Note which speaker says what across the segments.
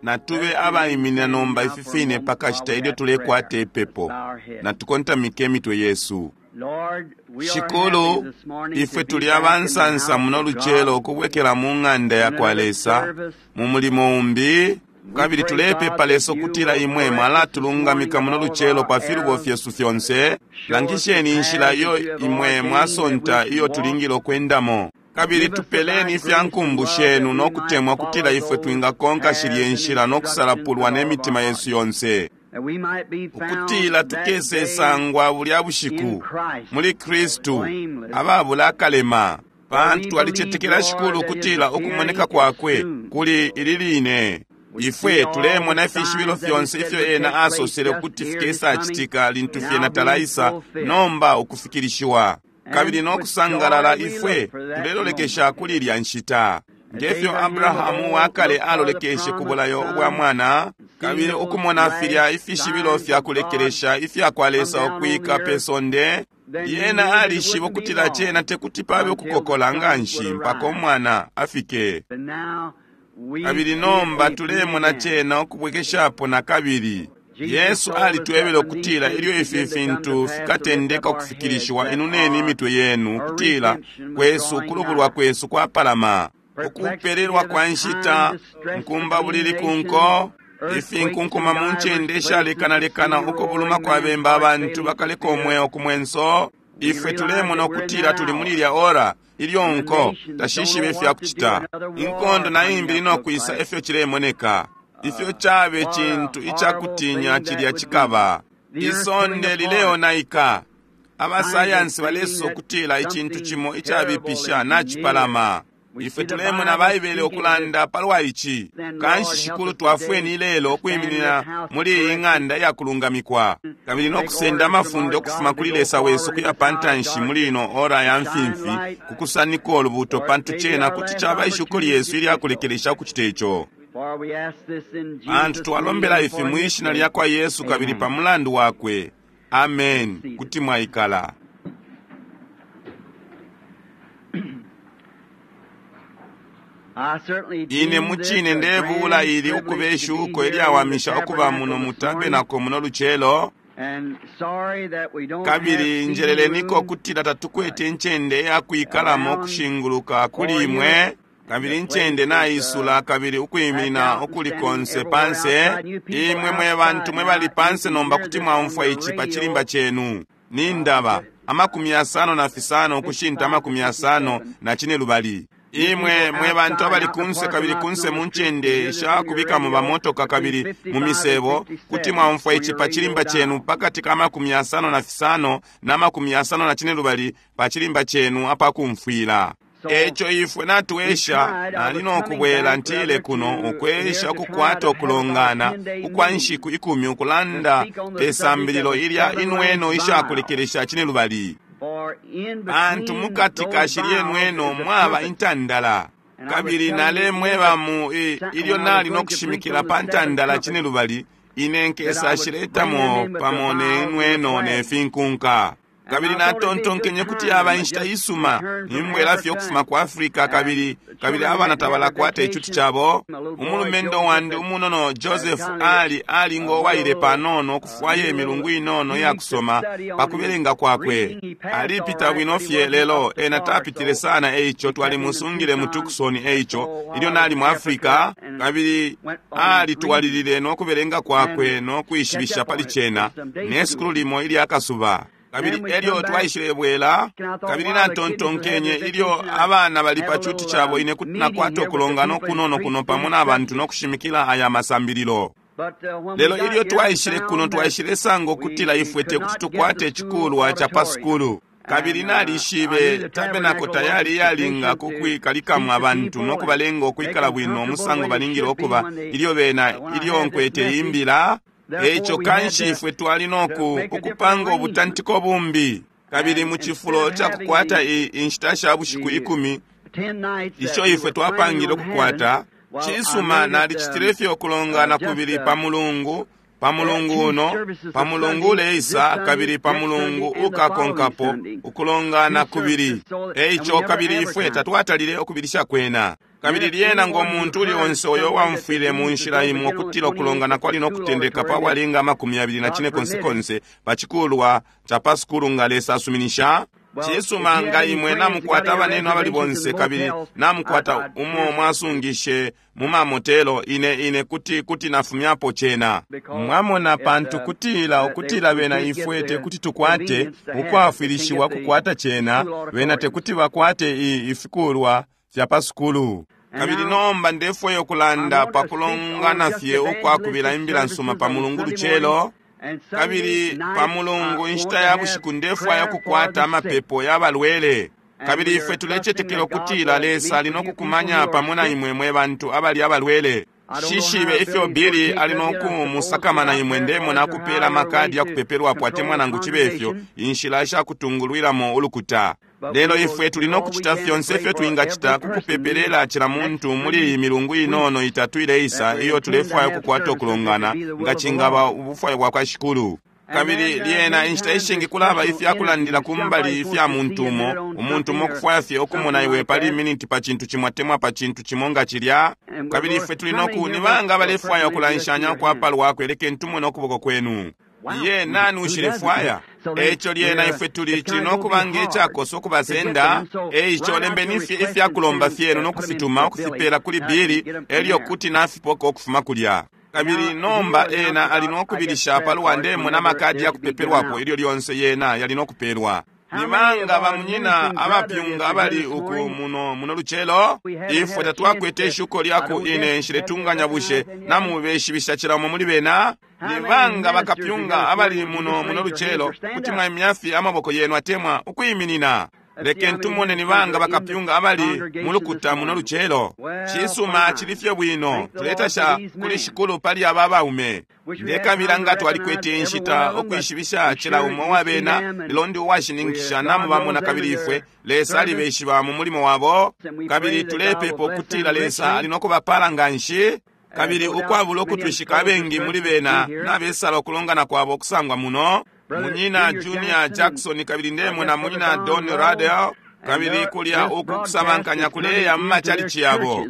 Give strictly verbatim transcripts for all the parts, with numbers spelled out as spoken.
Speaker 1: Natube abaiminina nomba ifi fine pakashita ilyo tulekwata ipepo. Natukontamike imitwe yesu. Shikulu, ifwe tuli abansansa muno lucelo ukubwekela mu ng'anda yakwa Lesa mu mulimo umbi, kabili tulepepa Lesa ukutila imwe mwalatulungamika muno lucelo pa filubo fyesu fyonse. Langisheni inshila iyo imwe mwasonta iyo tulingile ukwendamo, kabili tupeleni ifya nkumbu shenu no kutemwa kutila ifwe twingakonka shilye nshila no kusalapulwa ne mitima yesu yonse, ukutila tukesesangwa bulya bushiku muli Kristu ababula akalema, pantu twalicetekela Shikulu ukutila ukumoneka kwakwe kuli ili line. Ifwe tulemona ifishibilo fyonse ifyo ena asosele ukuti fikesacitika lintu fyena talaisa nomba ukufikilishiwa, kabili no kusangalala ifwe tulelolekesha kuli ilya nshita, ngefyo Abrahamu wakale alolekeshe ku bulayo ubwa mwana, kabili ukumona filya ifishibilo fya kulekelesha ifya kwa Lesa ukwika pe sonde. Yena alishiba ukutila cena tekuti pabe ukukokola nganshi mpaka umwana afike. Kabili nomba tulemona cena ukubwekeshapo na kabili. Yesu alitwebele ukutila ilyo ifi fintu fikatendeka ukufikilishiwa, inuneni imitwe yenu, ukutila kwesu ukulubulwa kwesu kwapalama. Ukupelelwa kwa nshita, nkumba bulili kunko, ifinkunkuma mu ncende ishalekanalekana, ukubuluma kwa bemba, abantu bakaleka umweo ku mwenso. Ifwe tulemona ukutila tuli muli ilya ora ilyo nko tashishibe ifya kucita. Inkondo na imbi linokwisa efyo cilemoneka. Ifyo cabe cintu icakutinya cilya cikaba. Isonde lileonaika. Abasayansi balesosa ukutila icintu cimo icabipisha nacipalama. Ifwe tulemona Baibele ukulanda palwa ici. Kanshi Shikulu, twafweni ilelo ukwiminina muli iyi ng'anda iyakulungamikwa, kabili no kusenda amafunde ukufuma kuli Lesa wesu kuya pantanshi muli ino ora ya mfimfi, kukusanika ulubuto, pantu cena kuti caba ishuko lyesu ilyakulekelesha ukucita ico. Pantu twalombela ifi mwi shina lyakwa Yesu kabili pa mulandu wakwe. Amen. Kuti mwaikala. Ine mucine ndebula ili ukuba ishuko ilyawamisha ukuba muno mu tabenako muno lucelo, kabili njeleleniko kutila tatukwete incende yakwikalamo kushinguluka kuli imwe, kabili incende naisula, kabili ukwiminina ukuli konse panse. Imwe mwe bantu mwe bali panse nomba kuti mwaumfwa ici pa chilimba chenu. Nindaba amakumi yasano na fisano ukushinta amakumi yasano na cine lubali. Imwe mwe bantu abali kunse, kabili kunse mu ncende ishakubikamo bamotoka kabili mu misebo, kuti mwaumfwa ici pa chilimba chenu pakati ka makumi yasano na fisano na makumi yasano na cine lubali pa chilimba chenu apakumfwila. Eco ifwe natuesha nali nokubwela ntile kuno ukwesha ukukwata ukulongana ukwa nshiku ikumi ukulanda pe sambililo ilya inweno ishakulekelesha cine lubali. Pantu mukati ka shilye nweno mwaba intandala, kabili nalemweba mu ilyo nali nokushimikila pa ntandala cine lubali, ine nkesa shiletamo pamo ne nweno ne finkunka. Kabili natontonkenye kuti yaba inshita isuma nimbwela fye ukufuma ku Afrika, kabili kabili abana tabalakwata icuti cabo. Umulumendo wandi umunono Joseph ali ali ngowaile panono ukufwaya imilungu inono iyakusoma pakubelenga kwakwe. Alipita bwino fye, lelo ena tapitile sana, eico twalimusungile mu Tucson. Eico ilyo nali mu Afrika, kabili alitwalilile nokubelenga kwakwe nokwishibisha pali cena ne sukulu limo ilyakasuba. Kabili elyo twaishilebwela, kabili natontonkenye ilyo abana bali pa cuti cabo, ine kuti nakwata ukulongana ukunono kuno pamo na bantu nokushimikila aya masambililo. Lelo ilyo twaishile kuno, twaishilesanga ukutila ifwe tekuti tukwate icikulwa ca pa sukulu. Kabili nalishibe tabenako tayali iyalinga kukwikalikamo abantu nokubalenga ukwikala bwino umusango balingile ukuba ilyo bena ilyo nkwete imbila. Eco kanshi ifwe twali noku ukupanga ubutantiko bumbi, kabili mu cifulo ca kukwata inshita sha bushiku ikumi isho ifwe twapangile ukukwata, cisuma nalicitile fye ukulongana kubili pa mulungu, pa mulungu uno, pa mulungu uleisa, kabili pa mulungu ukakonkapo ukulongana kubili. Eico kabili ifwe tatwatalile ukubilisha kwena. Kabili lyena ngo muntu uli onse uyo wamfwile mu nshila imo ukutila ukulongana kwali no kutendeka pa bwalenga amakumi yabili na cine konse konse pa cikulwa ca pa sukulu nga Lesa asuminisha. Cisuma nga imwe namukwata abanenu abali bonse kabili namukwata umo mwasungishe mu mamotelo, ine ine kuti kuti nafumyapo cena. Mwamona, pantu kutila ukutila bena ifwe tekuti tukwate ukwafwilishiwa kukwata cena, bena tekuti bakwate i ifikulwa fya pa sukulu. Kabili nomba ndefwaya ukulanda pa kulongana fye ukwakubila imbila nsuma pa Mulungu lucelo. Kabili pa Mulungu inshita ya bushiku ndefwaya ukukwata amapepo ya balwele. Kabili ifwe tulecetekela ukutila Lesa ali nokukumanya pamo na imwe mwe bantu abali abalwele. Shishibe ifyo Billy ali nokumusakamana imwe, ndemona akupela amakadi yakupepelwapo atemwa nangu cibe ifyo inshila shakutungulwilamo ulukuta. Lelo ifwe tuli nokucita fyonse ifyo twingacita kukupepelela cila muntu muli iyi milungu inono itatu ileisa iyo tulefwaya ukukwata ukulongana nga cingaba ubufwayo bwa kwa Shikulu. Kabili lyena inshita ishingi kulaba ifyakulandila kumbali ifya muntu umo, umuntu umo kufwaya fye ukumona iwe pali miniti pa cintu cimo atemwa pa cintu cimo nga cilya. Kabili ifwe tuli noku ni banga balefwaya ukulanshanya ukwapalwakwe, lekeni tumone ukuboko kwenu. Ye nani ushilefwaya? Eico lyena ifwe tuli cili nokuba ngecakosa ukubasenda. Eico lembeni fye ifyakulomba fyenu nokufituma ukufipela kuli Billy, elyo kuti nafipoka ukufuma kulya. Kabili nomba ena ali nokubilisha palwa ndemona amakadi yakupepelwapo ilyo lyonse yena yali nokupelwa. Ni banga bamunyina abapyunga abali uku muno muno lucelo? Ifwe tatwakwete ishuko lyaku ine nshiletunganya bushe namubeshibisha cila umo muli bena. Ni banga bakapyunga abali muno muno lucelo kuti mwaimya fye amaboko yenu atemwa ukwiminina? Lekeni tumone ni banga bakapyunga abali mulukuta muno lucelo. Cisuma, cili fye bwino. Tuletasha kuli Shikulu pali aba baume. Ndekabila nga twalikwete inshita ukwishibisha cila umo wa bena, lelo ndi uwashininkisha namubamona kabili ifwe Lesa alibeshiba mu mulimo wabo. Kabili tulepepa ukutila Lesa ali nokubapala nganshi. Kabili ukwabula ukutwishika abengi muli bena nabesala ukulongana kwabo kusangwa muno. Munyina Junior Jackson kabili ndemona munyina Don Radel, kabili kulya uku kusabankanya kuleya mu machalichi yabo.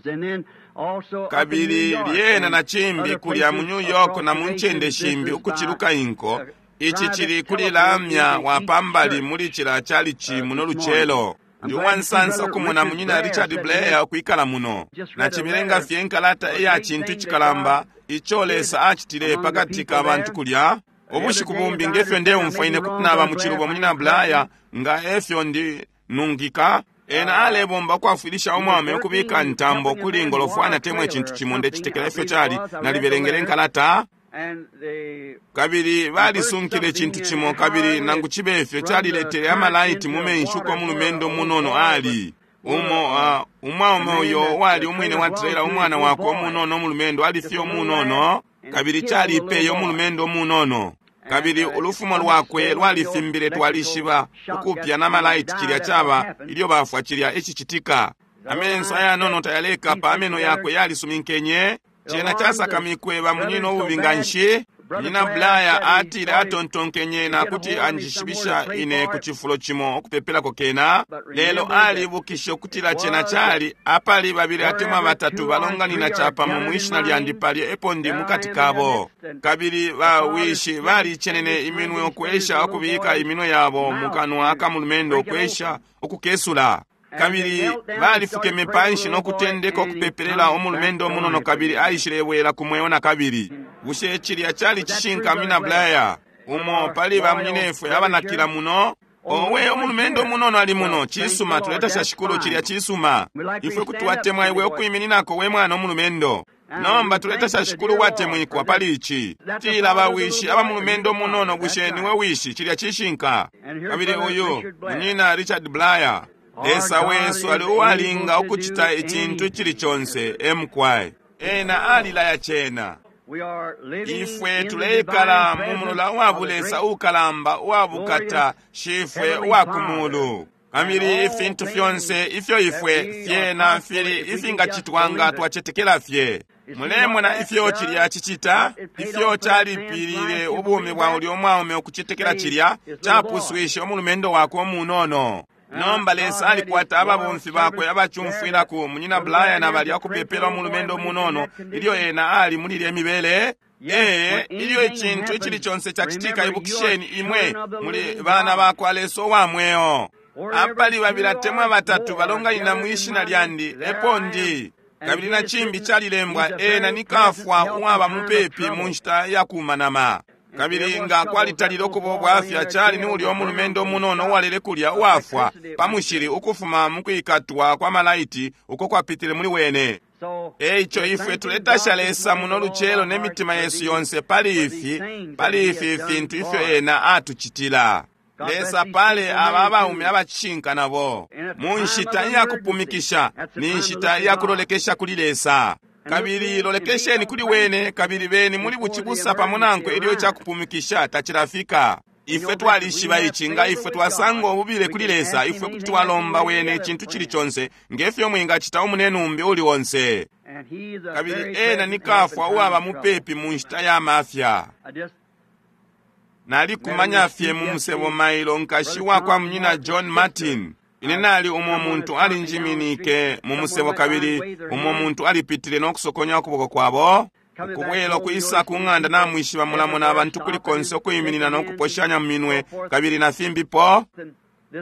Speaker 1: Kabili lyena na cimbi kulya mu New York na mu ncende shimbi ukuciluka inko. Ici cili kuli lamya wa pambali muli cila chalichi muno lucelo. Ndi uwansansa ukumona munyina Richard Blair ukwikala muno. Nacibilenga fye nkalata iya cintu icikalamba ico Lesa acitile pakati ka bantu kulya. Ubushiku bumbi ngefyo ndeumfwa ine kuti naba mu cilubo munyina Blair nga efyo ndi nungika. Ena alebomba ukwafwilisha umwaume ukubika ntambo kuli ngolofwana temwe cintu cimo ndecitekela ifyo cali nalibelengele nkalata. Kabili balisunkile cintu cimo kabili nangu cibe ifyo caliletele amalaiti mu menshi uko mulumendo munono ali. Umo uh, umwaume uyo wali umwine wa trailer umwana wakwe umunono umulumendo ali fye umunono kabili calipeye umulumendo umunono. Kabili ulufumo lwakwe lwalifimbile twalishiba ukupya na malaiti cilya caba ilyo bafwa cilya icicitika. Amenso ayanono tayalekapa ameno yakwe yalisuminkenye. Cena casakamikwe bamunyina ububi nganshi. Munyina Blair atile atontonkenye na kuti anjishibisha ine ku cifulo cimo ukupepelako kena, lelo alibukishe ukutila cena cali apali babili atemwa batatu balonganina capamo mwishina lyandi palya epo ndi mukati kabo. Kabili bawishi balicenene iminwe ukwesha ukubika iminwe yabo mu kanwa ka mulumendo ukwesha ukukesula. Kabili balifukeme panshi nokutendeka ukupepelela umulumendo umunono kabili aishilebwela ku mweo na kabili. Bushe cilya cali cishinka munyina Blair? Umo pali bamunyinefwe abanakila muno. Owe, umulumendo umunono ali muno. Cisuma, tuletasha Shikulu, cilya cisuma. Ifwe kuti watemwa iwe ukwimininako we mwana umulumendo. Nomba tuletasha Shikulu watemwikwa pali ici. Tila bawishi aba mulumendo umunono, bushe niwe wishi? Cilya cishinka. Kabili uyu munyina Richard Blair. Lesa wesu ali uwalinga ukucita icintu icili conse emkwai. Ena alilaya cena. Ifwe tuleikala mu mulola uwabulesa ukalamba uwabukata shifwe uwakumulu. Kabili ifintu fyonse ifyo ifwe fyena fili ifingacitwa nga twacetekela fye. Mulemona ifyo cilya cicita, ifyo calipilile ubumi bwa ulya umwaume ukucetekela cilya capuswishe umulumendo wakwe umunono. Nomba Lesa alikwata ababomfi bakwe abacumfwilako munyina Brian abalya kupepela umulumendo munono ilyo ena ali muli ilye mibele. Ee, ilyo icintu icili conse cacitika, ibukisheni imwe muli bana bakwa Lesa uwa mweo. Apali babili atemwa batatu balonganina mwishina lyandi, epo ndi. Kabili na cimbi calilembwa, ena ni kafwa uwaba mupepi mu nshita ya kumanama. Kabili nga kwalitalile ukuba ubwafya, cali ni ulya umulumendo munono uwalele kulya uwafwa pa mushili ukufuma mu kwikatwa kwa malaiti uko kwapitile muli wene. Eico ifwe tuletasha Lesa muno lucelo ne mitima yesu yonse pali ifi, pali ifi fintu ifyo ena atucitila. Lesa pale aba abaume abacishinka nabo mu nshita iyakupumikisha, ni nshita iyakulolekesha kuli Lesa. Kabili lolekesheni kuli wene, kabili beni muli bucibusa pamo nankwe ilyo icakupumikisha tacilafika. Ifwe twalishiba ici, nga ifwe twasanga ububile kuli Lesa, ifwe kuti twalomba wene icintu cili conse ngefyo mwingacita umunenumbi uli onse. Kabili ena ni kafwa uwaba mupepi mu nshita ya mafya. Nalikumanya fye mu musebo mailo nkashi wakwa munyina John Martin. Ine nali umo muntu alinjiminike mu musebo, kabili umo muntu alipitile no kusokonya ukuboko kwabo. Ukubwela ukwisa ku ng'anda namwishiba mulamona abantu kuli konse ukuyiminina no kuposhanya mu minwe kabili na fimbipo.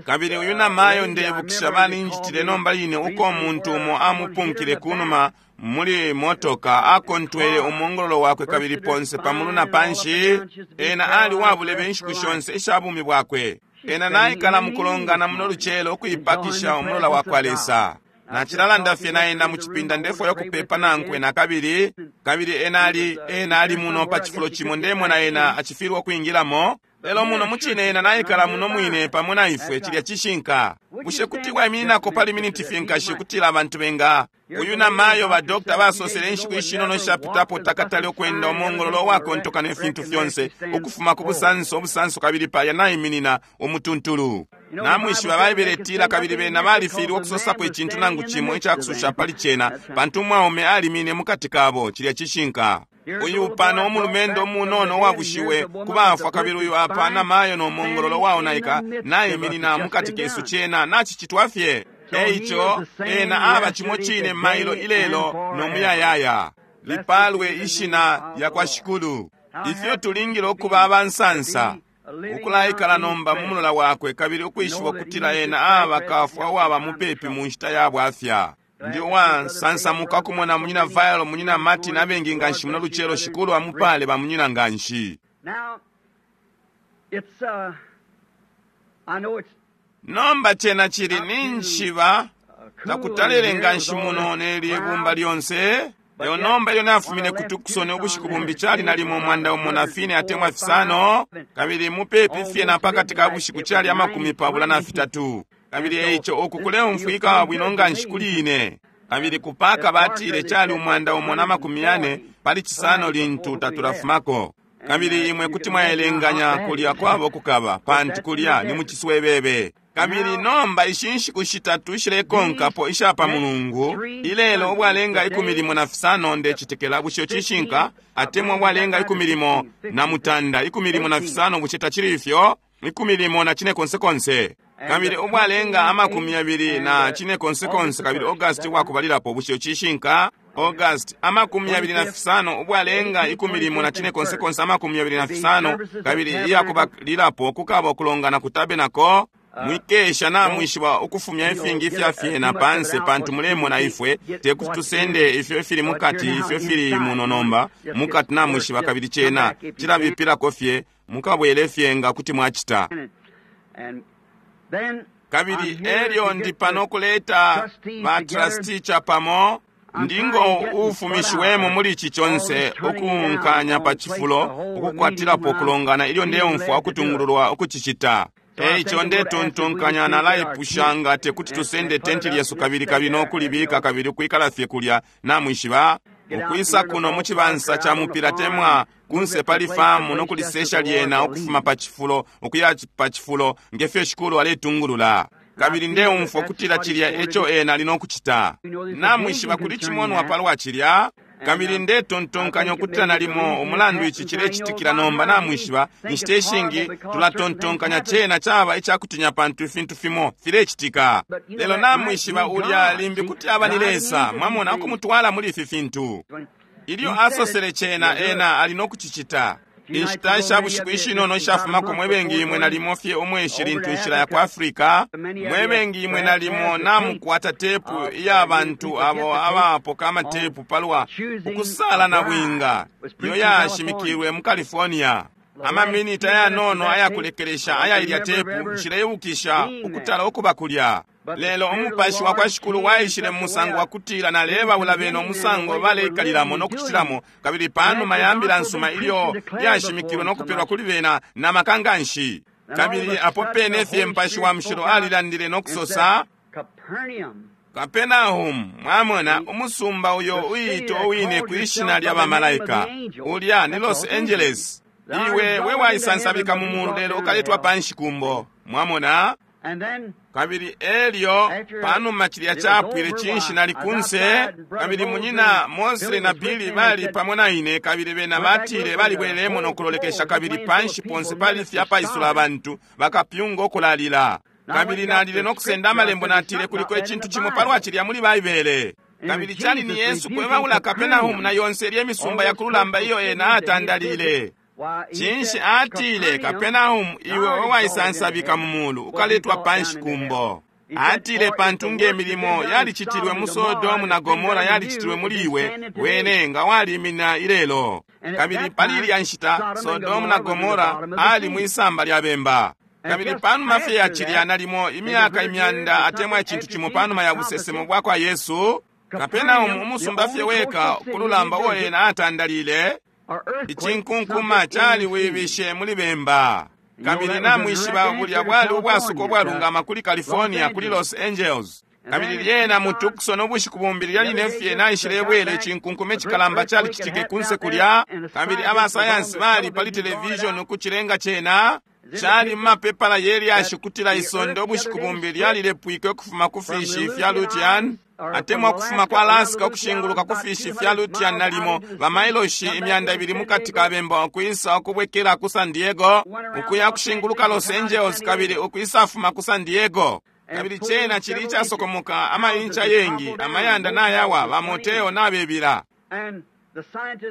Speaker 1: Kabili uyu namayo ndebukisha balinjitile nomba line uko umuntu umo amupunkile kunuma muli motoka, akontwele umongololo wakwe kabili ponse pamulu na panshi. Ena ali wabulebe inshiku shonse isha bumi bwakwe. Ena naikala mukulongana muno lucelo ukuipakisha umulola wakwa Lesa. Nacilalanda fye na ena mucipinda ndefwaya ukupepa nankwe na kabili. Kabili ena ali, ena ali muno pa cifulo cimo ndemona ena acifilwa ukwingilamo. Lelo muno mucine ena naikala muno mwine pamo na ifwe, cilya cishinka. Bushe kuti waimininako pali miniti fye nkashi kutila abantu benga? Uyu namayo ba dokta basosele inshiku ishinono ishapitapo takatale ukwenda umongololo wakontoka ne fintu fyonse ukufuma ku busanso obusanso, kabili palya naiminina umutuntulu. Namwishiba Baibele itila kabili bena balifilwe ukusosapo icintu nangu cimo icakususha pali cena, pantu umwaume alimine mukati kabo, cilya cishinka. Uyu pano umulumendo umunono uwabushiwe ku bafwa, kabili uyu apa namayo no mongololo waonaika naiminina mukati kesu, cena nacicitwa fye. Eico ena aba cimo cine mailo ilelo no muyayaya. Lipalwe ishina lya kwa Shikulu. Ifyo tulingile ukuba abansansa ukulaikala nomba mu mulola wakwe, kabili ukwishiba ukutila ena aba kafwa uwaba mupepi mu nshita ya bwafya. Ndi uwasansamuka kumona munyina Vailo, munyina Martin abengi nganshi muno lucelo. Shikulu amupale ba munyina nganshi. Nomba cena cili ninshiba takutalele nganshi muno nelye bumba lyonse. Leo nomba ilyo nafumine ku Tucson ubushiku bumbi cali nalimo umwanda umo na fine atemwa fisano, kabili mupepi fye na pakati ka bushiku cali amakumi pabula na fitatu. Kabili eico uku kuleumfwika bwino nganshi kuli ine. Kabili kupaka batile cali umwanda umo na makumi yane pali cisano lintu tatulafumako. Kabili imwe kuti mwaelenganya kulya kwabo kukaba, pantu kulya ni muciswebebe. Kabili nomba ishi nshiku shitatu ishilekonkapo isha pa mulungu, ilelo ubwalenga ikumi limo na fisano ndecitekela, bushe cishinka atemwa ubwalenga ikumi limo na mutanda, ikumi limo na fisano, bushe tacili ifyo? Ikumi limo na cine konse konse. Kabili ubwalenga amakumi yabili na cine konse konse, kabili August wakubalilapo, bushe cishinka? August amakumi yabili na fisano, ubwalenga ikumi limo na cine konse konse, amakumi yabili na fisano, kabili iyakubalilapo kukaba ukulongana ku tabernacle. Mwikesha namwishiba ukufumya ifingi ifya fyena panse, pantu mulemona ifwe tekuti tusende ifyo ifili mukati, ifyo fili muno nomba mukati namwishiba, kabili cena cilabipilako fye, mukabwele fye nga kuti mwacita. Kabili elyo ndi pano kuleta ba trustee chapamo, ndingo ufumishiwemo muli ici conse ukunkanya pa cifulo ukukwatilapo kulongana ilyo ndeumfwa ukutungululwa ukucicita. Eico ndetontonkanya nalaipusha nga tekuti tusende tenti lyesu kabili kabili nokulibika kabili ukwikala fye kulya namwishiba, ukwisa kuno mu cibansa ca mupila temwa kunse pali famu nokulisesha lyena ukufuma pa cifulo ukuya pa cifulo ngefyo Shikulu aletungulula. Kabili ndeumfwa ukutila cilya eco ena ali nokucita. Namwishiba kuli cimonwa palwa cilya. Kabili ndetontonkanya ukutila nalimo umulandu ici cilecitikila nomba namwishiba, inshita ishingi tulatontonkanya cena caba icakutinya pantu ifintu fimo filecitika. Lelo namwishiba ulya limbi kuti aba ni Lesa, mwamona, ukumutwala muli ifi fintu. Ilyo asosele cena, ena ali nokucicita. Inshita sha bushiku ishinono ishafumako mwebengi imwe nalimo fye umweshi lintu inshila ya ku Africa, mwebengi imwe nalimo namukwata tepu iya bantu abo abapoka amatepu palwa ukusala na bwinga iyo yashimikilwe mu California. Amaminita yanono ayakulekelesha aya ilya tepu nshileibukisha ukutala ukuba kulya. Lelo umupashi wa kwa Shikulu waishile mu musango wa kutila nalebaula bena umusango baleikalilamo no kucitilamo, kabili panuma ya mbila nsuma ilyo yashimikilwe no kupelwa kuli bena na maka nganshi. Kabili apo pene fye Mupashi wa Mushilo alilandile no kusosa, Kapernaum, mwamona, umusumba uyo uyito uwine kwishina lya bamalaika, ulya ni Los Angeles. Iwe we waisansabika mu mulu lelo ukaletwa panshi kumbo, mwamona. Kabili elyo panuma cilya capwile cinshi nali kunse, kabili munyina Mosley na Billy bali pamo na ine, kabili bena batile balibwelemo no kulolekesha, kabili panshi ponse pali fye apaisula abantu bakapyunga ukulalila. Kabili nalile no kusenda amalembo, natile kuliko icintu cimo palwa cilya muli Baibele. Kabili cali ni Yesu kwebaula Kapernaum na yonse ilye misumba ya kululamba iyo ena atandalile. Cinshi atile, Kapernaum, iwe waisansabika mu mulu ukaletwa panshi kumbo. Atile pantu nge milimo yalicitilwe mu Sodomu na Gomora yalicitilwe muli iwe, wene nga walimina ilelo. Kabili pali ilya nshita Sodomu na Gomora ali mwisamba lya bemba. Kabili panuma fye ya cilya nalimo imyaka imyanda atemwa icintu cimo panuma ya busesemo bwa kwa Yesu, Kapernaum umusumba fye weka kululamba uo ena atandalile, icinkunkuma caliwibishe muli bemba. Kabili namwishiba bulya bwali ubwasuko bwalungama kuli California, kuli Los Angeles. Kabili lyena mu Tucson ubushiku bumbi lyaline fye naishilebwela icinkunkuma icikalamba calicitike kunse kulya, kabili abasayansi bali pali television ukucilenga cena cali mu mapepala yelyashi kutila isonde ubushiku bumbi lyalilepwike ukufuma ku fishi fya Lutian, atemwa kufuma kwa Alaska ukushinguluka ku fishi fya Lutian nalimo bamailoshi imyanda ibili mukati ka bemba ukwisa ukubwekela ku San Diego, ukuya kushinguluka Los Angeles kabili ukwisafuma ku San Diego. Kabili cena cili icasokomoka amaincha yengi, amayanda nayawa, bamoteo nabebila.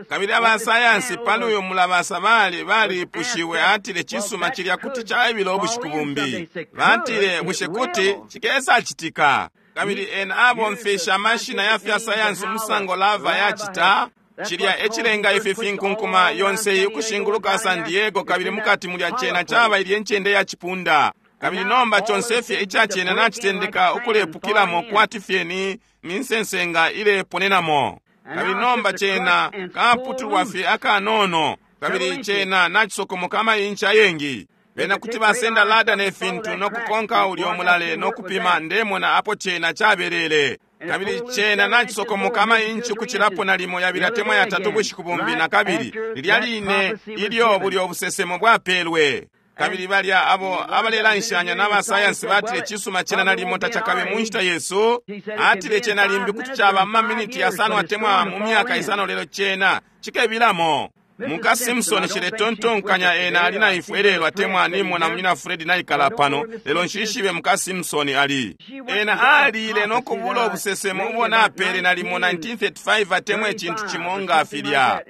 Speaker 1: Kabili abasayansi pali uyu mulabasa bali balipushiwe, atile cisuma cilya kuti caibila ubushiku bumbi. Batile bushe kuti cikesacitika. Kabili ena abomfesha amashina ya fya sayansi umusango lava yacita, cilya ecilenga ifi finkunkuma yonse ukushinguluka San Diego, kabili mukati mulya cena caba ilye ncende ya cipunda. Kabili nomba conse fye ica cena nacitendeka ukulepukilamo kwati fye ni minsensenga ileponenamo. Kabili nomba cena kaputulwa fye akanono, kabili cena nacisokomoka amainchi ayengi. Bena kuti basenda lada ne fintu no kukonka ulyo mulale no kupima, ndemona apo cena cabelele. Kabili cena nacisokomoka amainchi ukucilapo nalimo yabili atemwa yatatu bushiku bumbi na kabili, lilya line ilyo bulyo busesemo bwapelwe. Kabili balya abo abalelanshanya n'abasayansi batile cisuma cena nalimo tacakabe mu nshita yesu. Atile cena limbi kuti caba mu maminiti yasano atemwa mu myaka isano, lelo cena cikebilamo. Muka Simpson ciletontonkanya ena ali na ifwe lelo atemwa nimona munyina Fred naikala pano, lelo nshishibe muka Simpson ali. Ena alile no kubula ubusesemo ubo napele nalimo nineteen thirty-five atemwa icintu cimo nga filya.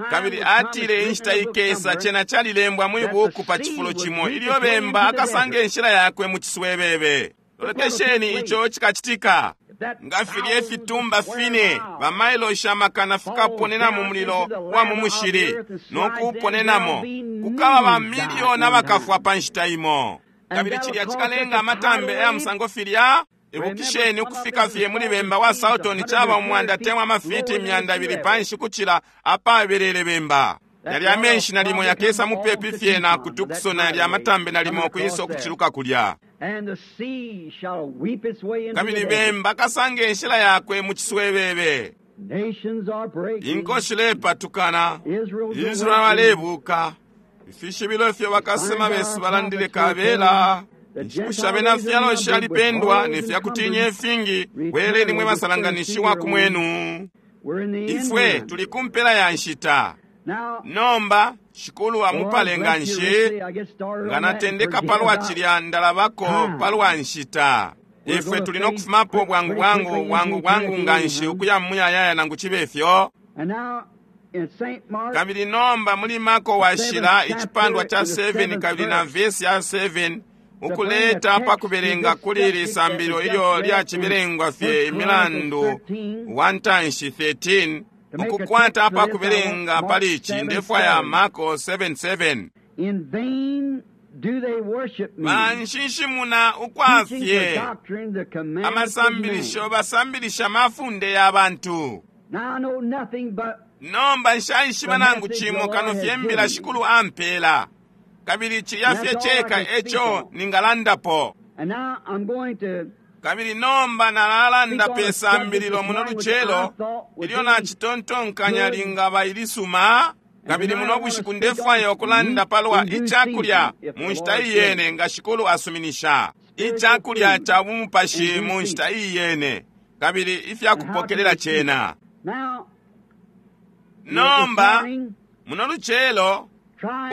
Speaker 1: Kabili atile inshita ikesa cena calilembwa mwi buku pa cifulo cimo ilyo bemba akasanga inshila yakwe mu ciswebebe. Lolekesheni ico cikacitika. Nga filya ifitumba fine bamailosha amakana fikaponena mu mulilo wa mu mushili no kuuponenamo, kukaba bamiliyoni abakafwa pa nshita imo. Kabili cilya cikalenga amatambe aya musango filya. Ibukisheni ukufika fye muli bemba wa Salton caba umwanda atemwa amafiti imyanda ibili panshi kucila apabelele bemba. Yalya amenshi nalimo yakesa mupepi fye na ku Tucson, yalya amatambe nalimo ukwisa ukuciluka kulya. Kabili bemba kasanga inshila yakwe mu ciswebebe. Inko shilepatukana, Israel alebuka, ifishibilo ifyo bakasema besu balandile kabela. Inshiku bena fyalo shalipendwa ne fyakutinya ifingi, bweleni mwe basalanganishiwa ku mwenu. Ifwe tuli ku mpela ya nshita. Nomba Shikulu amupale nga nshi, nga natendeka palwa cilya ndalabako palwa nshita. Ifwe tuli no kufumapo bwangu bwangu bwangu bwangu nga nshi ukuya muyayaya nangu chibe fyo. Kabili nomba muli Marko washila icipandwa cha seven kabili na vesi ya seven ukuleta pakubelenga kuli lisambililo ilyo lyacibelengwa fye imilandu one thirteen ukukwata apakubelenga pali ici ndefwaya Marko seven seven. Banshinshimuna ukwafye amasambilisho basambilisha mafunde ya bantu. Nomba nshaishiba nangu chimo kano fye mbila Shikulu ampela, kabili cilya fye cheka echo ningalandapo. Kabili nomba nalalanda pe sambililo muno lucelo ilyo nacitontonkanya lingaba ilisuma. Kabili muno bushiku ndefwaya ukulanda palwa icakulya mu nshita iyene nga Shikulu asuminisha, icakulya ca bumupashi mu nshita iyene, kabili ifyakupokelela cena. Nomba muno lucelo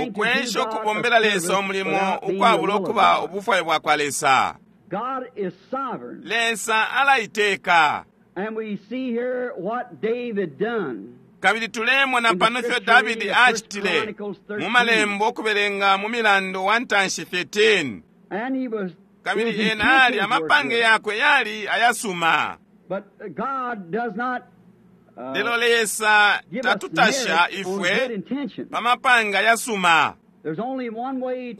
Speaker 1: ukwesha ukubombela Lesa umulimo ukwabula ukuba ubufwayo bwakwa Lesa. Lesa alaiteka. Kabili tulemona pano ifyo Davidi acitile mu malembo ukubelenga mu milandu one thirteen. Kabili ena ali amapange yakwe yali ayasuma. Lelo Lesa tatutasha ifwe pa mapanga yasuma.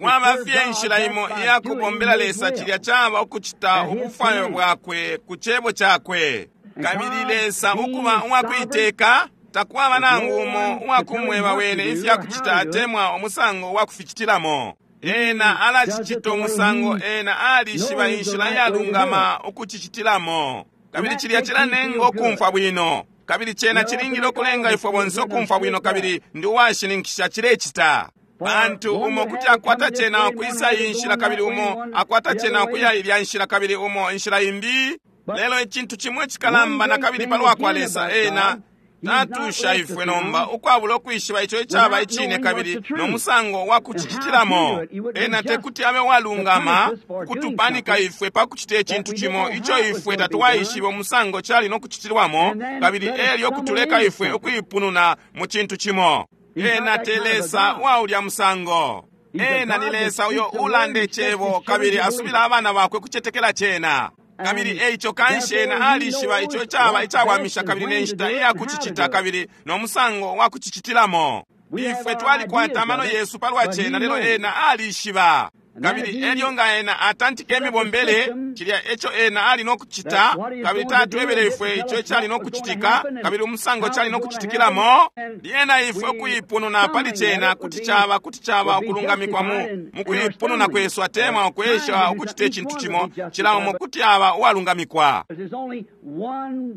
Speaker 1: Kwaba fye inshila imo iyakubombela Lesa, cilya caba ukucita ubufwayo bwakwe ku cebo cakwe. Kabili Lesa ukuba uwakuiteka, takwaba nangu umo uwakumweba wene ifyakucita atemwa umusango wakuficitilamo. Ena alacicita umusango ena alishiba inshila iyalungama ukucicitilamo. Kabili cilya cilanenga ukumfwa bwino. Kabili cena cilingile ukulenga ifwe bonse ukumfwa bwino, kabili ndi uwashininkisha cilecita. Pantu umo kuti akwata cena ukwisa iyi nshila, kabili umo akwata cena ukuya ilya nshila, kabili umo inshila imbi. Lelo icintu chimwe chikalamba na kabili palwa kwa Lesa, ena tatusha ifwe nomba ukwabula ukwishiba ico icaba icine kabili no musango wa kucicitilamo. Ena tekuti abe walungama kutupanika ifwe pa kucita icintu cimo ico ifwe tatuwaishiba umusango cali no kucitilwamo, kabili elyo kutuleka ifwe ukuipununa mu cintu cimo. Ena te Lesa wa ulya musango. Ena ni Lesa uyo ulanda icebo kabili asubila abana bakwe kucetekela cena. Kabili eico kanshi ena alishiba ico caba icawamisha kabili ne nshita iyakucicita kabili no musango wa kucicitilamo. Ifwe twalikwata amano yesu palwa cena, lelo ena alishiba. Kabili elyo nga ena atantika imibombele, cilya eco ena ali no kucita, kabili tatwebele ifwe ico cali no kucitika, kabili umusango cali no kucitikilamo, lyena ifwe ukuipununa pali cena kuti caba kuti caba ukulungamikwa mu mukuipununa kwesu atemwa ukwesha ukucita icintu cimo, cila umo kuti aba uwalungamikwa.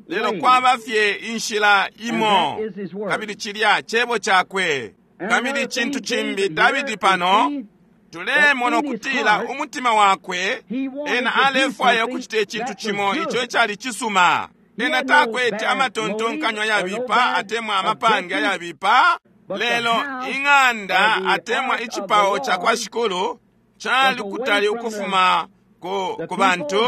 Speaker 1: Lelo kwaba fye inshila imo, kabili cilya cebo cakwe. Kabili icintu cimbi Davidi pano tulemona ukutila umutima wakwe ena alefwaya ukucita icintu cimo ico icali cisuma. Ena takwete amatontonkanyo ayabipa atemwa amapange ayabipa, lelo ing'anda atemwa icipao ca kwa Shikulu cali kutali ukufuma ku, ku bantu.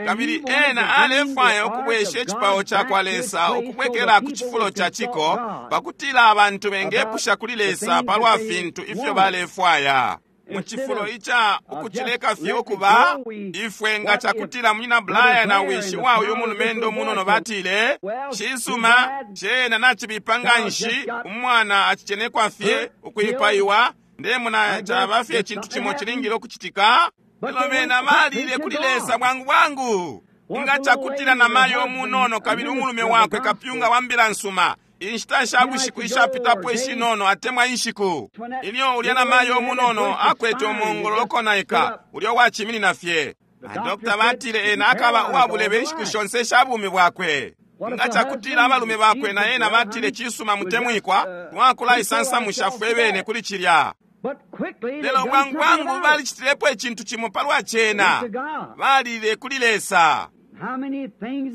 Speaker 1: Kabili ena alefwaya ukubwesha icipao ca kwa Lesa ukubwekela ku cifulo ca ciko, pakutila abantu bengepusha kuli Lesa palwa fintu ifyo balefwaya. Mu cifulo ica ukucileka fye ukuba ifwe nga cakutila munyina Blair na wishi wa uyu mulumendo munono batile, cisuma cena nacibipa nga nshi, umwana acicenekwa fye ukuipaiwa, ndemona caba fye icintu cimo cilingile ukucitika. Lelo bena balile kuli Lesa bwangu bwangu. Nga cakutila na mayo munono kabili umulume wakwe kapyunga wa mbila nsuma, inshita sha bushiku ishapitapo ishinono atemwa inshiku, ilyo ulya na mayo munono akwete umongololo konaika ulya waciminina fye, badokta batile ena akaba uwabulebe inshiku shonse sha bumi bwakwe. Nga cakutila abalume bakwe na ena batile, cisuma mutemwikwa, twakulaisansamusha fwe bene kuli cilya. Lelo bwangu bwangu balicitilepo icintu cimo palwa cena, balile kuli Lesa.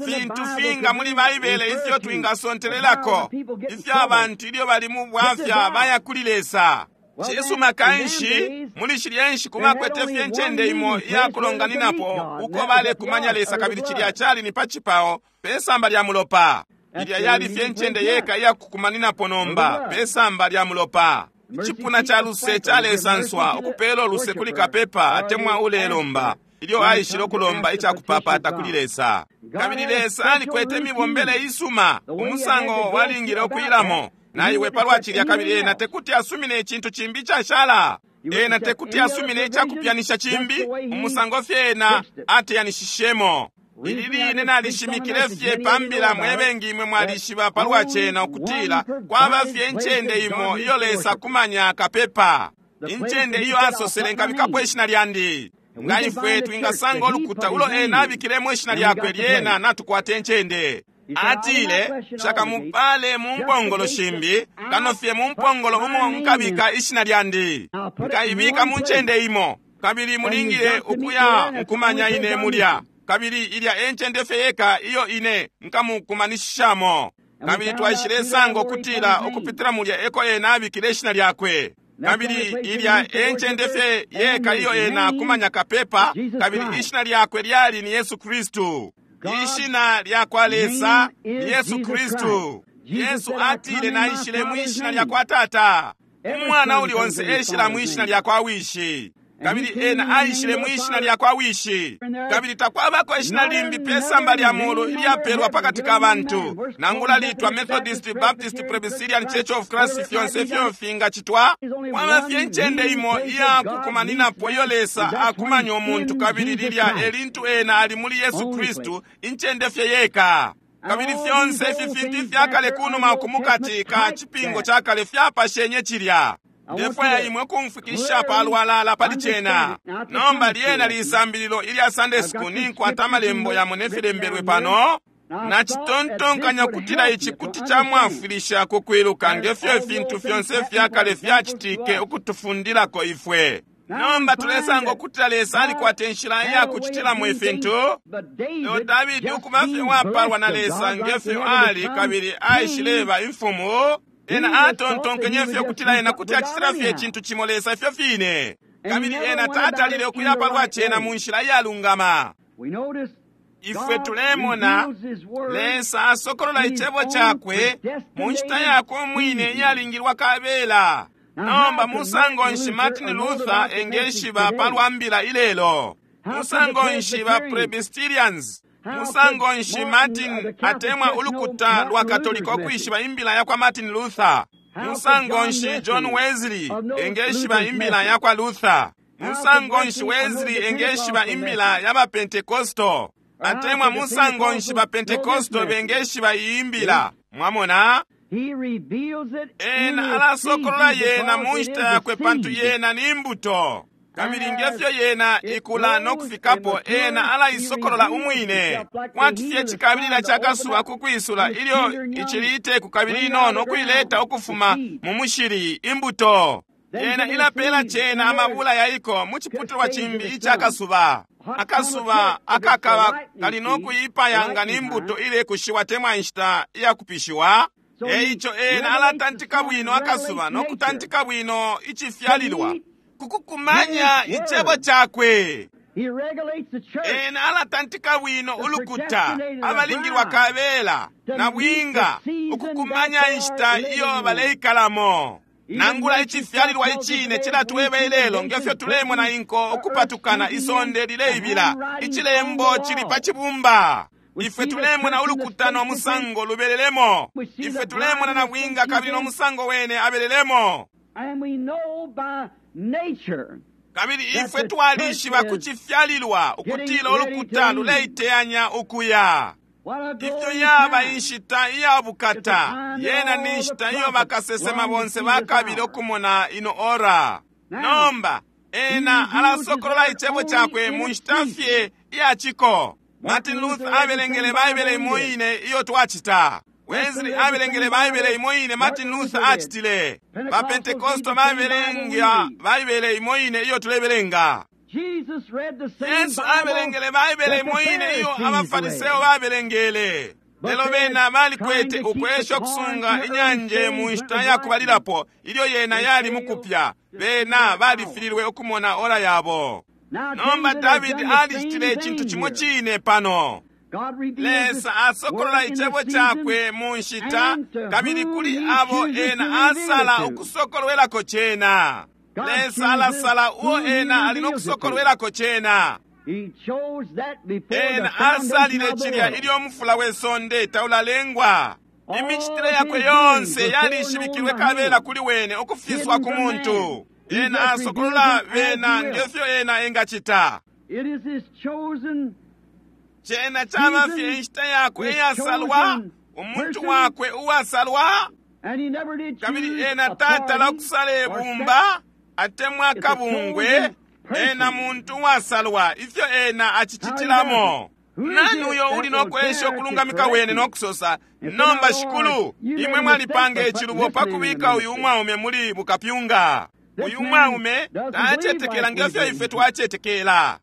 Speaker 1: Fintu finga muli Baibele ifyo twingasontelelako ifyo abantu ilyo bali mu bwafya baya kuli Lesa. Cisuma kanshi muli shilya nshiku bakwete fye incende imo iyakulonganinapo uko balekumanya Lesa, kabili cilya cali ni pa cipao pe samba lya mulopa. Ilya yali fye incende yeka iyakukumaninapo nomba pe samba lya mulopa. Icipuna ca luse calesanswa ukupela uluse kuli kapepa atemwa ulelomba ilyo aishile ukulomba icakupapata kuli Lesa. Kabili Lesa alikwete imibombele isuma, umusango walingile ukuilamo na iwe palwa cilya, kabili ena tekuti asumine icintu cimbi icashala. Ena tekuti asumine icakupyanisha cimbi, umusango fye ena ateyanishishemo. Ili line nalishimikile fye pambila mwebengi imwe mwalishiba palwa cena ukutila kwaba fye incende imo iyo Lesa kumanya kapepa, incende iyo asosele nkabikapo ishina lyandi. Nga ifwe twingasanga ulukuta ulo ena abikilemo ishina lyakwe, lyena natukwata incende. Atile, shakamupale mu mpongolo shimbi, kano fye mu mpongolo umo nkabika ishina lyandi. Nkaibika mu ncende imo, kabili mulingile ukuya nkumanya ine mulya. Kabili ilya encende fye yeka iyo ine nkamukumanishishamo. Kabili twaishilesanga ukutila ukupitila mulya eko ena abikile ishina lyakwe. Kabili ilya encende fye yeka iyo ena kumanya kapepa, kabili ishina lyakwe lyali ni Yesu Kristu. Ishina lya kwa Lesa ni Yesu Kristu. Yesu atile naishile mwishina lya kwa Tata. Umwana uli onse eshila mwishina lya kwa Wishi. Kabili ena aishile mwishina lya kwa Wishi. Kabili takwabako ishina limbi pe samba lya mulu ilyapelwa pakati ka bantu, nangula litwa Methodist, Baptist, Presbyterian, Church of Christ, fyonse ifyo fingacitwa. Kwaba fye incende imo iyakukumaninapo iyo Lesa akumanya umuntu, kabili lilya elintu ena ali muli Yesu Kristu, incende fye yeka. Kabili fyonse ifi fintu ifyakale kunuma ukumukati ka cipingo cakale fyapashenye cilya. Ndefwaya imwe kumfikisha palwalala pali cena. Nomba lyena lisambililo ilya Sunday school ninkwata amalembo yamo nefilembelwe pano. Nacitontonkanya kutila ici kuti camwafwilisha kukwiluka ngefyo ifintu fyonse fyakale fyacitike ukutufundilako ifwe. Nomba tulesanga ukutila Lesa alikwata inshila iyakucitilamo ifintu. Lelo Davidi ukuba fye wapalwa na Lesa ngefyo ali, kabili aishileba imfumu. Ena atontonkenye fye ukutila ena kuti acitila fye icintu cimo Lesa ifyo fine. Kabili ena tatalile ukuya palwa cena mu nshila iyalungama. Ifwe tulemona Lesa asokolola icebo cakwe mu nshita yakwe umwine iyalingilwa kabela. Nomba musango nshi Martin Luther engeshiba palwa mbila ilelo? Musango nshi ba Presbyterians? Musango nshi Martin atemwa ulukuta lwa Katolika ukwishiba imbila yakwa Martin Luther? Musango nshi John Wesley engeshiba imbila yakwa Luther? Musango nshi Wesley engeshiba imbila yaba Pentecostal? Atemwa musango nshi ba Pentecostal bengeshiba iyi imbila? Mwamona? Ena alasokolola yena mu nshita yakwe pantu yena ni mbuto. Kabili ngefyo yena ikula no kufikapo, ena alaisokolola umwine. Kwati fye cikabilila cakasuba kukwisula ilyo icili iteku kabili inono ukuileta ukufuma mu mushili imbuto. Yena ilapela cena amabula yaiko mu ciputulwa cimbi icakasuba. Akasuba akakaba kali no kuipaya nga ni mbuto ilekushiwa temwa inshita iyakupishiwa. Eico ena alatantika bwino akasuba no kutantika bwino icifyalilwa kukukumanya icebo cakwe. Ena alatantika bwino ulukuta abalingilwa kabela na bwinga ukukumanya inshita iyo baleikalamo. Nangula icifyalilwa icine cilatweba ilelo ngefyo tulemona inko ukupatukana isonde lileibila, icilembo cili pa cibumba. Ifwe tulemona ulukuta no musango lubelelemo. Ifwe tulemona na bwinga kabili no musango wene abelelemo. Kabili ifwe twalishiba ku cifyalilwa ukutila ulukuta luleiteyanya ukuya. Ifyo yaba inshita iya bukata, yena ni nshita iyo bakasesema bonse bakabile ukumona ino ora. Nomba ena alasokolola icebo cakwe mu nshita fye iya ciko. Martin Luther abelengele Baibele imo ine iyo twacita. Wesley abelengele Baibele imo ine Martin Luther acitile. Ba Pentecostal babelenga Baibele imo ine iyo tulebelenga. Yesu abelengele Baibele imo ine iyo abaFariseo babelengele. Lelo bena balikwete ukwesha kusunga inyanje mu nshita ya kubalilapo ilyo yena yali mukupya. Bena balifililwe ukumona ora yabo. Nomba Davidi alicitile icintu cimo cine pano. Lesa asokolola icebo cakwe mu nshita, kabili kuli abo ena asala ukusokolwelako cena. Lesa alasala uo ena ali no kusokolwelako cena. Ena asalile cilya ilyo umufula we sonde taulalengwa. Imicitile yakwe yonse yalishibikilwe kabela kuli wene ukufiswa ku muntu. Ena asokolola bena ngefyo ena engacita. Cena caba fye inshita yakwe iyasalwa, umuntu wakwe uwasalwa, kabili ena tatala ukusala ibumba atemwa kabungwe. Ena muntu uwasalwa, ifyo ena acicitilamo. Nani uyo uli nokwesha ukulungamika wene nokusosa, nomba Shikulu, imwe mwalipanga icilubo pakubika uyu umwaume muli bukapyunga. Uyu umwaume tacetekela ngefyo ife twacetekela.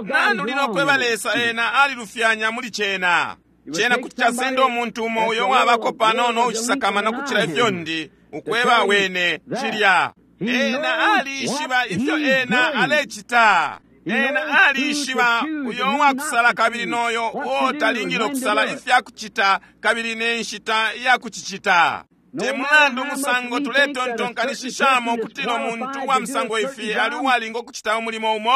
Speaker 1: Nani uli nokweba Lesa ena alilufyanya muli cena? Cena kuti casenda umuntu umo uyo wabako panono ucisakamana kucila ifyo ndi ukweba wene cilya. Ena alishiba ifyo ena alecita. Ena alishiba uyo uwakusala kabili noyo uo talingile ukusala ifya kucita kabili ne nshita iya kucicita. Te mulandu musango tuletontonkanishishamo ukutila umuntu uwa musango ifi ali uwalinga ukucita umulimo umo.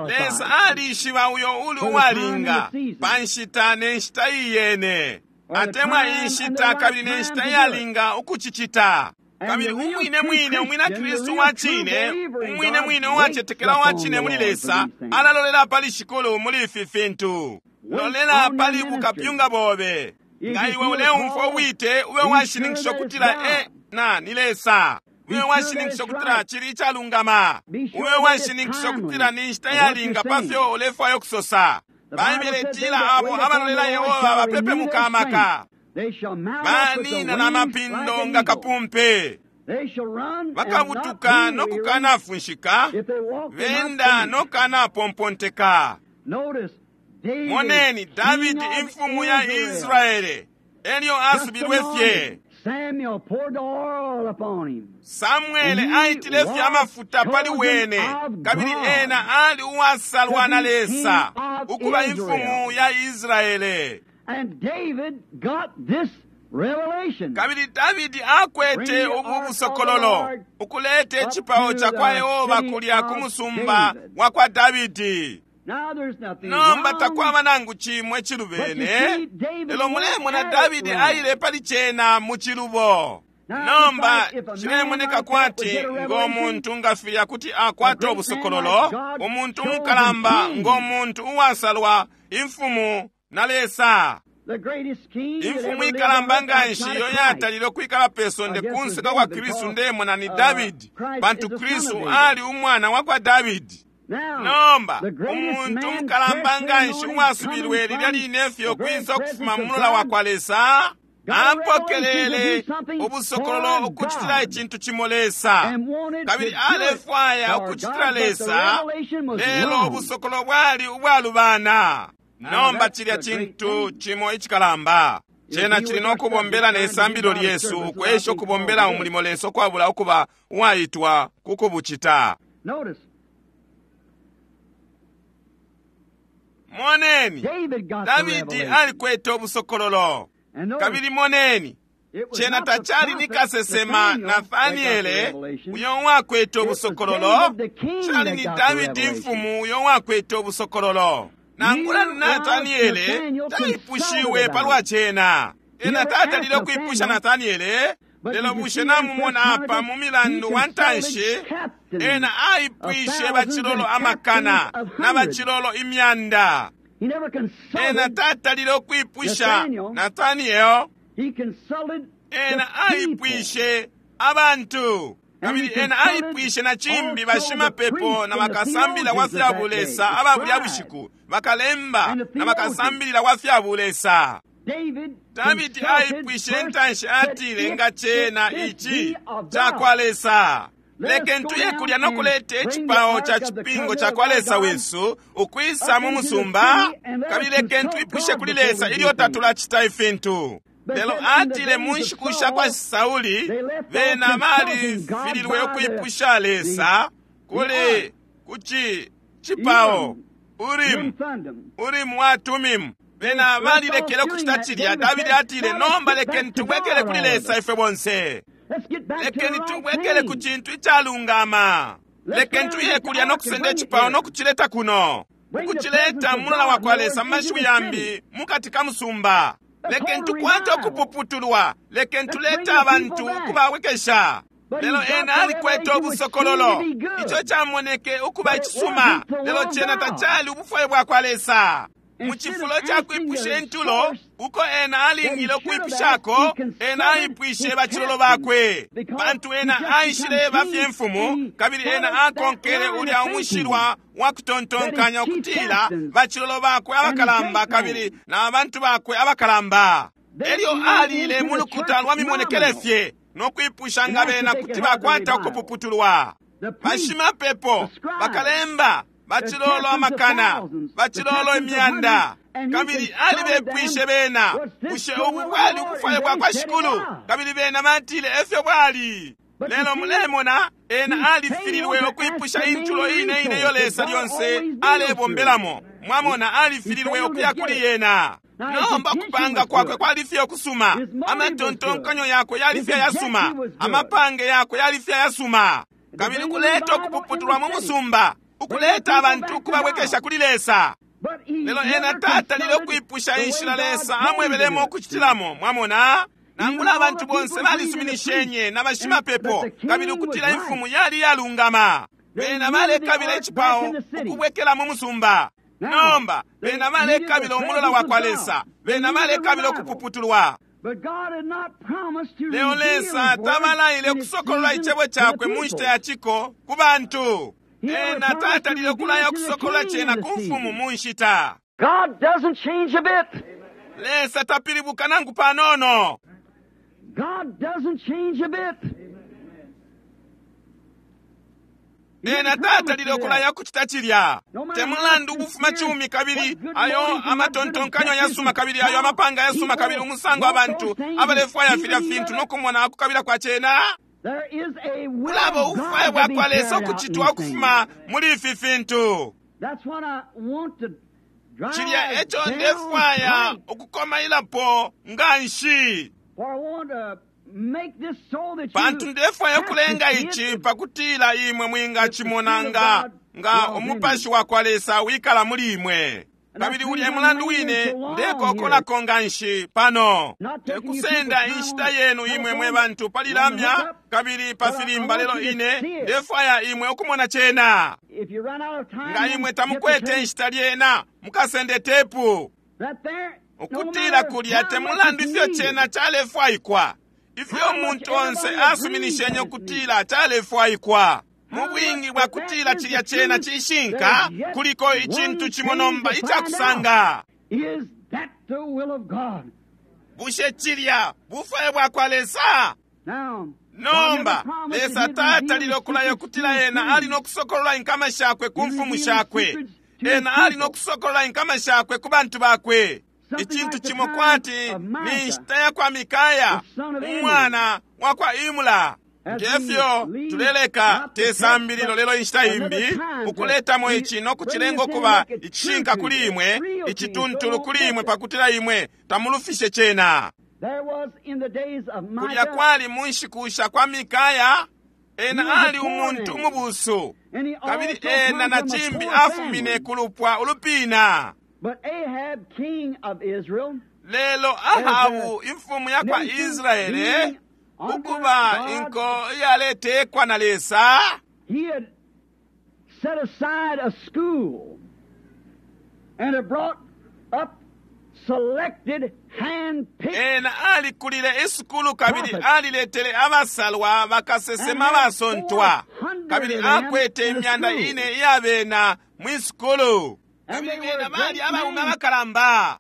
Speaker 1: Lesa alishiba uyo uli uwalinga pa nshita ne nshita iyene, atemwa inshita kabili ne nshita iyalinga ukucicita. Kabili umwine mwine umwina Kristu wa cine, umwine mwine uwacetekela wa cine muli Lesa, alalolela pali Shikulu muli ifi fintu. Lolela pali bukapyunga bobe. Nga iwe uleumfwa ubwite, ube washininkisha ukutila ena ni Lesa. Ube washininkisha ukutila cili icalungama. Ube washininkisha ukutila ni nshita yalinga pafyo ulefwaya ukusosa. Baibele itila abo abalolela Yehova bapepemuka amaka. Banina na mapindo nga kapumpe. Bakabutuka no kukanafunshika, benda no kukanapomponteka. Moneni Davidi imfumu ya Israele elyo asubilwe fye. Samuele aitile fye amafuta pali wene, kabili ena ali uwasalwa na Lesa ukuba imfumu ya Israele.
Speaker 2: And David got this revelation.
Speaker 1: Kabili Davidi akwete ubu busokololo ukuleta icipao ca kwa Yehova kulya ku musumba wa kwa Davidi. Nomba takwaba nangu cimwe cilubene, lelo mulemona Davidi aile pali cena mu cilubo. Nomba cilemoneka kwati ngo muntu nga filya kuti akwata ubusokololo, umuntu umukalamba ngo muntu uwasalwa imfumu na Lesa. Imfumu ikalamba nga nshi iyo yatalile ukwikala pe sonde kunse kwa Kristu ndemona ni Davidi, pantu Kristu ali umwana wa kwa Davidi. Nomba umuntu umukalamba nga nshi uwasubilwe lilya line fye ukwisa ukufuma mu mulola wa kwa Lesa, apokelele ubusokololo ukucitila icintu cimo Lesa, kabili alefwaya ukucitila Lesa, lelo ubusokololo bwali ubwalubana. Nomba cilya cintu cimo icikalamba. Cena cili no kubombela ne sambilo lyesu ukwesha ukubombela umulimo Lesa ukwabula ukuba uwaitwa ku kubucita. Moneni, Davidi alikwete ubusokololo. Kabili moneni, cena tacali ni kasesema Nathaniele uyo uwakwete ubusokololo, cali ni Davidi imfumu uyo uwakwete ubusokololo. Nangula Nathaniele taipushiwe palwa cena. Ena tatalile ukuipusha Nathaniele, lelo bushe namumona apa mu milandu wa ntanshi, ena aipwishe bacilolo amakana na bacilolo imyanda. Ena tatalile ukuipusha Nathaniel, ena aipwishe abantu. Kabili ena aipwishe na cimbi bashimapepo na bakasambila wa fya bulesa aba bulya bushiku, bakalemba na bakasambilila wa fya bulesa. Davidi aipwishe intanshi atile nga cena ici ca kwa Lesa. Lekeni tuye kulya no kuleta icipao ca cipingo ca kwa Lesa wesu ukwisa mu musumba, kabili lekeni twipushe kuli Lesa ilyo tatulacita ifintu. Lelo atile mu nshiku sha kwa Sauli bena balifililwe ukwipusha Lesa kuli kuci cipao Urimu, Urimu wa Tumimu. Bena balilekele ukucita cilya. Davidi atile, nomba lekeni tubwekele kuli Lesa ifwe bonse. Lekeni tubwekele ku cintu icalungama. Lekeni tuye kulya no kusenda icipao no kucileta kuno, ukucileta mulola wa kwa Lesa mu mashiwi yambi mukati ka musumba. Lekeni tukwate ukupuputulwa. Lekeni tulete abantu ukubawekesha. Lelo ena alikwete ubusokololo, ico camoneke ukuba icisuma, lelo cena tacali ubufwayo bwa kwa Lesa. Mu cifulo ca kwipusha intulo uko ena alingile ukwipushako, ena aipwishe bacilolo bakwe, pantu ena aishileba fye mfumu, kabili ena akonkele ulya umushilwa wa kutontonkanya ukutila bacilolo bakwe abakalamba kabili na bantu bakwe abakalamba. Elyo alile mu lukuta lwa mimonekele fye no kwipusha nga bena kuti bakwata ukupuputulwa. Bashimapepo, bakalemba, bacilolo amakana, bacilolo imyanda, kabili alibepwishe bena, bushe ubu bwali ubufwayo bwa kwa Shikulu? Kabili bena batile efyo bwali. Lelo mulemona ena alifililwe ukwipusha intulo ine ine iyo Lesa lyonse alebombelamo. Mwamona, alifililwe ukuya kuli yena. Nomba kupanga kwakwe kwali fye ukusuma, amatontonkanyo yakwe yali fye yasuma, amapange yakwe yali fye yasuma, kabili kuleta ukupuputulwa mu musumba, ukuleta abantu ukubabwekesha kuli Lesa. Lelo ena tatalile ukwipusha inshila Lesa amwebelemo ukucitilamo. Mwamona, nangula abantu bonse balisuminishenye na bashimapepo kabili ukutila imfumu yali yalungama, bena balekabila icipao ukubwekela mu musumba. Nomba bena balekabila umulola wa kwa Lesa, bena balekabila ukupuputulwa. Lelo Lesa tabalaile ukusokolola icebo cakwe mu nshita ya ciko ku bantu. Ena tatalile ukulaya ukusokolola cena ku mfumu mu nshita. Lesa tapilibuka nangu panono. Ena tatalile ukulaya ukucita cilya. Te mulandu ubufuma cumi kabili ayo amatontonkanyo yasuma kabili ayo amapanga yasuma kabili umusango abantu abalefwaya filya fintu no kumona akukabila kwa cena. Kulaba ubufwayo bwa kwa Lesa ukucitwa ukufuma muli ifi fintu. Cilya eco ndefwaya ukukomailapo nganshi, pantu ndefwaya ukulenga ici pakutila imwe mwingacimona nga nga umupashi wa kwa Lesa wikala muli imwe. Kabili ulya mulandu wine ndekokolako nganshi pano, tekusenda inshita yenu imwe mwe bantu pali lamya kabili pa filimba, lelo ine ndefwaya imwe ukumona cena. Nga imwe tamukwete inshita lyena, mukasende tepu. Ukutila kulya te mulandu ifyo cena calefwaikwa, ifyo umuntu onse asuminishenye ukutila calefwaikwa. Mu bwingi bwa kutila cilya cena cishinka, kuliko icintu cimo nomba icakusanga. Bushe cilya bufwayo bwa kwa Lesa? Nomba Lesa tatalile ukulaya ukutila ena ali no kusokolola inkama shakwe ku mfumu shakwe. Ena ali no kusokolola inkama shakwe ku bantu bakwe. Icintu cimo kwati ni nshita ya kwa Mikaya umwana wa kwa Imula. Ngefyo tuleleka te sambililo lelo inshita imbi ukuletamo ici no kucilenga ukuba icishinka kuli imwe, icituntulu kuli imwe, pakutila imwe tamulufishe cena. Kulya kwali mu nshiku sha kwa Mikaya, ena ali umuntu umubusu, kabili ena na cimbi afumine ku lupwa ulupina. Lelo Ahabu imfumu ya kwa Israele, ukuba inko iyaletekwa na Lesa,
Speaker 2: he had set aside a school and had brought up selected hand-picked
Speaker 1: ena alikulile isukulu kabili aliletele abasalwa bakasesema basontwa, kabili akwete imyanda ine iyabena mwisukulu, kabili bena bali abaume abakalamba.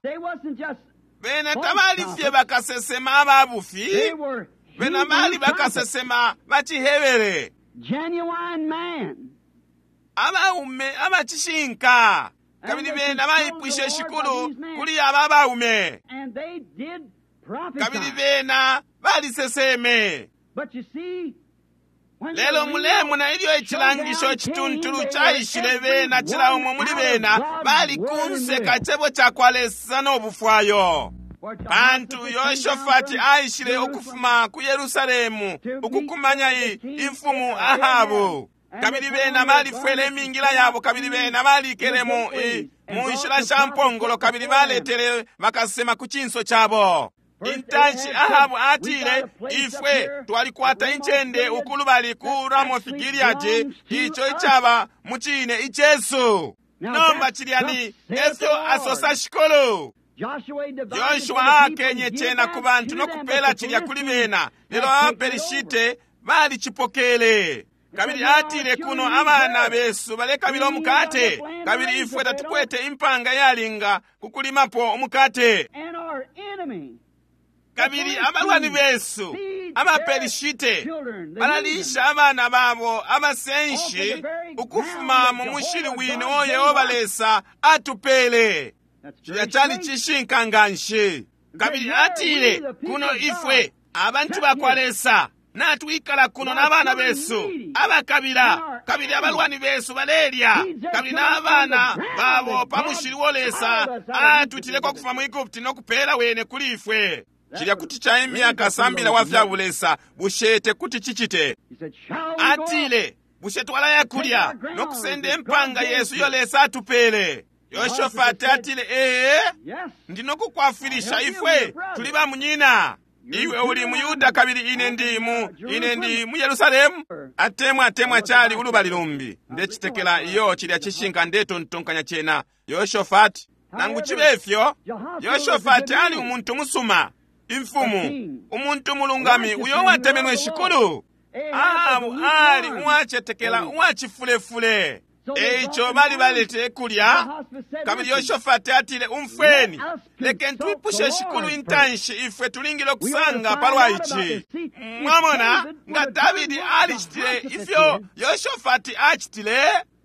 Speaker 1: Bena tabali fye bakasesema ababufi, bena bali bakasesema bacihebere.
Speaker 2: Genuine man.
Speaker 1: Abaume abacishinka. Kabili bena baipwishe Shikulu kuli aba abaume.
Speaker 2: And they did prophesy.
Speaker 1: Kabili bena baliseseme.
Speaker 2: But you see, when
Speaker 1: Lelo
Speaker 2: the real
Speaker 1: mulemona ilyo icilangisho cituntulu caishile bena cila umo muli bena bali kunse ka cebo ca kwa Lesa no bufwayo.
Speaker 2: For
Speaker 1: Pantu
Speaker 2: Jehoshaphat
Speaker 1: Yoshofati
Speaker 2: came down from
Speaker 1: aishile ukufuma ku Yerusalemu ukukumanya i- imfumu Ahabu. Kabili bena balifwele imingila yabo, kabili bena balikele mu i- mu nshila sha mpongolo, kabili baletele bakasema ku cinso cabo. Intanshi Ahabu atile, ifwe twalikwata incende ukulubali ku Ramoth Gileadi, ico icaba mu cine icesu. Nomba cilya ni efyo asosa Shikulu.
Speaker 2: Joshua divided
Speaker 1: Yoshua
Speaker 2: for the people
Speaker 1: akenye
Speaker 2: and
Speaker 1: cena
Speaker 2: gave
Speaker 1: ku
Speaker 2: that
Speaker 1: bantu
Speaker 2: to
Speaker 1: no
Speaker 2: them,
Speaker 1: kupela
Speaker 2: but the
Speaker 1: cilya kuli
Speaker 2: Philistines
Speaker 1: bena, lelo
Speaker 2: had taken it over.
Speaker 1: abaperishite balicipokele. Kabili atile kuno abana besu balekabila umukate, kabili ifwe tatukwete impanga yalinga kukulimapo umukate.
Speaker 2: And our enemy,
Speaker 1: Kabili abalwani besu abaperishite balalisha abana babo abasenshi ukufuma mu mushili wine uo Yehova Lesa atupele.
Speaker 2: that's
Speaker 1: Cilya
Speaker 2: very
Speaker 1: cali
Speaker 2: strange.
Speaker 1: cishinka nga nshi. Kabili atile kuno ifwe abantu bakwa Lesa natwikala kuno n'abana besu abakabila, kabili abalwani besu balelya, kabili n'abana babo pa mushili wo Lesa atutileko ukufuma mu Egupti no kupeela wene kuli ifwe. Cilya kuti caimya kasambila wa fya bulesa, bushe tekuti cicite?
Speaker 2: He said, shall we go up?
Speaker 1: Atile, bushe twalaya kulya no kusenda impanga yesu iyo Lesa atupele? Yoshofati atile, ee,
Speaker 2: Yes.
Speaker 1: ndinokukwafwilisha ifwe tuli ba munyina. Iwe uli mu Yuda kabili ine ndi mu ine ndi mu Yerusalemu. Atemwa atemwa cali ulubali lumbi. Ndecitekela iyo cilya cishinka ndetontonkanya cena. Yoshofati nangu cibe ifyo, Yoshofati ali umuntu musuma, imfumu, umuntu mulungami uyo watemenwe Shikulu. Ahabu ali uwacetekela uwacifulefule. Eico bali balete kulya. Kabili Yoshofati atile, umfweni, lekeni twipushe Shikulu intanshi ifwe tulingile ukusanga palwa ici. Mwamona nga Davidi alicitile ifyo Yoshofati acitile,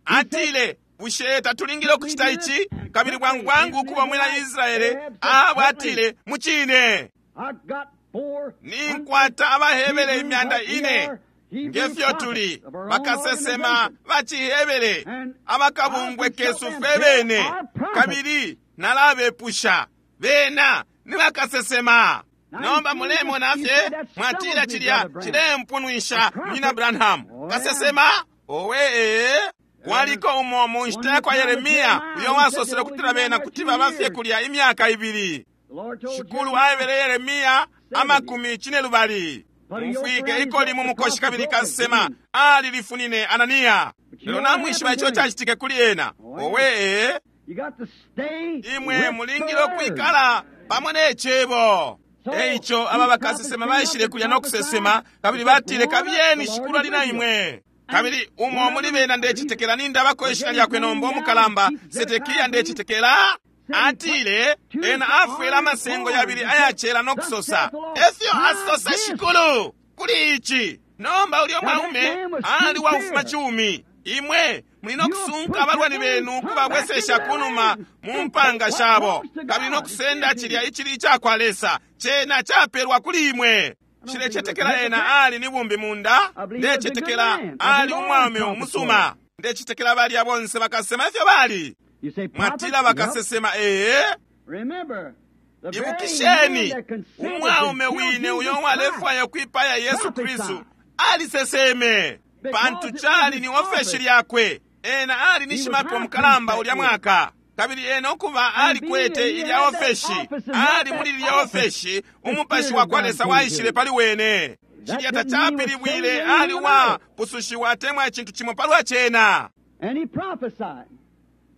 Speaker 1: atile, bushe tatulingile ukucita ici? Kabili bwangu bwangu ukuba mwina Israele, Ahabu atile, mucine,
Speaker 2: I got four
Speaker 1: ninkwata abahebere imyanda ine ngefyo tuli bakasesema bacihebere abakabungwe kesu fe bene, kabili nalabepusha bena ni bakasesema. Nomba mulemona fye mwatila cilya cilempunwisha munyina Branham kasesema owe ee. Kwaliko umo mu nshita ya kwa Yeremiya uyo wasosele ukutila bena kuti baba fye kulya imyaka ibili.
Speaker 2: The Lord told
Speaker 1: Shikulu aebele Yeremiya amakumi cine lubali mufwike ikoli mu mukoshi kabili kasema alilifunine Ananiya. Lelo namwishiba ico cacitike kuli ena. Owe ee,
Speaker 2: You got to stay
Speaker 1: imwe
Speaker 2: with
Speaker 1: mulingile
Speaker 2: the word.
Speaker 1: ukwikala pamo n'ecebo. Eico aba bakasesema baishile kulya no kusesema, kabili batile kabiyeni Shikulu ali na imwe. Kabili umo muli bena ndecitekela nindabako ishina lyakwe nomba umukalamba Sedekiya ndecitekela atile ena afwele amasengo yabili ayacela no kusosa efyo asosa Shikulu kuli ici. Nomba ulyo mwaume ali waufuma cumi. Imwe muli no kusunka abalwani benu kubabwesesha kunuma mu mpanga shabo, kabili no kusenda cilya icili icakwa Lesa cena capelwa kuli imwe. Nshilecetekela ena ali ni bumbi munda, ndecetekela ali umwaume umusuma, ndecetekela balya bonse bakasema ifyo bali.
Speaker 2: You say prophet?
Speaker 1: Mwatila bakasesema ee.
Speaker 2: Remember, the very man
Speaker 1: Ibukisheni
Speaker 2: that consented
Speaker 1: umwaume
Speaker 2: to kill
Speaker 1: wine
Speaker 2: Jesus
Speaker 1: uyo
Speaker 2: Christ
Speaker 1: walefwaya kwipaya Yesu Kristu aliseseme, pantu cali ni ofeshi lyakwe. Ena ali ni shimapepo mukalamba ulya mwaka, kabili ena ukuba alikwete ilya ofeshi, ali muli lilya ofeshi umupashi wa kwa Lesa waishile pali wene. Cilya tacapilibwile ali wapusushiwa atemwa icintu cimo palwa cena.
Speaker 2: And he prophesied.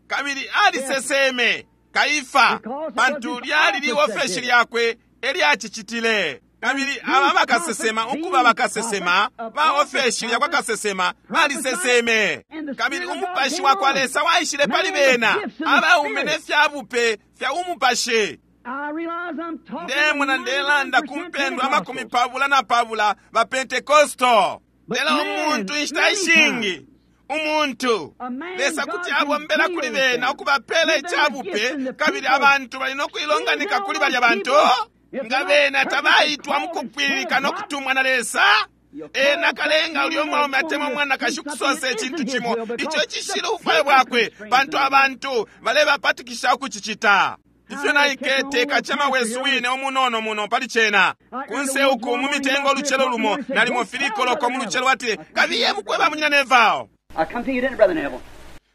Speaker 1: Kabili aliseseme Kaifa, pantu lyali liofeshi lyakwe elyacicitile. Kabili aba bakasesema ukuba bakasesema ba ofeshi lyakwa kasesema baliseseme, kabili umupashi wa kwa Lesa waishile pali bena abaume ne fya bupe fya umupashi.
Speaker 2: I realize I'm talking
Speaker 1: Ndemona
Speaker 2: to
Speaker 1: ndelanda ku
Speaker 2: ninety-nine percent
Speaker 1: mpendwa amakumi
Speaker 2: Pentecostals.
Speaker 1: pabula na pabula ba Pentekosto. Lelo umuntu inshita ishingi, umuntu Lesa kuti abombela kuli bena ukubapela icabupe, kabili abantu bali nokuilonganika kuli balya bantu nga bena tabaitwa mukupwililika nokutumwa na Lesa. Ena kalenga ulyo mwaume atemwa mwanakashi kusosa icintu cimo ico cishila ubufwayo bwakwe, pantu abantu balebapatikisha ukucicita. Ifyo naikete kacema wesu wine umunono muno pali cena kunse uku mu mitengo olucelo lumo nalimo filikoloko mu lucelo ati kabiye mukweba munyina Neville.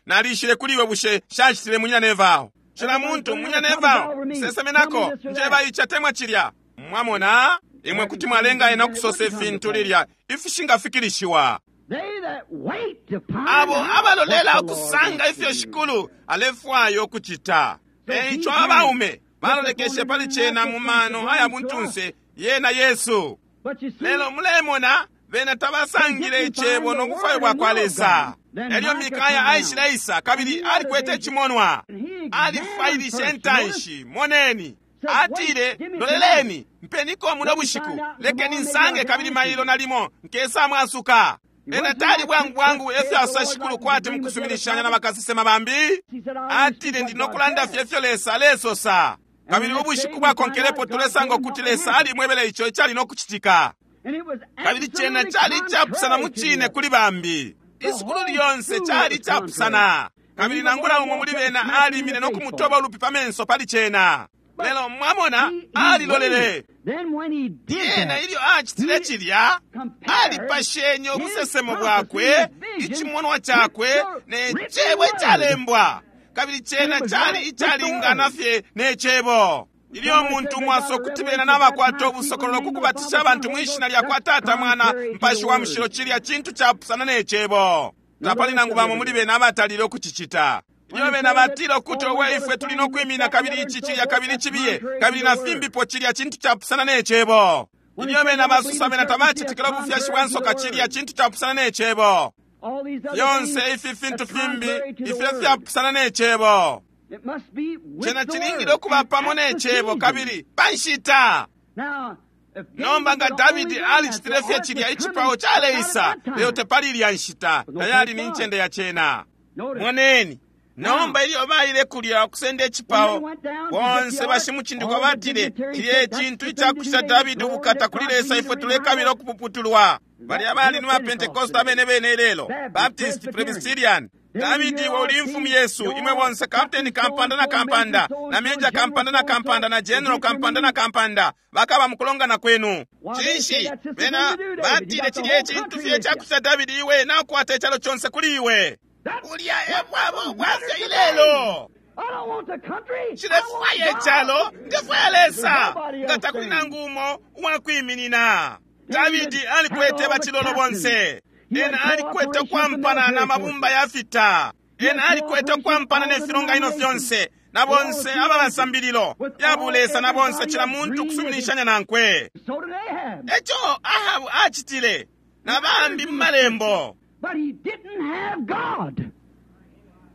Speaker 1: Nalishile kuli iwe bushe shacitile munyina Neville. Cila muntu munyina Neville sesemenako njeba ichatemwa chilya. Mwamona imwe kuti mwalenga ena okusosa ifintu lilya ifishingafikilishiwa. Abo abalolela okusanga ifyo shikulu alefwayo okucita. Eico abaume balolekeshe pali cena mu mano aya buntunse yena Yesu. Lelo mulemona bena tabasangile icebo nobufwayo bwa kwa Lesa. Elyo Mikaya aishile isa kabili alikwete icimonwa. Alifwailishe intanshi, moneni. Atile, loleleni, mpeniko muno bushiku, lekeni nsange kabili mailo nalimo nkesa mwasuka. Ena tali bwangu bwangu efyo asa shikulu kwati mukusuminishanya na bakasesema bambi. Atile ndi nokulanda fye efyo Lesa alesosa. Kabili ubushiku bwakonkelepo tulesanga ukuti Lesa alimwebele ico icali nokucitika. Kabili cena cali icapusana mu cine kuli bambi. Isukulu lyonse cali icapusana. Kabili nangula umo muli bena alimine nokumutoba ulupi pa menso pali cena. Lelo mwamona alilolele. Yena ilyo acitile cilya alipashenye ubusesemo bwakwe, icimonwa cakwe ne cebo icalembwa. Kabili cena cali icalingana fye ne cebo. Ilyo umuntu mwaso kuti bena nabakwata ubusokololo kukubatisha abantu mwishina lya kwa Tata, Mwana, Mpashi wa Mushilo, cilya cintu capusana ne cebo. Tapali nangu bamo muli bena abatalile ukucicita. Ilyo bena batila ukuti owe ifwe tuli nokwimina kabili ici cilya kabili cibiye kabili na fimbipo, cilya cintu capusana ne cebo. Ilyo bena basusa bena tabacitikila ubufyashi bwa nsoka, cilya cintu capusana ne cebo. Fyonse ifi fintu fimbi ifyo fyapusana ne cebo. Cena cilingile ukuba pamo ne cebo kabili pa nshita. Nomba nga Davidi alicitile fye cilya icipao caleisa, lelo tepali ilya nshita, tayali ni ncende ya cena. Moneni. Nomba ilyo baile kulya okusenda icipao, bonse bashimucindikwa batile cilya ecintu icakucita Davidi ubukata kuli Lesa, ifwe tulekabila okupuputulwa. Balya bali ni ba Pentecost abene bene ilelo, Baptist, Presbyterian. Davidi iwe uli mfumu Yesu, imwe bonse kapteni kampanda na kampanda, na meja kampanda na kampanda, na general kampanda na kampanda, bakaba mukulongana kwenu. Cinshi bena batile cilya ecintu fye icakucita Davidi, iwe nakukwata icalo conse kuli iwe. Ulya ebwabo bwafya ilelo. Nshilefwaya icalo, ndefwaya Lesa. Nga takuli nangu umo uwakwiminina. Davidi alikwete bacilolo bonse. Ena alikwete okwampana na mabumba ya fita. Ena alikwete okwampana ne filonganino fyonse, na bonse ababasambililo ya bulesa, na bonse cila muntu kusuminishanya nankwe. Eco Ahabu acitile na bambi mu malembo.
Speaker 2: But he didn't have God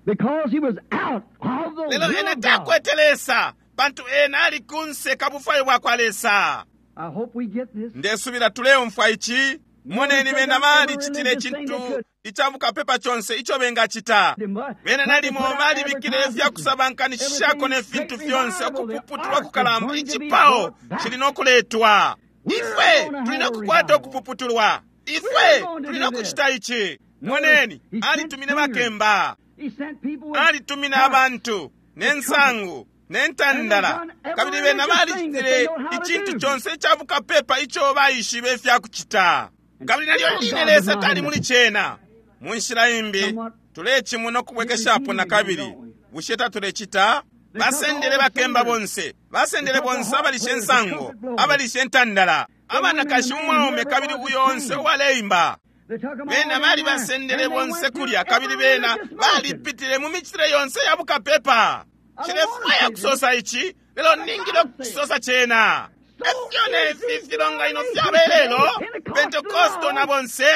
Speaker 2: because he was out of the
Speaker 1: Lelo
Speaker 2: will
Speaker 1: ena
Speaker 2: of God.
Speaker 1: takwete Lesa, pantu ena ali kunse kabufwayo bwa kwa Lesa.
Speaker 2: I hope we get this.
Speaker 1: Ndesubila tuleumfwa ici. Moneni bena balicitile icintu icabukapepa conse ico bengacita. Bena nalimo balibikile ifyakusabankanishishako ne fintu fyonse okupuputulwa kukalamba. Icipao cili nokuletwa. Ifwe tuli nokukwata okupuputulwa. Ifwe tuli nokucita ici. Moneni, alitumine bakemba,
Speaker 2: He sent people with
Speaker 1: alitumine abantu ne nsangu ne ntandala, kabili bena balicitile icintu conse icabukapepa ico baishibe ifyakucita. Kabili nalyo line Lesa tali muli cena. Mu nshila imbi tulecimuna okubwekeshapo na kabili. Bushe tatulecita? Basendele bakemba bonse, basendele bonse abalishe nsango, abalishe ntandala, abanakashi umwaume kabili uyo onse uwaleimba.
Speaker 2: They took 'em all
Speaker 1: Bena
Speaker 2: down
Speaker 1: bali
Speaker 2: there.
Speaker 1: basendele
Speaker 2: And they
Speaker 1: bonse
Speaker 2: went through
Speaker 1: kulya kabili
Speaker 2: every
Speaker 1: bena
Speaker 2: religious motion.
Speaker 1: balipitile mu micitile yonse ya bukapepa. Nshilefwaya kusosa ici, lelo ningile okusosa cena. Efyo nefi filonganino fyaba ilelo, Pentekosto na bonse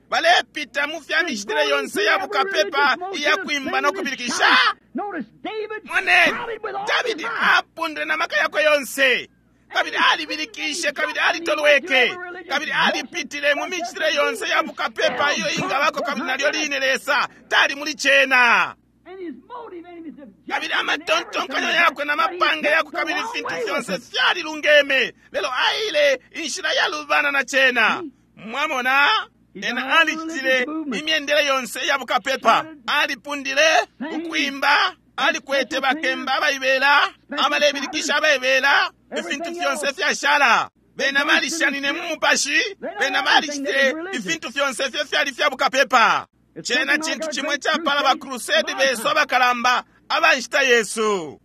Speaker 1: balepita mu fya micitile yonse ya bukapepa iya kwimba no kubilikisha.
Speaker 2: Notice David
Speaker 1: Moneni,
Speaker 2: shouted with all his
Speaker 1: Davidi
Speaker 2: might.
Speaker 1: apundile na maka yakwe yonse. Kabili alibilikishe, kabili alitolweke, kabili alipitile mu micitile yonse ya bukapepa iyo ingabako, kabili nalyo line Lesa tali muli cena. Kabili amatontonkanyo yakwe na mapange yakwe kabili ifintu fyonse fyalilungeme, lelo aile inshila yalubana na cena. Mwamona, ena alicitile imyendele yonse ya bukapepa, alipundile ukwimba, alikwete bakemba abaibela, abalebilikisha abaibela, ifintu fyonse fyashala. Bena balishanine mu mupashi, bena balicitile ifintu fyonse ifyo fyali fya bukapepa. Cena cintu cimwe capala ba crusade besu abakalamba abanshita Yesu.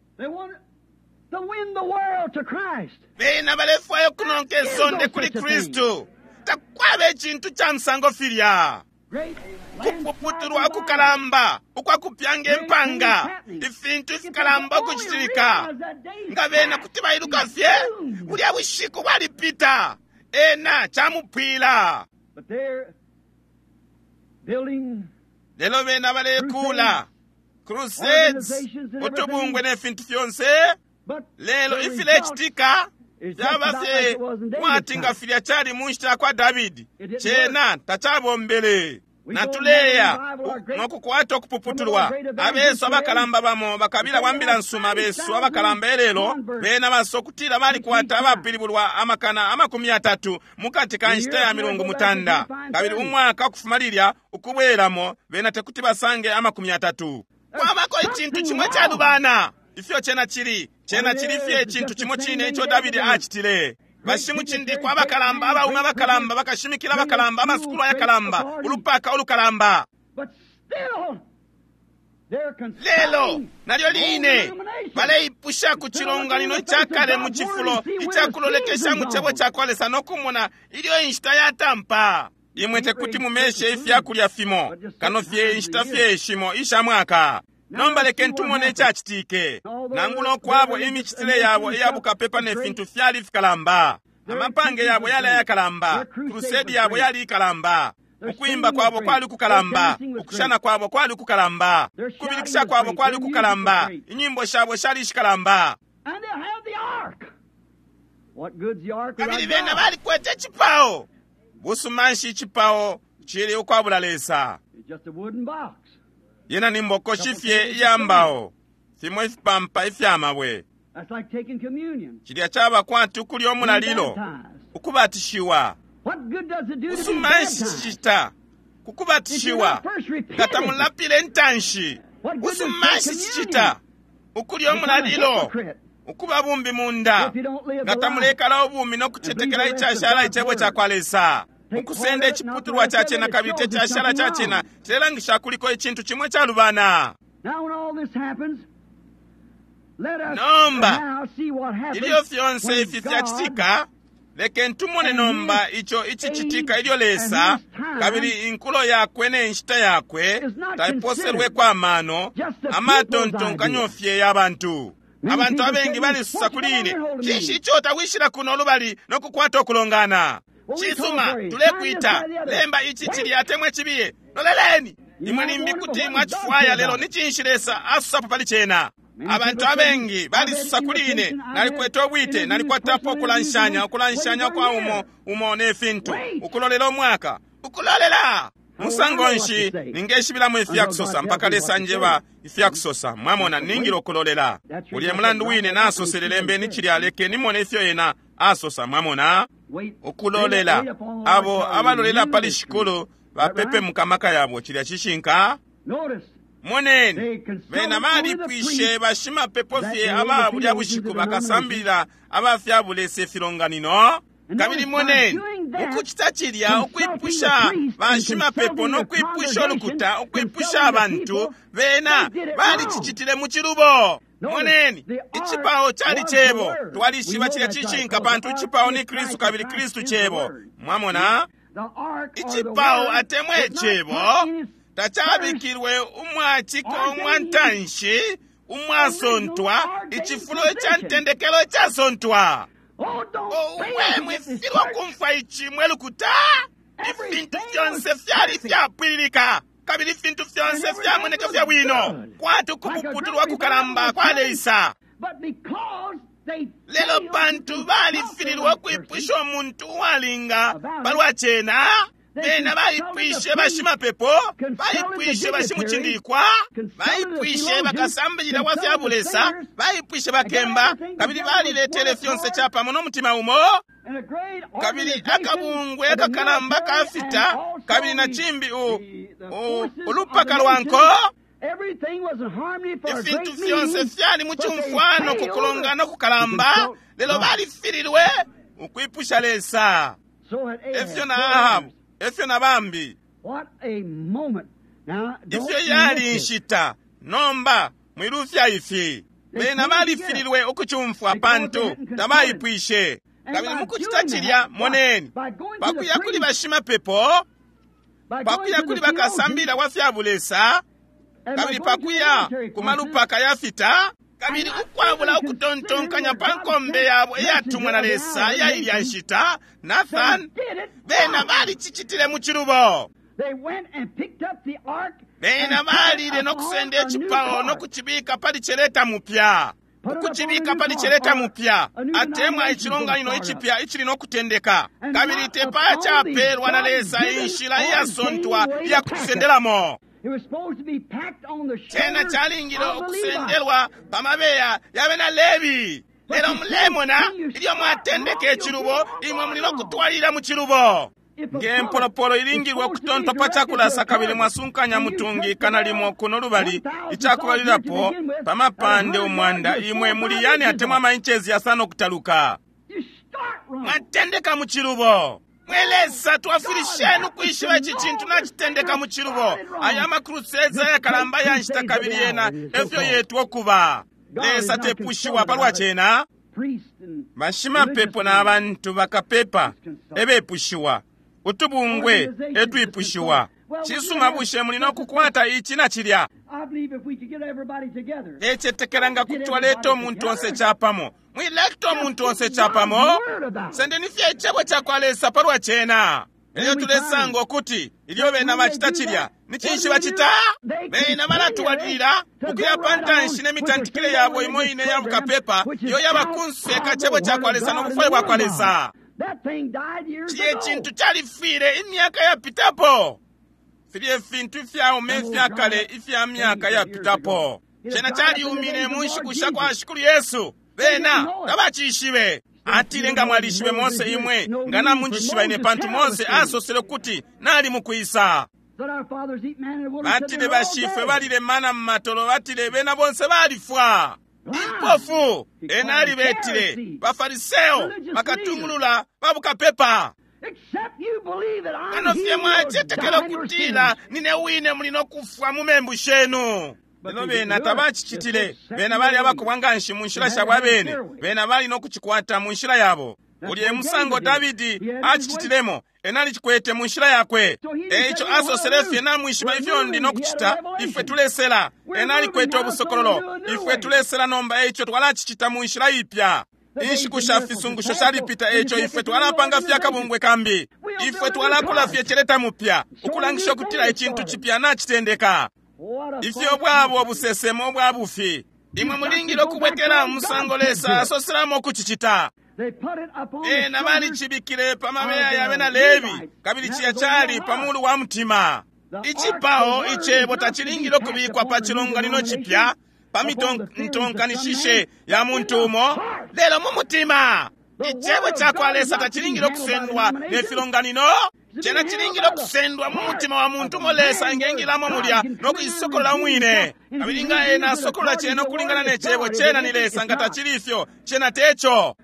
Speaker 1: Bena balefwaya ukunonka isonde kuli Kristu. Takwaba icintu ca musango filya. Kupuputulwa ukukalamba ukwakupyanga impanga, ifintu ifikalamba ukucitilika. Nga bena kuti bailuka fye, bulya bushiku bwalipita, ena camupwila. Lelo bena balekula crusades, utubungwe ne fintu fyonse, lelo ifilecitika fyaba fye mwati nga filya cali mu nshita yakwa Davidi, cena tacabombele. Natuleya nokukwata ukupuputulwa. Abesu abakalamba bamo bakabila bwa mbila nsuma besu abakalamba elelo bena basokutila balikwata abapilibulwa amakana amakumi atatu mukati ka nshita ya milungu mutanda, kabili umwaka ukufuma lilya ukubwelamo bena tekuti basange amakumi atatu. Kwabako icintu cimwe calubana. Ifyo cena cili, cena cili fye icintu cimo cine ico Davidi acitile. Bashimucindikwa abakalamba, abaume abakalamba, bakashimikila abakalamba, amasukulu ayakalamba, ulupaka ulukalamba. Lelo nalyo line baleipusha ku cilonganino icakale mu cifulo icakulolekesha mu cebo cakwa Lesa nokumona ilyo inshita yatampa. Imwe tekuti mumeshe ifyakulya fimo kano fye inshita fye shimo isha mwaka. Nomba lekeni tumone icacitike. Nangula ukwabo imicitile yabo iyabukapepa ne fintu fyali fikalamba, amapange yabo yali ayakalamba, krusedi yabo yali ikalamba, ukwimba kwabo kwali kukalamba, ukushana kwabo kwali kukalamba, kubilikisha kwabo kwali kukalamba, inyimbo shabo shali ishikalamba. Kabili bena balikwete icipao. Busuma nshi icipao cili ukwabula Lesa? Yena ni mbokoshi fye iya mbao, fimo ifipampa ifya mabwe. Cilya caba kwati ukulya umulalilo, ukubatishiwa. Busuma nshi cicita kukubatishiwa nga tamulapile intanshi? Busuma nshi cicita ukulya umulalilo, ukuba bumbi munda, nga tamulekala ubumi no kucetekela icashala icebo cakwa Lesa? Ukusenda iciputulwa ca cena kabili tecashala ca cena cilelangisha kuliko icintu cimwe calubana. Nomba ilyo fyonse ifi fyacitika, lekeni tumone nomba ico icicitika ilyo Lesa kabili inkulo yakwe ne nshita yakwe taiposelweko amano, amatontonkanyo fye ya bantu. Abantu abengi balisusa kuli ine, cinshi ico tawishila kuno lubali no kukwata ukulongana? Cisuma, tulekwita lemba ici cilya atemwe cibiye. Loleleni, imwe limbi kuti mwacifwaya, lelo ni cinshi Lesa asusapo pali cena? Abantu abengi balisusa kuli ine, nalikwete ubwite, nalikwatapo ukulanshanya, ukulanshanya kwa umo umo ne fintu, ukulolela umwaka, ukulolela. Musango nshi ningeshibilamo ifyakusosa mpaka Lesa njeba ifyakusosa? Mwamona, ningile ukulolela. Ulye mulandu wine nasosele lembeni cilya, lekeni nimone ifyo ena asosa. Mwamona, ukulolela. Abo abalolela pali Shikulu bapepe mukamaka yabo. Cilya cishinka. Moneni, bena balipwishe bashimapepo fye aba bulya bushiku bakasambilila abafyabulesa ifilonganino. Kabili moneni, ukucita cilya, ukwipusha bashimapepo no kwipusha ulukuta, ukwipusha abantu, bena balicicitile mu cilubo. Moneni, icipao cali cebo. Twalishiba cilya cishinka pantu icipao ni Kristu kabili Kristu cebo. Mwamona, icipao atemwe cebo tacabikilwe umwaciko umwantanshi umwasontwa, icifulo ica ntendekelo icasontwa. Owe, mwifilwa kumfwa ici mwe lukuta. Ifintu fyonse fyali fyapwililika kabili ifintu fyonse fyamoneka fya bwino, kwati ukupuputulwa kukalamba kwaleisa. Lelo pantu balifililwe ukwipusha umuntu uwalinga palwa cena, bena baipwishe bashimapepo, baipwishe bashimucindikwa, baipwishe bakasambilila wa fya bulesa, baipwishe bakemba, kabili baliletele fyonse capamo n'omutima umo, kabili akabungwe akakalamba kafita, kabili na cimbi u, u, ulupaka lwa nko. Ifintu fyonse fyali mu cumfwano ku kulongana kukalamba, lelo balifililwe ukwipusha Lesa. Efyo na Ahabu, efyo na bambi. Ifyo yali inshita nomba mwilufya ifi. Bena balifililwe ukucumfwa pantu tabaipwishe. Kabili mukucita cilya, moneni, pakuya kuli bashimapepo, pakuya kuli bakasambila wa fya bulesa, kabili pakuya ku malupaka ya fita, kabili ukwabula ukutontonkanya pa nkombe yabo iyatumwa na Lesa iya ilya nshita, Nathan, bena balicicitile mu cilubo. Bena balile no kusenda icipao no kucibika pali celeta mupya, ukucibika pali celeta mupya, atemwa icilonganino icipya icili no kutendeka. Kabili tepa capelwa na Lesa inshila iyasontwa iya kucisendelamo. Cena calingile ukusendelwa pa mabeya ya bena Lebi. Lelo mulemona ilyo mwatendeka icilubo, imwe muli no kutwalilila mu cilubo. Nge mpolopolo ilingilwe ukutontwa pa cakulasa, kabili mwasunkanya mutungi ikana limo kuno lubali, icakubalilapo pa mapande umwanda, imwe muli yani atemwa amainchezi yasano okutaluka. Mwatendeka mu cilubo. Mwe Lesa, twafwilisheni ukwishiba ici cintu nacitendeka mu cilubo. Aya amakrusades ayakalamba ya nshita kabili yena efyo yetwa okuba. Lesa tepushiwa palwa cena. Bashimapepo na bantu bakapepa ebepushiwa, utubungwe etwipushiwa. Cisuma, bushe muli no kukwata ici na cilya? Ecetekela nga kuti twaleta umuntu onse capamo. Mwileta umuntu onse capamo. Sendeni fye icebo cakwa Lesa palwa cena. Elyo tulesanga ukuti ilyo bena bacita cilya, ni cinshi bacita? Bena balatwalilila ukuya pa ntanshi n'emitantikile yabo imo ine ya bukapepa, iyo yaba kunse ka cebo cakwa Lesa n'obufwayo bwakwa Lesa. Cilya icintu califwile imyaka yapitapo. Filya ifintu ifyaume ifyakale ifya myaka yapitapo. Cena caliumine mu nshiku sha kwa Shikulu Yesu. Bena tabacishibe. Atile, nga mwalishibe Mose imwe, nga namunjishiba ine, pantu Mose asosele kuti nali mukwisa. Batile bashifwe balile mana mu matolo, batile bena bonse balifwa. Impofu ena alibetile bafariseo bakatungulula babukapepa. Kano fye mwacetekela ukutila nine wine muli no kufwa mu membu shenu. Lelo bena tabacicitile. Bena bali abakobwa nganshi mu nshila shabo abene. Bena bali no kucikwata mu nshila yabo. Ulye musango Davidi acicitilemo, ena alicikwete mu nshila yakwe. Eico asosele fye, namwishiba ifyo ndi no kucita, ifwe tulesela. Ena alikwete ubusokololo, ifwe tulesela nomba, eico twalacicita mu nshila ipya. Inshiku sha fisungusho shalipita, eico ifwe twalapanga fye akabungwe kambi. Ifwe twalakula fye celeta mupya, ukulangisha ukutila icintu cipya nacitendeka. Ifyo bwabo busesemo bwa bufi. Imwe mulingile ukubwekela musango Lesa asoselamo ukucicita. Ena balicibikile pa mabeya ya bena Lebi, kabili ciya cali pa mulu wa mutima. Icipao icebo tacilingile ukubikwa pa cilonganino cipya, pa mitontonkanishishe ya muntu umo, lelo mu mutima. Icebo cakwa Lesa tacilingile ukusendwa ne filonganino. Cena cilingile ukusendwa mu mutima wa muntu umo Lesa engengilamo mulya no kuisokolola umwine. Kabili nga ena asokolola cena ukulingana ne cebo, cena ni Lesa. Nga tacili ifyo, cena teco.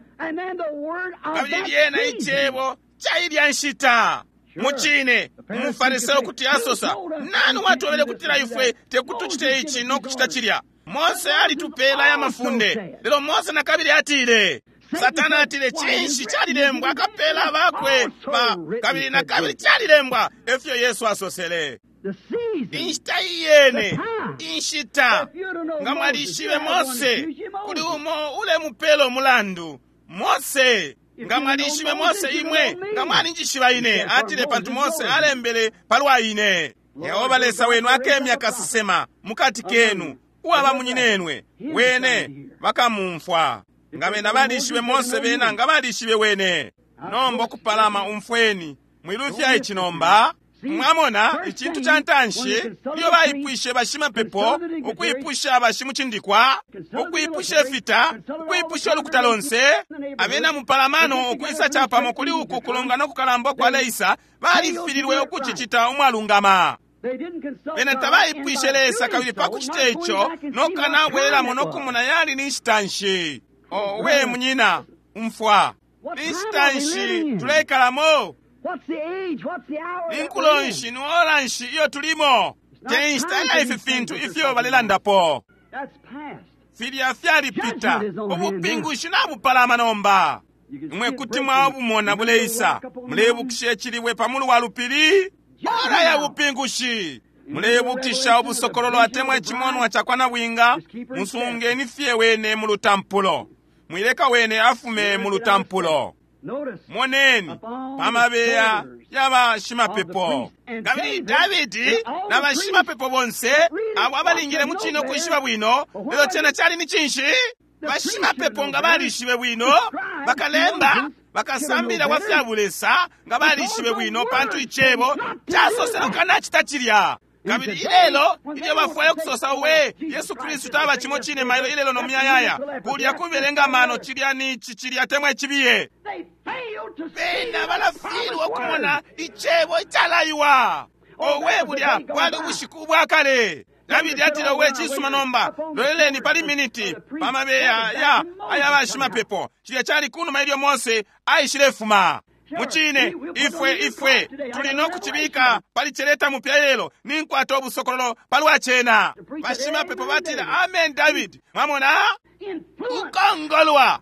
Speaker 1: Kabili lyena icebo cailya nshita. Mucine, umufariseo kuti asosa, nani watwebele kutila ifwe tekutucite ici no kucita cilya? Mose alitupela aya mafunde. Lelo Mose na kabili atile, Satana atile, cinshi calilembwa, akapela bakwe ba, kabili na kabili calilembwa, efyo Yesu asosele. Inshita iyene, inshita, nga mwalishibe Mose, kuli umo ulemupela umulandu. Mose, nga mwalishibe Mose imwe, nga mwalinjishiba ine. Atile, pantu Mose alembele palwa ine. Yehova Lesa wenu akemya kasesema mukati kenu, uwaba munyinenwe, wene bakamumfwa. Nga bena balishibe Mose, bena nga balishibe wene. Nomba ukupalama, umfweni, mwilufya ici nomba. Mwamona, icintu ca ntanshi ilyo baipwishe bashimapepo, ukwipusha bashimucindikwa, ukwipusha ifita, ukwipusha ulukuta lonse, abena mupalamano ukwisa capamo kuli uku kulongana kukalamba kwa Leisa, balifililwe ukucicita umwalungama. Bena tabaipwishe Lesa, kabili pa kucita ico nokanabwelelamo nokumona yali ni nshita nshi. Oh, we munyina, umfwa, ni nshita nshi tuleikalamo? Ni nkulo nshi, ni ora nshi iyo tulimo? Te nshita ya ifi fintu ifyo balelandapo. Filya fyalipita, ubupingushi nabupalama nomba. Imwe kuti mwabumona buleisa. Mulebukisha icilibwe pa mulu wa lupili? Ora ya bupingushi. Mulebukisha ubusokololo atemwa icimonwa ca kwa nabwinga? Musungeni fye wene mu lutampulo. Mwileka wene afume mu lutampulo. Moneni pamabeya y'abashimapepo. Kabili Davidi na bashimapepo bonse abo abalingile mu cine ukwishiba bwino, lelo cena cali ni cinshi? Bashimapepo nga balishibe bwino, bakalemba, bakasambila bwa fya bulesa nga balishibe bwino, pantu icebo casosele ukanacita cilya. Kabili ilelo ilyo bafwaya kusosa we Yesu Kristu taba cimo cine mailo ilelo no muyayaya, kulya kubelenga mano cilya ni ici cilya temwa icibiye. Bena balafilwa ukumona icebo icalaiwa. Owe, bulya bwali ubushiku ubwa kale. Davidi atile, owe, cisuma nomba, loleleni pali miniti pamabeya ya aya bashimapepo. Cilya cali kunuma ilyo Mose aishilefuma. Mucine, ifwe ifwe tuli no kucibika pali celeta mupya lelo, ninkwata ubusokololo palwa cena. Bashimapepo batile, amen David. Mwamona ukongolwa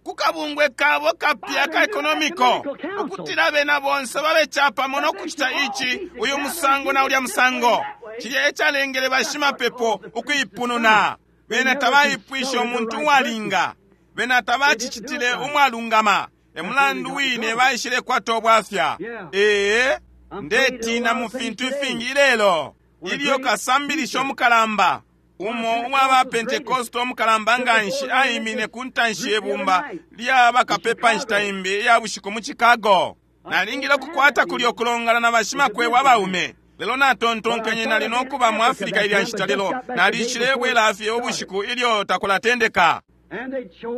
Speaker 1: kukabungwe kabo kapya ka ekonomiko, ukutila bena bonse babe capamo no kucita ici, uyu musango na ulya musango. Cilya ecalengele bashimapepo ukuipununa. Bena tabaipwishe umuntu uwalinga, bena tabacicitile umwalungama. Emulandu wine baishile kwata ubwafya. Ee, ndetina mu fintu ifingi ilelo. Ilyo kasambilisho omukalamba umo uwa ba Pentekoste omukalamba nganshi aimine ku ntanshi yebumba lya bakapepa nshita imbi iya bushiku mu Chicago. Nalingile ukukwata kulya ukulongana na bashimakwebo abaume, lelo natontonkenye nali nokuba mu Afrika ilya nshita, lelo nalishile bwela fye ubushiku ilyo takulatendeka.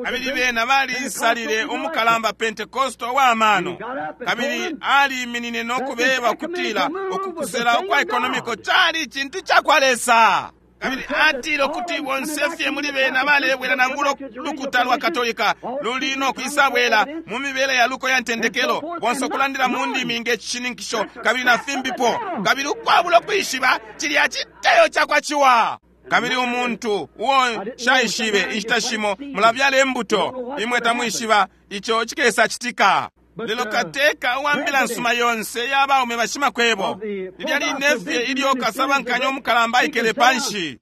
Speaker 1: Kabili bena balisalile umukalamba Pentekoste uwamano, kabili aliminine no kubeba ukutila ukukusela ukwa ekonomiko cali cintu cakwa Lesa. Kabili atile ukuti bonse fye muli bena balebwela nangula ulukuta lwa Katolika luli no kwisabwela mu mibele ya luko ya ntendekelo, bonse ukulandila mu ndimi nge cishininkisho kabili na fimbipo, kabili ukwabula ukwishiba cilya citeyo cakwa ciwa. Kabili umuntu uo shaishibe inshita shimo mulabyala imbuto, imwe tamwishiba ico cikesa citika. Lelo kateka uwambila nsuma yonse y'abaume bashimakwebo, lilya line fye ilyo kasabankanya omukalamba aikele panshi,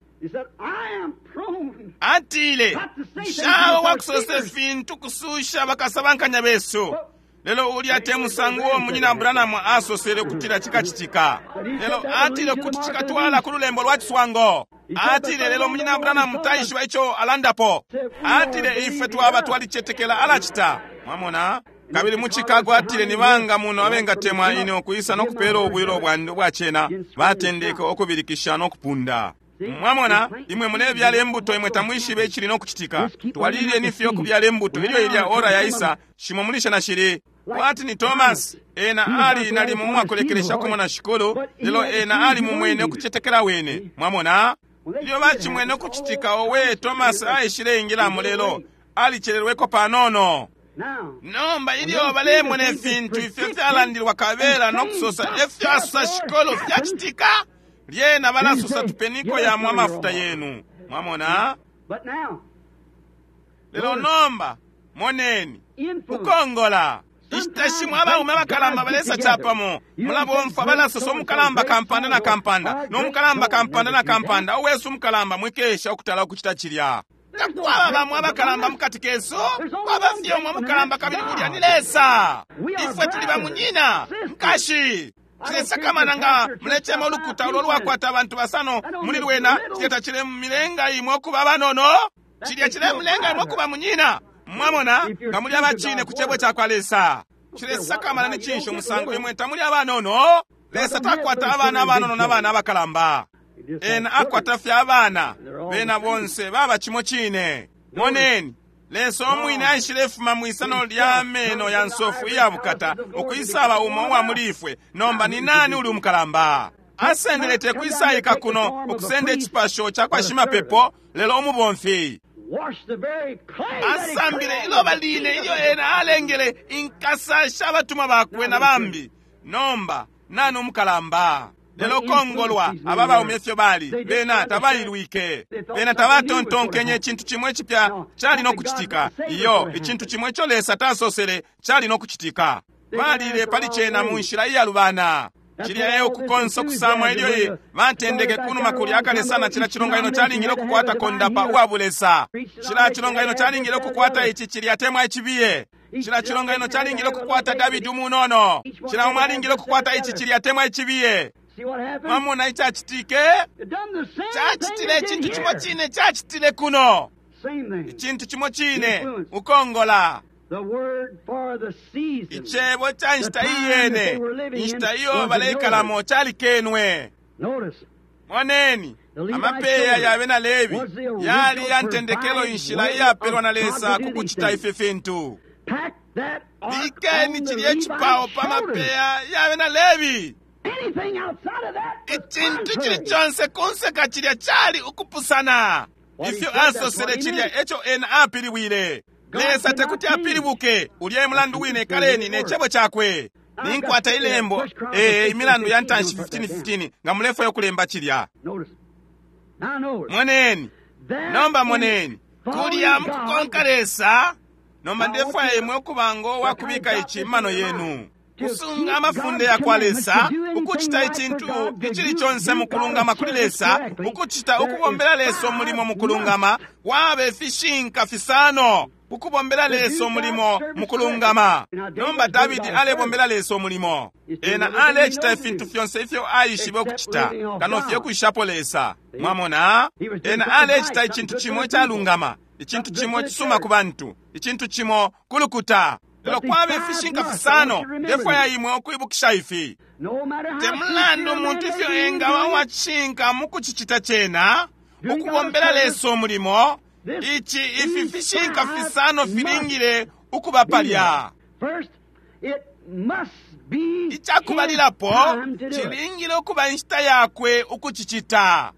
Speaker 1: atile, nshawe wakusosa ifintu kususha bakasabankanya besu. Lelo ulya te musango uo munyina Branham asosele ukutila cikacitika. Lelo atile kuti cikatwala ku lulembo lwa ciswango. Atile lelo munyina Branham taishiba ico alandapo. Atile ifwe twaba twalicetekela alacita. Mwamona? Kabili mu Chicago atile ni banga muno abengatemwa ine ukwisa no kupela ubwilo bwandi ubwa cena, batendeke ukubilikisha no kupunda. Mwamona, imwe mulebyala imbuto, imwe tamwishibe icili no kucitika. Twalilile fye ukubyala imbuto ilyo ilya ora yaisa, shimo mulisha na shili. Kwati ni Thomas, ena ali nalimo umwakulekelesha kumona shikulu, lelo ena ali mumwene ukucetekela wene. Mwamona? Ilyo bacimwene ukucitika, owe Thomas aishile ingilamo, lelo alicelelweko panono. Nomba ilyo balemona ifintu ifyo fyalandilwa kabela no kusosa efyo asosa shikolo fyacitika, lyena balasosa tupeniko yamwe amafuta yenu. Mwamona? Lelo nomba moneni ukongola inshita shimo abaume abakalamba balesa capamo, mulabomfwa balasosa umukalamba kampanda na kampanda n'omukalamba kampanda na kampanda, uwesu umukalamba mwikesha ukutala ukucita cilya. Takwaba bamwe abakalamba mukati kesu, kwaba fye umwe mukalamba kabili ulya ni Lesa. Ifwe tuli bamunyina nkashi. Cilesakamana nga mulecema ulukuta ulo lwakwata abantu basano muli lwena, cilya tacilemulenga imwe ukuba abanono, cilya cilemulenga imwe ukuba munyina. Mwamona, nga muli abacine ku cebo cakwa Lesa. Cilesakamana ni cinshi umusango imwe tamuli abanono? Lesa takwata abana abanono n'abana abakalamba. Ena akwata fye abana, bena bonse baba cimo cine. Moneni, Lesa omwine aishilefuma mwisano lya meno ya nsofu iya bukata ukwisaba umo uwa muli ifwe. Nomba ni nani uli umukalamba? Asendele te kwisaika kuno ukusenda icipasho ca kwa shimapepo, lelo umubomfi. Asambile iloba line ilyo ena alengele inkasa sha batumwa bakwe na bambi. Nomba nani umukalamba? Lelo kongolwa aba baume ifyo bali, bena tabailwike, bena tabatontonkenye icintu cimwe icipya cali no kucitika. Iyo, icintu cimwe ico Lesa tasosele cali no kucitika. Balile pali cena mu nshila iyalubana. Cilya eyo kukonsa okusamwa ilyo batendeke kunuma kulya akale sana. Cila cilonganino calingile ukukwata kondapa uwa bulesa. Cila cilonganino calingile ukukwata ici cilya atemwa icibiye. Cila cilonganino calingile ukukwata Davidi umunono. Cila umwe alingile ukukwata ici cilya atemwa icibiye. Mwamona icacitike? Cacitile icintu cimo cine cacitile kuno. Icintu cimo cine, ukongola. Icebo ca nshita iyene, inshita iyo baleikalamo calikenwe. Moneni, amapeya ya bena Lebi yali ya ntendekelo inshila iyapelwa na Lesa ku kucita ifi fintu. Bikeni cilya icipao pa mapeya ya bena Lebi. Icintu cili conse kunseka cilya cali ukupusana. Ifyo asosele cilya eco ena apiliwile. Lesa tekuti apilibuke. Ulya mulandu wine kaleni ne cebo cakwe. Ninkwata ilembo eh imilandu ya ntanshi fifteen fifteen nga mulefwayo kulemba cilya. Moneni, nomba moneni, kulya mukukonka Lesa. Nomba ndefwaya imwe ukubango wakubika ici mano yenu. Kusunga amafunde ya kwa Lesa, ukucita icintu icili conse mukulungama kuli Lesa, ukucita ukubombela Lesa umulimo mukulungama, wabe fishinka fisano. Ukubombela Lesa umulimo mukulungama. Nomba Davidi alebombela Lesa umulimo. Ena alecita ifintu fyonse ifyo aishibe ukucita, kano fye kwishapo Lesa. Mwamona, ena alecita icintu cimo icalungama, icintu cimo cisuma ku bantu, icintu cimo kulukuta. Lelo kwabe fishinka fisano, ndefwaya imwe ukwibukisha ifi. Te mulandu umuntu ifyo engaba uwacishinka mu kucicita cena, ukubombela Lesa umulimo, ici ifi fishinka fisano filingile ukuba palya. Icakubalilapo cilingile ukuba inshita yakwe ukucicita.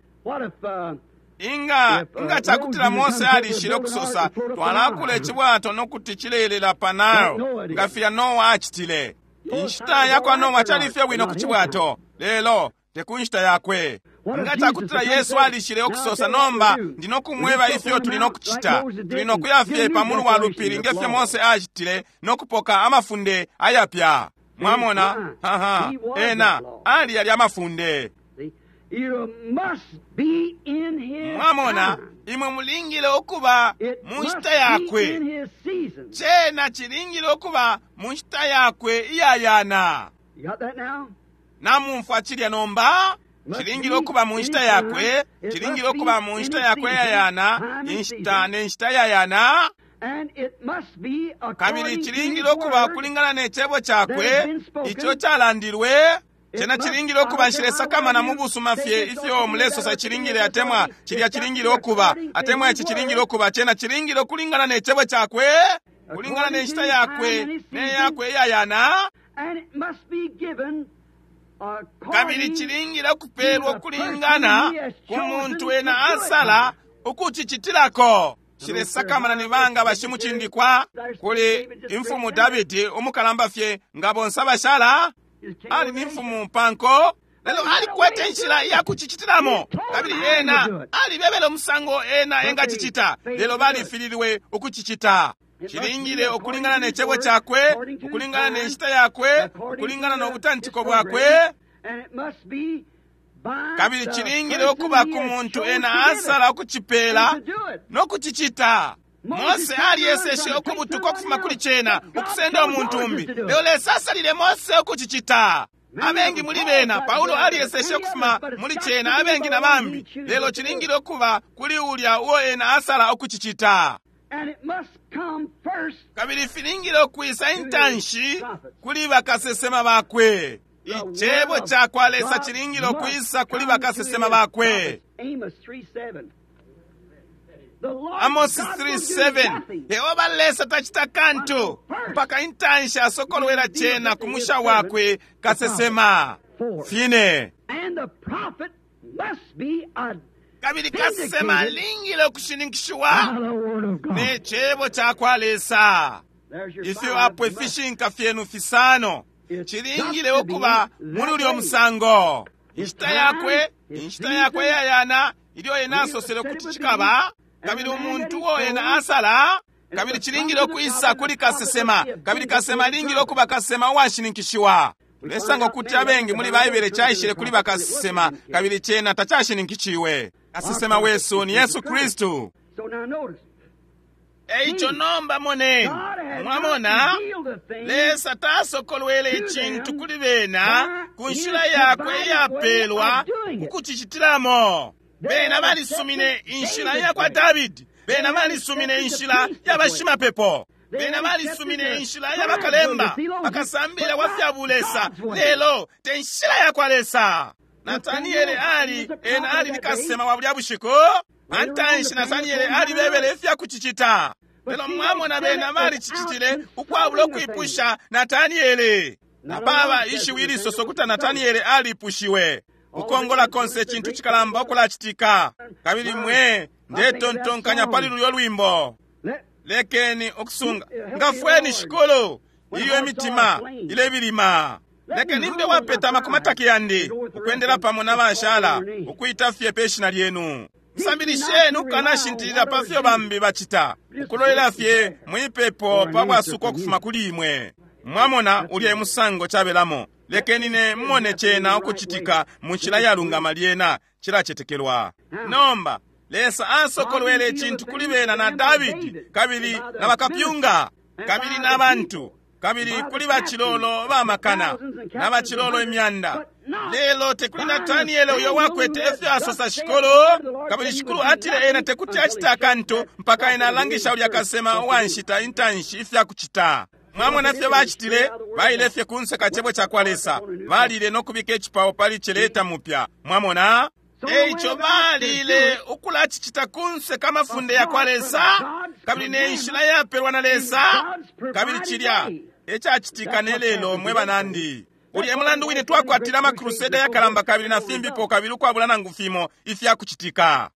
Speaker 1: Inga inga cakutila Mose alishile ukusosa twalakula icibwato nokuti cilelela pa Nile, nga filya Noa acitile. Inshita yakwa Noa califye bwino ku cibwato, lelo te ku nshita yakwe. Nga cakutila Yesu alishile ukusosa nomba ndinokumweba ifyo tuli nokucita, tuli nokuya fye pa mulu wa lupili ngefyo Mose acitile nokupoka amafunde ayapya. Mwamona, haha, ena ali yali amafunde. Mwamona, imwe mulingile ukuba mu nshita yakwe. Cena cilingile ukuba mu nshita yakwe iyayana. Namumfwa cilya nomba? Cilingile ukuba mu nshita yakwe, cilingile ukuba mu nshita yakwe iyayana, inshita ne nshita iyayana. Kabili cilingile ukuba kulingana ne cebo cakwe ico calandilwe. Cena cilingile ukuba nshilesakamana mu busuma fye ifyo mulesosa cilingile atemwa cilya cilingile ukuba atemwa ici cilingile ukuba. Cena cilingile ukulingana ne cebo cakwe, kulingana ne nshita yakwe ne yakwe iyayana. Kabili cilingile ukupelwa ukulingana ku muntu ena asala ukucicitilako. Shilesakamana ni banga bashimucindikwa kuli imfumu Davidi umukalamba fye nga bonse abashala. Ali ni mfumu panko, lelo alikwete inshila iya kucicitilamo, kabili ena alibebele umusango ena engacicita, lelo balifililwe ukucicita. Cilingile ukulingana ne cebo cakwe, ukulingana ne nshita yakwe, ukulingana no butantiko bwakwe. Kabili cilingile ukuba ku muntu ena asala ukucipela no kucicita. Mose alieseshe ukubutuka ukufuma kuli cena ukusenda umuntu umbi, lelo Lesa asalile Mose ukucicita. Abengi muli bena Paulo alieseshe ukufuma muli cena, abengi na bambi, lelo cilingile ukuba kuli ulya uo ena asala ukucicita. Kabili filingile ukwisa intanshi kuli bakasesema bakwe. Icebo cakwa Lesa cilingile ukwisa kuli bakasesema bakwe. Amos three seven, Yehova Lesa tacita kantu mpaka intanshi asokolwela cena ku musha wakwe kasesema. Fine. Kabili kasesema alingile ukushininkishiwa ne cebo cakwa Lesa. Ifyo apo ifishinka fyenu fisano cilingile ukuba muli ulyo musango. Inshita yakwe, inshita yakwe yayana ilyo ena asosele kuti cikaba, kabili umuntu uo ena asala, kabili cilingile ukwisa kuli kasesema, kabili kasesema alingile ukuba kasesema uwashininkishiwa. Tulesanga ukuti abengi muli Baibele caishile kuli bakasesema, kabili cena tacashininkishiwe. Kasesema wesu ni Yesu Kristu. Eico nomba moneni, mwamona, Lesa tasokolwele icintu kuli bena ku nshila yakwe iyapelwa ukucicitilamo. Bena balisumine inshila yakwa Davidi, bena balisumine inshila yabashimapepo, bena balisumine inshila yabakalemba, bakasambila wa fya bulesa, lelo te nshila yakwa Lesa. Nataniele ali, ena ali ni kasesema wa bulya bushiku. Pantanshi Nataniele alibebele ifya kucicita. Lelo mwamona bena balicicitile ukwabula ukwipusha Nataniele. Napaba ishiwi ilisoso kuti Nataniele alipushiwe. Ukongola konse cintu cikalamba ukulacitika. Kabili mwe ndetontonkanya pali lulyo lwimbo. Lekeni okusunga. Ngafweni shikulu iyo imitima ilebilima. Lekeni mbe wapetama ku mataki yandi ukwendela pamo na bashala ukwita fye pe shina lyenu. Msambilisheni ukanashintilila pa fyo bambi bacita, ukulolela fye mwipepo pa bwasuko ukufuma kuli imwe. Mwamona ulya musango cabelamo. Lekeni ne mmone cena ukucitika mu nshila yalungama lyena cilacetekelwa. Nomba Lesa asokolwele icintu kuli bena na Davidi kabili na bakapyunga kabili na bantu kabili kuli bacilolo bamakana na bacilolo imyanda. Lelo tekuli Nataniele uyo wakwete efyo asosa shikulu, kabili shikulu atile ena tekuti acita akantu mpaka ena alangisha ulya kasema uwanshita intanshi ifya kucita. Mwamona fye bacitile, baile fye kunse ka cebo cakwa Lesa, balile no kubika icipao pali celeta mupya. Mwamona? Eico balile ukulacicita kunse kamafunde yakwa Lesa, kabili ne nshila yapelwa na Lesa, kabili cilya ecacitika ne lelo mwe banandi. Ulya mulandu wine twakwatila amakruseda yakalamba kabili na fimbipo kabili ukwabula nangu fimo ifyakucitika.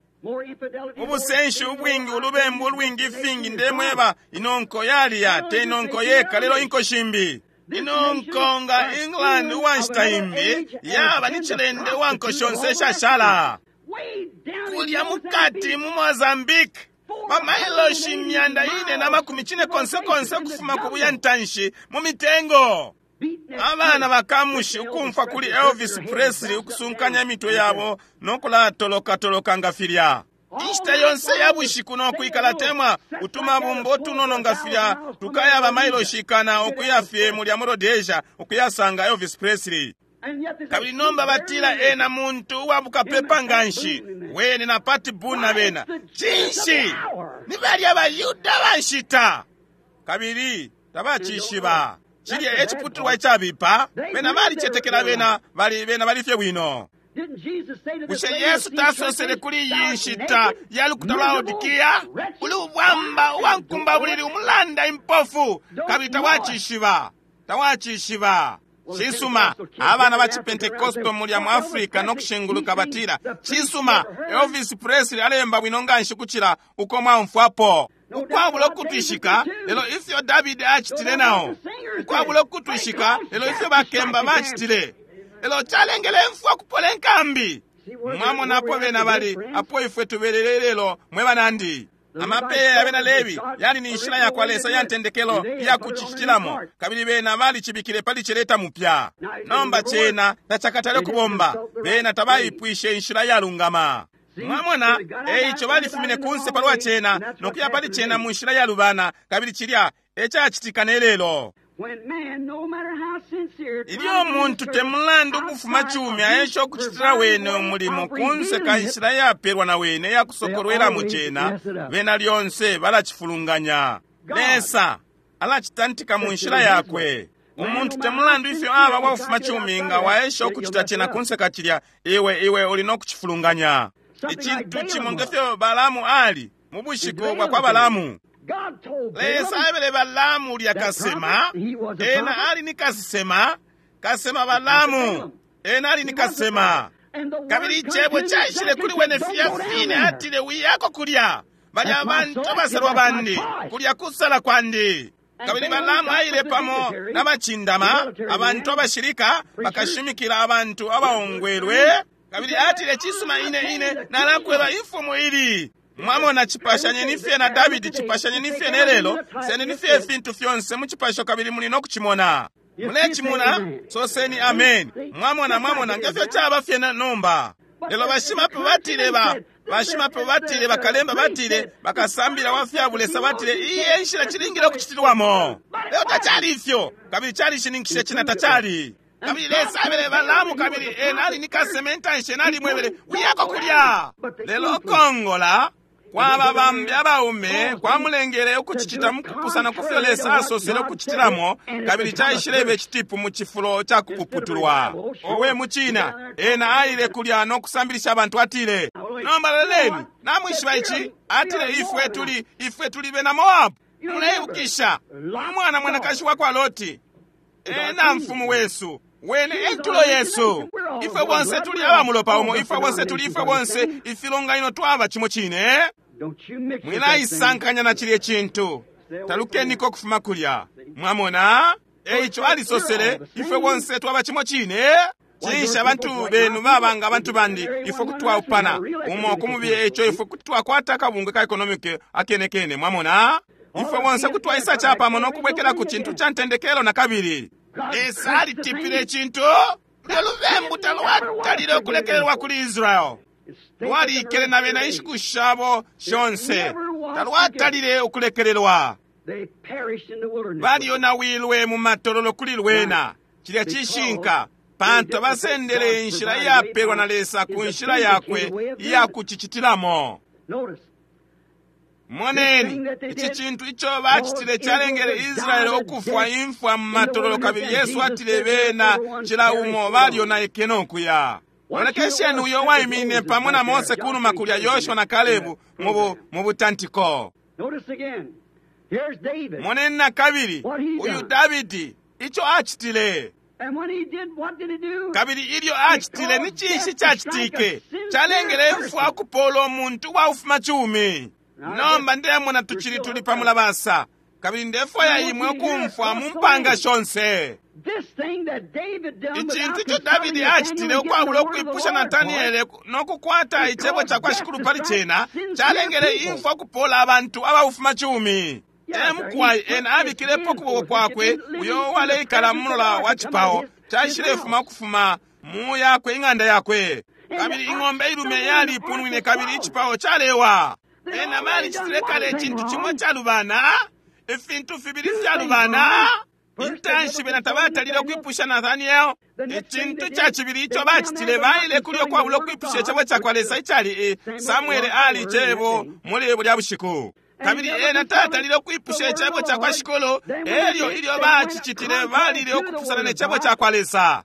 Speaker 1: Ubusenshi ubwingi, ulubembu ulwingi, ifingi ndemweba, inonko yaliya te inonko yeka lelo inko shimbi. Inonko nga England uwanshita imbi yaba ni cilende uwanko shonse shashala. Kulya mukati mu Mozambique bamailoshi imyanda ine na makumi cine konse konse ukufuma ku buyantanshi mu mitengo. Abana bakamushi ukumfwa kuli Elvis Presley ukusunkanya imitwe yabo no kulatoloka-toloka nga filya. Inshita yonse ya bushiku no kwikala temwa utumabumbo utunono nga filya tukaya bamailoshi ikana ukuya fye mulya mu Rhodesia ukuyasanga Elvis Presley. Kabili nomba batila ena muntu uwabukapepa nganshi, wene na Pat Boone na bena. Cinshi? Ni balya abayuda banshita. Kabili tabacishiba. Cilya eciputulwa icabipa, bena balicetekela bena bali bena bali fye bwino. Bushe Yesu tasosele kuli iyi nshita ya lukuta lwa Laodikia, uli ubwamba uwankumba bulili umulanda impofu, kabili tawacishiba, tawacishiba. Cisuma, abana ba Chipentekosto mulya mu Africa no kushinguluka batila, cisuma, Elvis Presley alemba bwino nganshi kucila uko mwaumfwapo. Ukwabula ukutwishika, lelo ifyo Davidi acitile nao. Ukwabula ukutwishika, lelo ifyo bakemba bacitile. Lelo calengele imfwa kupola inkambi. Mwamona apo bena bali, apo ifwe tubelele lelo mwe banandi. Amapeya ya bena Levi yali ni nshila yakwa Lesa ya ntendekelo iya kucicitilamo, kabili bena balicibikile pali celeta mupya. Nomba cena tacakatale kubomba, bena tabaipwishe inshila yalungama. Mwamona, eico balifumine kunse palwa cena nokuya pali cena mu nshila yalubana, kabili cilya ecacitika ne lelo. Ilyo umuntu temulandu ukufuma cumi aesha ukucitila wene umulimo kunse ka nshila yapelwa na wene yakusokolwelamo cena, bena lyonse balacifulunganya. Lesa alacitantika mu nshila yakwe. Umuntu temulandu ifyo aba wakufuma cumi nga waesha ukucita cena kunse ka cilya, iwe iwe uli no kucifulunganya. Icintu cimo ngefyo Balamu ali mu bushiku bwa kwa Balamu. Lesa aebele Balamu ulya kasema, ena ali ni kasema, kasema Balamu, ena ali ni kasema. Kabili icebo caishile kuli wene filya fine, atile wiyako kulya balya abantu abasalwa bandi, kulya kusala kwandi. Kabili Balamu aile pamo n'abacindama, abantu abashilika, bakashimikila abantu abaongwelwe. Kabili atile cisuma ine ine nalakweba imfumu ili. Mwamona, cipashanyeni fye na Davidi, cipashanyeni fye ne lelo, sendeni fye ifintu fyonse mu cipasho kabili muli no kucimona. Mulecimona, soseni amen. Mwamona, mwamona ngefyo caba fye nomba. Lelo bashimapepo batile ba bashimapepo batile, bakalemba batile, bakasambila wa fyabulesa batile, iyi e nshila cilingile ukucitilwamo. Lelo tacali ifyo, kabili calishininkishe cina tacali. Kabili Lesa abele Balamu, kabili ena ali ni kasema intanshi, ena alimwebele wiyako kulya. Lelo kongola kwaba bambi abaume kwamulengele ukucicita mukupusana kufyo Lesa asosele ukucitilamo, kabili caishilebe icitipu mu cifulo ca kupuputulwa. Owe mucina, ena aile kulya no kusambilisha abantu, atile, nomba leleni, namwishiba ici, atile ifwe tuli ifwe tuli bena Moabu. Muleibukisha umwana mwanakashi wa kwa Loti, ena mfumu wesu, wene entulo yesu. Ifwe bonse tuli abamulopa umo, ifwe bonse tuli ifwe bonse ifilonganino twaba cimo cine. Mwilaisankanya na cilye cintu, talukeniko kufuma kulya. Mwamona, eico alisosele, ifwe bonse twaba cimo cine. Cinshi abantu benu babanga abantu bandi, ifwe kuti twaupana umo kumubiye, eico ifwe kuti twakwata akabungwe ka economic akenekene. Mwamona, ifwe bonse kuti twaisa capamo no kubwekela ku cintu ca ntendekelo na kabili. Lesa alitipile icintu. Lelo lubembu talwatalile ukulekelelwa kuli Israel. Lwalikele na bena inshiku shabo shonse, talwatalile ukulekelelwa. Balionawilwe mu matololo kuli lwena. Cilya cishinka, pantu abasendele inshila iyapelwa na Lesa ku nshila yakwe iyakucicitilamo. Moneni, ici cintu ico bacitile calengele Israeli ukufwa imfwa mu matololo, kabili Yesu atile bena cila umo balionaike no kuya. Lolekesheni uyo waiminine pamo na Mose kunuma kulya, Yoshua na Kalebu mu butantiko. Moneni na kabili uyu Davidi ico acitile. Kabili ilyo acitile, ni cinshi cacitike? Calengele imfwa ukupola umuntu uwaufuma cumi. Nomba ndemona tucili tuli pamulabasa, kabili ndefwaya imwe ukumfwa mu mpanga shonse. Icintu ico Davidi acitile ukwabula ukwipusha Nataniele no kukwata icebo ca kwa Shikulu pali cena, calengele imfwa ukupola abantu abaufuma cumi. Emukwai ena abikilepo ukuboko kwakwe uyo uwaleikala mu mulola wa cipao, caishilefuma ukufuma mu yakwe ing'anda yakwe. Kabili ing'ombe ilume yalipunwine, kabili icipao calewa. Ena balicitile kale icintu cimo calubana, ifintu fibili fyalubana. Intanshi bena tabatalile ukwipusha Nathaniel. Icintu ca cibili ico bacitile, baile kulya ukwabula ukwipusha icebo ca kwa Lesa icali Samuele ali icebo muli bulya bushiku. Kabili ena tatalile ukwipusha icebo ca kwa Shikulu, elyo ilyo bacicitile balile ukupusana ne cebo ca kwa Lesa.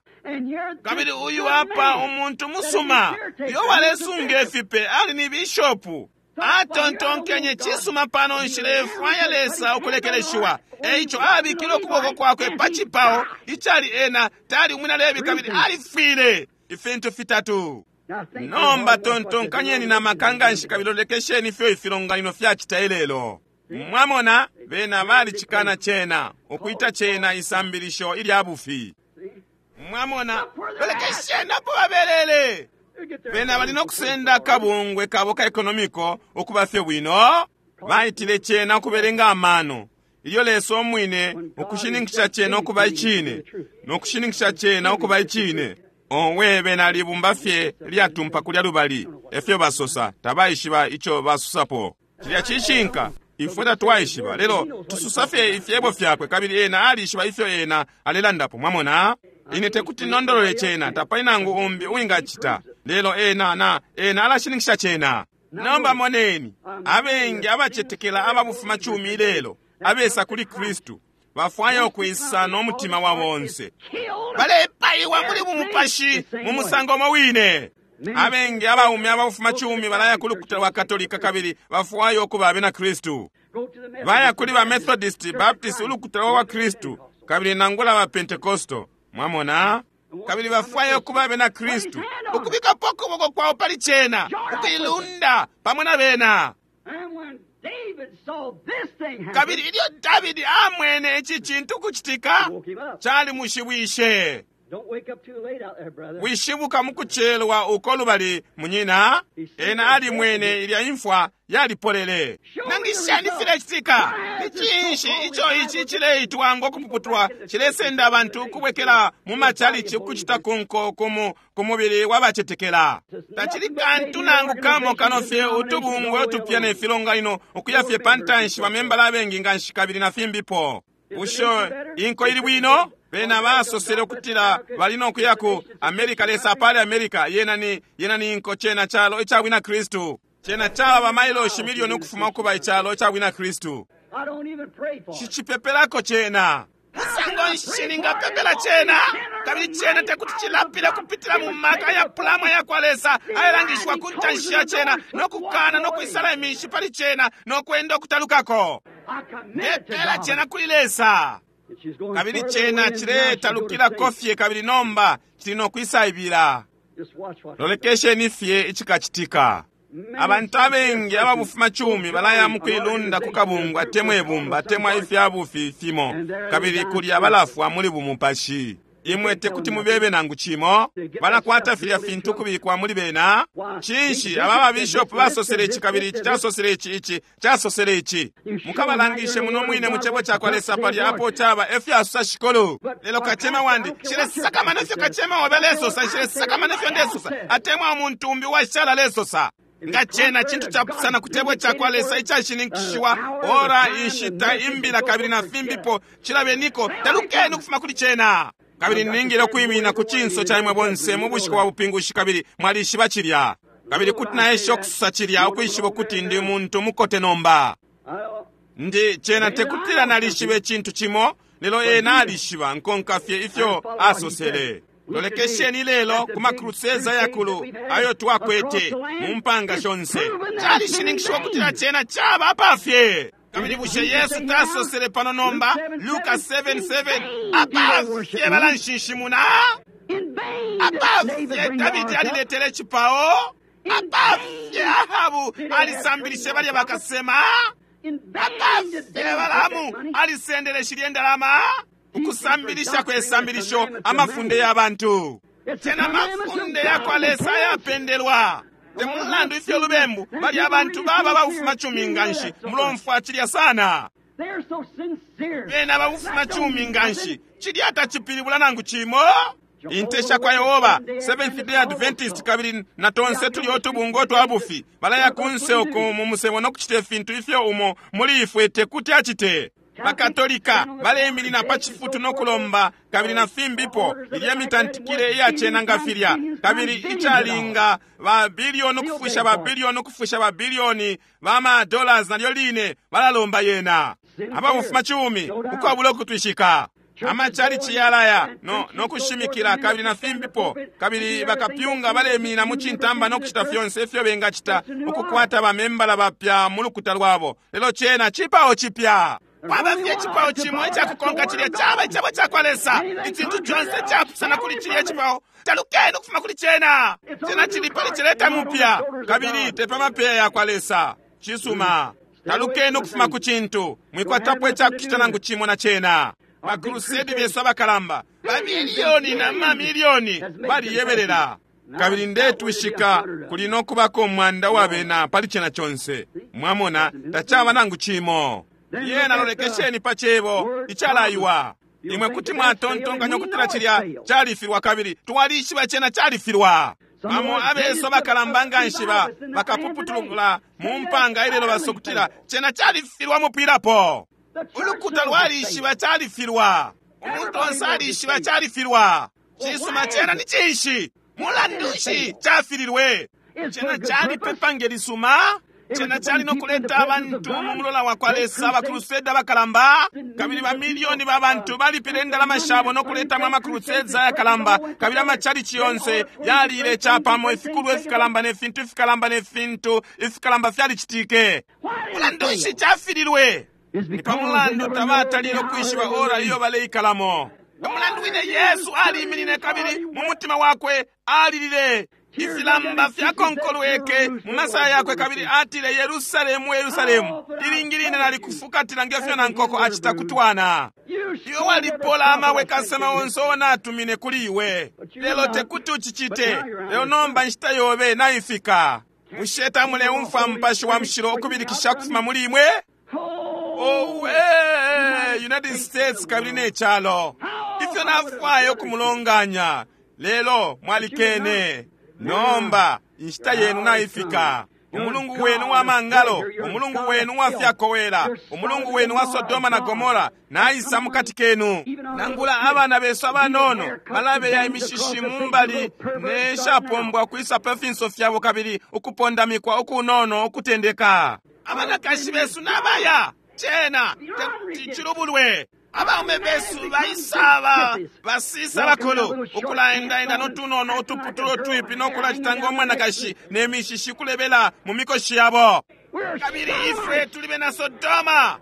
Speaker 1: Kabili uyu apa umuntu musuma uyo walesunga ifipe ali ni bishopu. Atontonkenye cisuma pano nshilefwaya Lesa ukulekeleshiwa, eico abikile ukuboko kwakwe pa cipao icali ena tali umwina Lebi, kabili alifwile. Ifintu fitatu. Nomba tontonkanyeni na makanganshi kabili lolekesheni ifyo ifilonganino fyacita ilelo. Mwamona, bena balicikana cena, ukuita cena isambilisho ilya bufi. Mwamona, lolekesheni apo babelele. Bena bali no kusenda akabungwe kabo ka ekonomiko ukuba fye bwino. Baitile cena ukubelenga amano. Ilyo Lesa omwine ukushininkisha cena ukuba icine, no kushininkisha cena ukuba icine. Owe bena libumba fye lyatumpa kulya lubali, efyo basosa, tabaishiba ico basosapo. Cilya cishinka. Ifwe tatwaishiba, lelo tususa fye ifyebo fyakwe, kabili ena alishiba ifyo ena alelandapo. Mwamona? Ine tekuti nondolole cena, tapali nangu umbi uwingacita, lelo ena na ena alashininkisha cena. Nomba moneni, abengi abacetekela ababufuma cumi ilelo abesa kuli Kristu bafwaya ukwisa n'omutima wa bonse, balepaiwa muli bumupashi mu musango umo wine. Abengi abaume ababufuma cumi balaya ku lukuta lwa Katolika kabili bafwaya ukuba abena Kristu. Baya kuli ba Methodist, Baptist, ulukuta lwa Kristu, kabili nangula ba Pentecostal. Mwamona? Kabili bafwaya ukuba abena Kristu, ukubikapo ukuboko kwawo pali cena, ukuilunda pamo na bena. Kabili ilyo Davidi amwene ici cintu kucitika, cali mushibwishe. Wishibuka mukucelwa uko lubali munyina, ena alimwene ilya imfwa yalipolele. Nangishani filecitika? Ni cinshi ico ici cileitwa ngo kupuputulwa cilesenda abantu ukubwekela mu machalichi ukucita kunko ku mubili w'abacetekela? Tacili kantu nangu kamo kano fye utubungwe utupya ne filonganino ukuya fye pa ntanshi bamembala abengi nganshi kabili na fimbipo. Usho inko ili bwino? Bena basosele ukutila bali nokuya ku America, Lesa apale America. Yena ni yena ni inko cena chalo icabwina Kristu. Cena chaba bamailoshi milioni ukufuma ukuba ichalo icabwina Kristu. Shichipepelako cena. Musango nshi ningapepela cena? Kabili cena tekuti chilapile kupitila mu maka ya pulama ya kwa Lesa ayalangishwa ku ntanshi ya cena nokukana nokwisala imishi pali cena nokwenda okutalukako. Ndepela cena kuli Lesa. Kabili cena ciletalukilako fye kabili nomba cili nokwisaibila. Lolekesheni fye icikacitika. Abantu abengi ababufuma cumi balaya mukuilunda ku kabungwe atemwa ibumba atemwa ifyabufi fimo, kabili kulya balafwa muli bumupashi. Imwe tekuti mubebe nangu cimo, balakwata filya fintu kubikwa muli bena. Cinshi aba babishopu basosele ici kabili ici casosele ici ici casosele ici. Mukabalangishe muno mwine mu cebo ca kwa Lesa palya apo caba efyasosa shikolo. Lelo kacema wandi nshilesakamana ifyo kacema wabe lesosa, nshilesakamana ifyo ndesosa, atemwa umuntu umbi washala lesosa. Nga cena cintu capusana ku cebo ca kwa Lesa icashininkishiwa, ora inshita imbila kabili na fimbipo cilabeniko, talukeni ukufuma kuli cena. Kabili ningile ukwiminina ku cinso ca imwe bonse mu bushiku bwa bupingushi, kabili mwalishiba cilya. Kabili kuti naesha ukususa cilya ukwishiba ukuti ndi muntu mukote nomba. Ndi cena tekutila nalishiba icintu cimo, lelo ena alishiba nkonka fye ifyo asosele. Lolekesheni lelo ku makruseza yakulu ayo twakwete mu mpanga shonse. Calishininkishiwa ukutila cena caba apafye. Kabili bushe Yesu tasosele pano nomba Luka seven seven, apafye balanshinshimuna, apafye Davidi aliletele icipao, apafye Ahabu alisambilishe balya bakasema, apafye Balamu alisendele shilye ndalama, ukusambilisha kwesambilisho amafunde y'abantu. Tena mafunde yakwa Lesa yapendelwa. Temulandu ifyo lubembu bali abantu baba babufuma cumi nganshi mulomfwa cilya sana. Bena babufuma cumi nganshi cilya tacipilibula nangu cimo. Inte sha kwa Yehova, Seventh Day Adventist, kabili na tonse tuli otubungwe otwabufi balaya kunse uku mu musebo nokucita ifintu ifyo umo muli ifwe tekuti acite. Bakatolika baleyiminina pa cifutu nokulomba kabili na fimbipo ilya mitantikile iyacena nga filya, kabili icalinga ba bilioni ukufusha ba bilioni ukufusha ba bilioni ba ma dollars nalyo line balalomba yena. Ababufuma cumi ukwabula ukutwishika. Amachalichi yalaya no nokushimikila kabili na fimbipo, kabili bakapyunga baleyiminina mu cintamba nokucita fyonse ifyo bengacita ukukwata bamembala bapya mu lukuta lwabo, lelo cena cipao cipya. Kwaba fye icipao cimo icakukonka cilya caba icebo ca kwa Lesa. Icintu conse capusana kuli cilya icipao, talukeni ukufuma kuli cena. Cena cili pali cileta mupya kabili te pa mapeya ya kwa Lesa. Cisuma, talukeni ukufuma ku cintu, mwikwatapo icakucita nangu cimo na cena. Bakrusedi besu abakalamba bamiliyoni na mamiliyoni baliyebelela. Kabili ndetwishika kuli nokubako umwanda wa bena pali cena conse. Mwamona, tacaba nangu cimo. Yena lolekesheni pa cebo icalaiwa. Imwe kuti mwatontonkanya ukutila cilya califilwa, kabili twalishiba cena califilwa. Bamo abeso bakalamba nga nshi ba bakapuputulula mu mpanga ilelo basokutila cena califilwa mupwilapo. Ulukuta lwalishiba califilwa. Umuntu onse alishiba califilwa. Cisuma cena ni cinshi? Mulandu nshi cafililwe? Cena calipepa ngelisuma. Cena cali nokuleta abantu mu mulola wa kwa Lesa, abakruseda bakalamba, kabili bamiliyoni ba bantu balipile indalama shabo nokuletamo amakruseda ayakalamba, kabili amachalichi yonse yalile capamo ifikulwa ifikalamba ne fintu ifikalamba ne fintu ifikalamba fyalicitike. Mulandu nshi cafililwe? Ni pa mulandu tabatalile ukwishiba ora iyo baleikalamo. Umulandu wine Yesu aliminine kabili mu mutima wakwe alilile. Ifilamba fyakonkolweke mu masaya yakwe kabili atile, Yerusalemu, Yerusalemu, ilingi line nalikufukatila ngefyo na nkoko acita kutwana. Iwe walipola amabwe kasema onse onatumine kuli iwe, lelo tekuti ucicite. Lelo nomba nshita yobe naifika. Bushe tamuleumfwa Mupashi wa Mushilo ukubilikisha kufuma muli imwe? Owe, United States kabili ne calo, ifyo nafwaya ukumulonganya, lelo mwalikene. Nomba inshita yenu naifika. Umulungu wenu wa mangalo, umulungu wenu wa fyakowela, umulungu wenu wa Sodoma na Gomora naisa mukati kenu. Nangula abana besu abanono balabeya imishishi mumbali neshapombwa kwisa pa finso fyabo kabili ukupondamikwa ukunono ukutendeka. Abanakashi besu nabaya cena cilubulwe. Abaume besu baisaba basisa bakulu ukulaendaenda notunono utuputulo twipi nokulacita ng'omwanakashi ne mishishi kulebela mu mikoshi yabo. Kabili ifwe tuli bena Sodoma,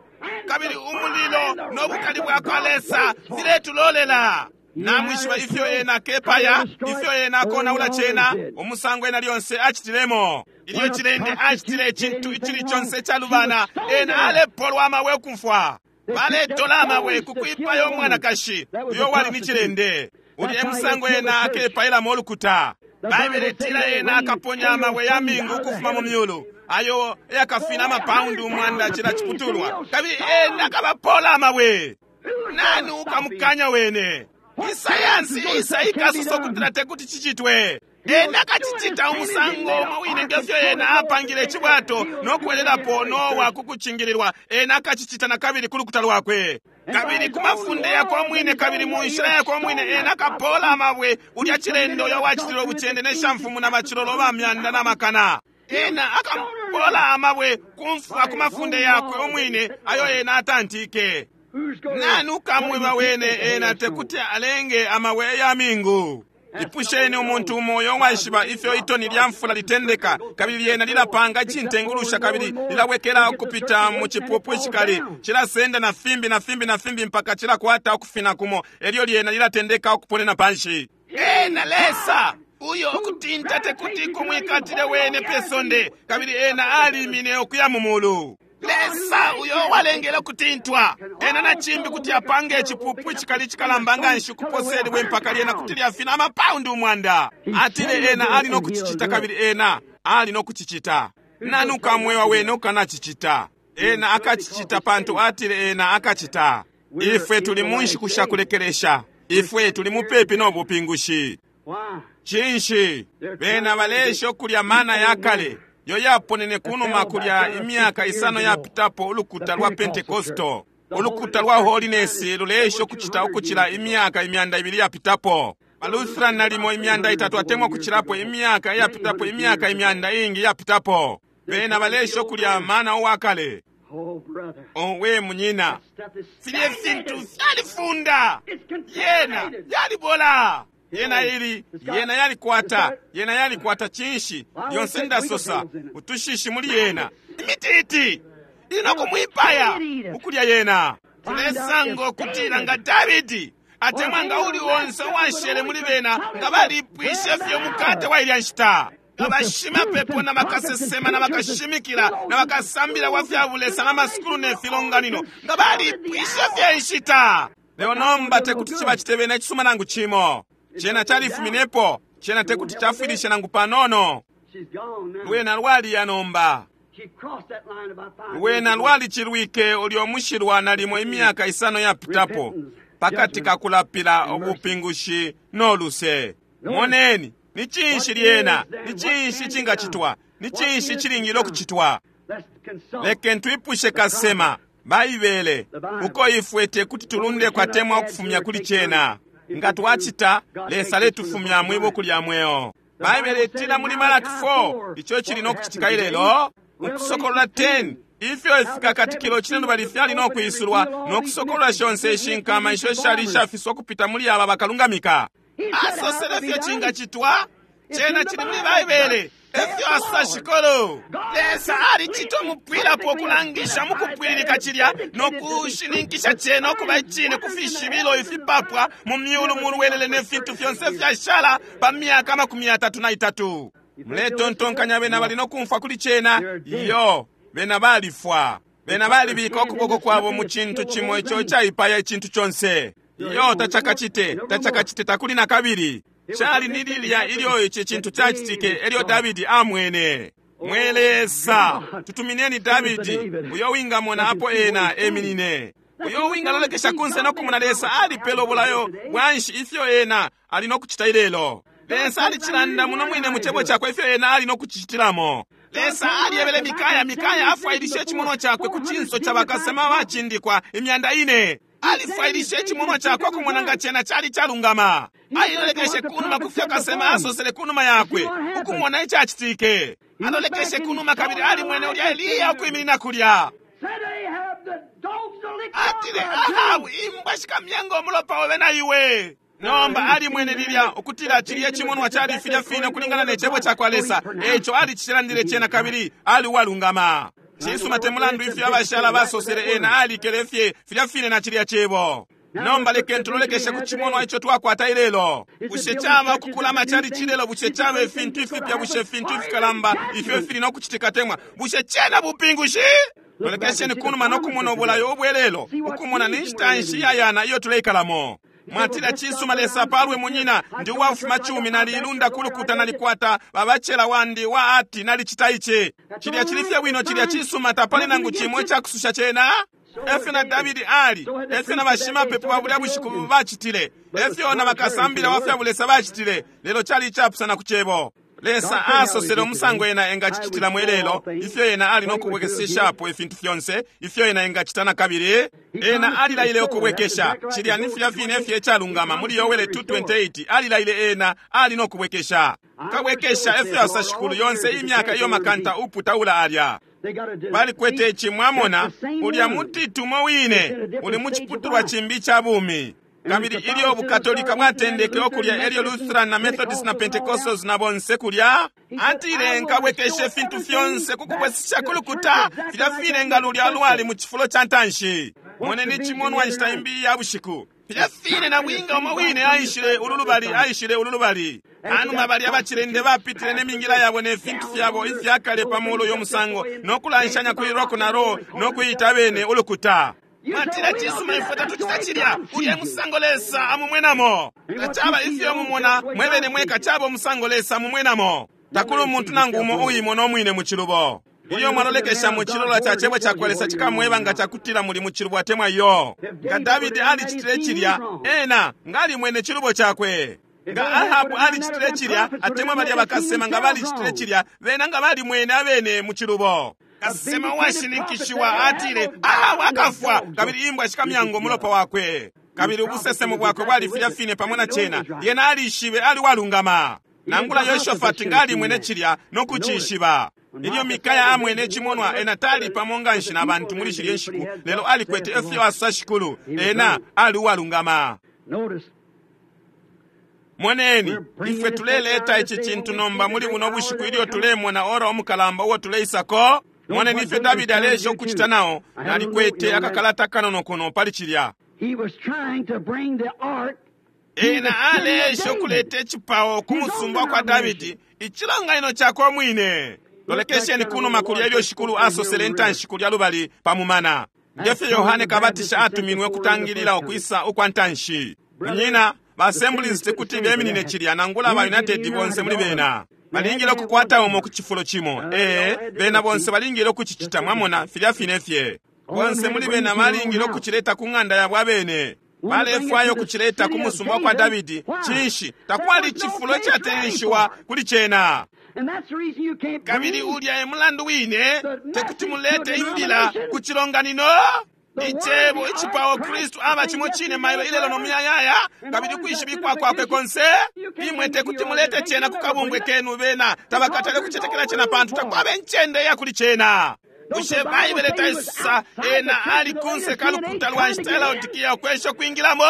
Speaker 1: kabili umulilo n'obukali bwa kwa Lesa filetulolela. Namwishiba ifyo ena akepaya, ifyo ena akonaula cena, umusango ena lyonse acitilemo. Ilyo cilende acitile icintu icili conse icalubana, ena alepolwa amabwe ukumfwa. Baletola amabwe kukwipaya umwanakashi uyo wali ni cilende. Uli emusango ena akepayilamo ulukuta. Baibele itila ena akaponya amabwe ya mingu ukufuma mu myulu, ayo yakafina amapaundi umwanda cila ciputulwa, kabili ena akabapola amabwe. Nani ukamukanya wene? Isayansi isa ikasosa ukutila tekuti cicitwe. Ena akacicita umusango umwe wine ngefyo ena apangile icibwato nokuwelelapo Nowa kukucingililwa. Ena akacicita na kabili ku lukuta lwakwe, kabili ku mafunde yakwe omwine, kabili mu nshila yakwe omwine. Ena akapola amabwe ulya cilendo uyo wacitile ubucende ne shamfumu na bacilolo ba myanda na makana. Ena akapola amabwe kumfwa ku mafunde yakwe omwine ayo ena atantike. Nani ukamweba wene ena tekuti alenge amabwe ya mingu? Ipusheni umuntu umo uyo waishiba ifyo itoni lya mfula litendeka, kabili lyena lilapanga icintengulusha, kabili lilawekela ukupita mu cipupu icikali, cilasenda na fimbi na fimbi na fimbi mpaka cilakwata ukufina kumo, elyo lyena lilatendeka ukuponena panshi. Ena Lesa uyo ukutinta tekuti kumwikatile wene pe sonde, kabili ena alimine ukuya mu mulu. Lesa uyo walengele ukutintwa, ena na cimbi kuti apange icipupu icikali icikalamba nga nshi ukuposelwe mpaka lyena kuti lyafina amapaundi umwanda. Atile ena ali nokucicita, kabili ena ali nokucicita. Nani ukamwewa wene ukanacicita? Ena akacicita pantu atile ena akacita. Ifwe tuli mu nshiku sha kulekelesha. Ifwe tuli mupepi no bupingushi. Cinshi? Bena balesha ukulya mana ya kale yo yaponene kunuma kulya imyaka isano yapitapo ulukuta lwa Pentekosto. Ulukuta lwa Holiness lulesha ukucita ukucila imyaka imyanda ibili yapitapo. Balutheran nalimo imyanda itatu atemwa kucilapo imyaka yapitapo, imyaka imyanda ingi yapitapo. Bena balesha ukulya mana uwakale. Owe munyina, filye fintu fyalifunda, yena yalibola. Yena ili, yena yalikwata, yena yalikwata cinshi, lyonse ndasosa, utushishi muli yena. Imititi, ili nokumwipaya, ukulya yena. Tulesango kutila nga Davidi, atemwa nga uli onse uwashele muli bena, nga balipwishe fye umukate wa ilya nshita. Nga bashimapepo na bakasesema na bakashimikila na bakasambila wa fya bulesa na masukulu ne filonganino, nga balipwishe fye inshita. Lelo nomba tekuti cibacite bena icisuma nangu cimo. Cena califuminepo, cena tekuti cafwilishe nangu panono. Lwena lwaliya nomba. Lwena lwalicilwike ulyo mushilwa nalimo imyaka isano yapitapo, pakati ka kulapila ubupingushi no luse. Moneni, Ni cinshi lyena? Ni cinshi cingacitwa? Ni cinshi cilingile ukucitwa? Lekeni twipushe kasema Baibele, uko ifwe tekuti tulunde kwatemwa ukufumya kuli cena. Nga twacita, Lesa aletufumya mwi buku lya mweo. Baibele itila muli Malaki four, ico cili no kucitika ilelo, Ukusokolola ten, ifyo ifikakatikilo cinelubali fyali no kwisulwa, no kusokolola shonse ishinkama isho shali ishafiswa ukupita muli aba bakalungamika. Asosele fyo cingacitwa, cena cili muli Baibele. Efyo asa shikolo. Lesa alicita umupwilapo ukulangisha mukupwililika cilya no kushininkisha cena ukuba icine ku fishibilo ifipapwa mu myulu mu lwelele ne fintu fyonse fyashala pa myaka amakumi yatatu na itatu. Muletontonkanya bena bali no kumfwa kuli cena? Iyo, bena balifwa. Bena balibika ukuboko kwabo mu cintu cimo ico caipaya icintu conse. Iyo, tacakacite, tacakacite takuli na kabili. Cali ni lilya ilyo ici cintu cacitike elyo Davidi amwene. Mwe Lesa, tutumineni Davidi, uyo wingamona apo ena eminine. Uyo wingalolekesha kunse no kumona Lesa alipela ubulayo bwanshi ifyo ena ali no kucita ilelo. Lesa alicilanda muno mwine mu cebo cakwe ifyo ena ali no kucitilamo. Lesa aliebele Mikaya, Mikaya afwailishe icimonwa cakwe ku cinso ca bakasema bacindikwa imyanda ine. Alifwailishe icimonwa cakwe kumona nga cena cali calungama. Alilolekeshe kunuma kufyo kasema asosele kunuma yakwe, ukumona icacitike. Alolekeshe kunuma kabili alimwene ulya Eliya ukwiminina kulya. Atile, Ahabu, imbwa shikamyenga umulopa obe na iwe. Nomba alimwene lilya ukutila cilya cimonwa cali filya fine ukulingana ne cebo cakwa Lesa. Eco alicilandile cena kabili ali uwalungama. Cisuma te mulandu ifyo abashala basosele ena alikele fye filya fine na cilya cebo. Nomba lekeni tulolekeshe ku cimonwa ico twakwata ilelo. Bushe caba ukukula cali cilelo? Bushe caba ifintu ifipya? Bushe ifintu ifikalamba ifyo fili no kucitika temwa? Bushe cena bupingushi? Lolekesheni kunuma no kumona ubulayo ubwelelo, ukumona ni nshita nshi iyayana iyo tuleikalamo. Mwatila, cisuma Lesa palwe munyina, ndi uwafuma cumi, naliilunda kulukuta, nalikwata babacela wandi wa ati nalicita ici. Cilya cili fye bwino, cilya cisuma, tapali nangu cimo icakususha cena. Efyo na Davidi ali, efyo na bashimapepo ba bulya bushiku bacitile, efyo na bakasambila wa fya bulesa bacitile, lelo cali icapusana ku cebo. Lesa asosele umusango ena engacicitilamo ilelo, ifyo ena ali no kubwekeseshapo ifintu fyonse, ifyo ena engacita na kabili. Ena alilaile ukubwekesha, cilya ni filya fine fye icalungama muli Yoele two twenty-eight, alilaile ena ali no kubwekesha. Kabwekesha efyo asa shikulu yonse imyaka iyo makanta uputaula alya. Balikwete ici, mwamona, ulya mutitu umo wine uli mu ciputulwa cimbi ca bumi. Kabili ilyo Bukatolika bwatendeke okulya, elyo Lutheran na Methodist na Pentecostals na bonse kulya, atile nkabwekeshe ifintu fyonse kukubwesesha kulukuta filya fine nga lulya lwali mu cifulo ca ntanshi. Moneni icimonwa nshita imbi ya bushiku. Filya fine na bwinga umo wine aishile ulu lubali, aishile ulu lubali. Anuma balya bacilende bapitile ne mingila yabo ne fintu fyabo ifyakale pa mulu y'omusango, no kulanshanya kuli rock na roll, no kuyita bene ulukuta. Mwatila, cisuma ifwe tatucita cilya, ulya musango Lesa amumwenamo. Tacaba ifyo mumona mwebene mweka, caba umusango Lesa amumwenamo. Takuli umuntu nangu umo uimona umwine mu cilubo. Iyo mwalolekesha mu cilola ca cebo cakwa Lesa cikamweba nga cakutila muli mu cilubo atemwa iyo. Nga Davidi alicitile cilya, ena nga alimwene cilubo cakwe. Nga Ahabu alicitile cilya, atemwa balya bakasema nga balicitile cilya, bena nga balimwene abene mu cilubo. Kasema uwashininkishiwa atile, Ahabu akafwa, kabili imbwa shikamyango umulopa wakwe. Kabili ubusesemo bwakwe bwali filya fine pamo na cena. Yena alishibe ali walungama. Nangula Yoshafati nga alimwene cilya no kucishiba. Ilyo Mikaya amwene icimonwa, ena tali pamo nga nshi na bantu muli shilye nshiku, lelo alikwete efyo asa shikulu, ena ali uwalungama. Moneni, ifwe tuleleta ici cintu nomba muli buno bushiku ilyo tulemona ora omukalamba uwo tuleisako. Moneni ifyo Davidi alesha ukucita nao, nalikwete akakalata kanono kuno pali cilya. Ena alesha ukuleta icipao ku musumba kwa Davidi, icilonganino cakwe mwine. Lolekesheni kunuma kulya ilyo shikulu asosele intanshi kulya lubali pa mumana. Ngefyo Yohane Kabatisha atuminwe kutangilila ukwisa ukwa ntanshi. Munyina, ba Assemblies tekuti beminine cilya nangula ba United bonse muli bena. Balingile ukukwata umo ku cifulo cimo. Ee, bena bonse balingile ukucicita, mwamona, filya fine fye. Bonse muli bena balingile ukucileta ku ng'anda yabo abene. Balefwaya ukucileta ku musumba kwa Davidi. Cinshi? Takwali cifulo icateyanishiwa kuli cena. Kabili ulya e mulandu wine tekuti mulete imbila ku cilonganino. Icebo icipao Kristu aba cimo cine mailo ilelo no muyayaya, kabili kwishibikwa kwakwe konse. Imwe tekuti mulete cena ku kabumbwe kenu bena tabakatale kucetekela cena pantu takwaba incende ya kuli cena. Bushe Baibele taisa ena ali kunse kalukuta lwa nshita ya Laodikia ukwesha kwingilamo?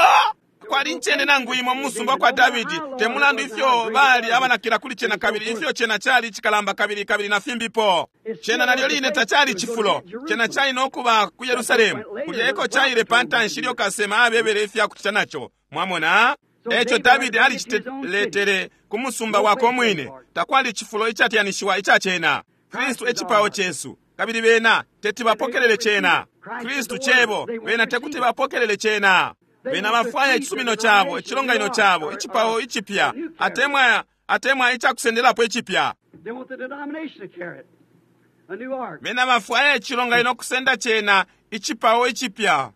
Speaker 1: Kwali incende nangu imo mu musumba kwa Davidi, te mulandu ifyo bali abanakila kuli cena kabili ifyo cena cali icikalamba kabili kabili na fimbipo. Cena nalyo line tacali cifulo, cena cali nokuba ku Yerusalemu, kulya eko caile pa ntanshi ilyo kasema abebele ifya kucita naco. Mwamona? Eco Davidi aliciteletele ku musumba wakwe umwine, takwali cifulo icateyanishiwa ica cena. Kristu ecipao cesu, kabili bena teti bapokelele cena. Kristu cebo, bena tekuti bapokelele cena. Bena bafwaya icisumino cabo, icilonganino cabo, icipao icipya, atemwa atemwa icakusendelapo icipya. Bena bafwaya icilonganino kusenda cena, icipao icipya.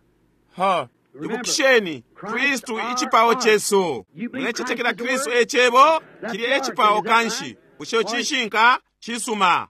Speaker 1: Ha, ibukisheni, Kristu icipao cesu. Mulecetekela Kristu ecebo, kili ecipao kanshi. Bushe cishinka? Cisuma.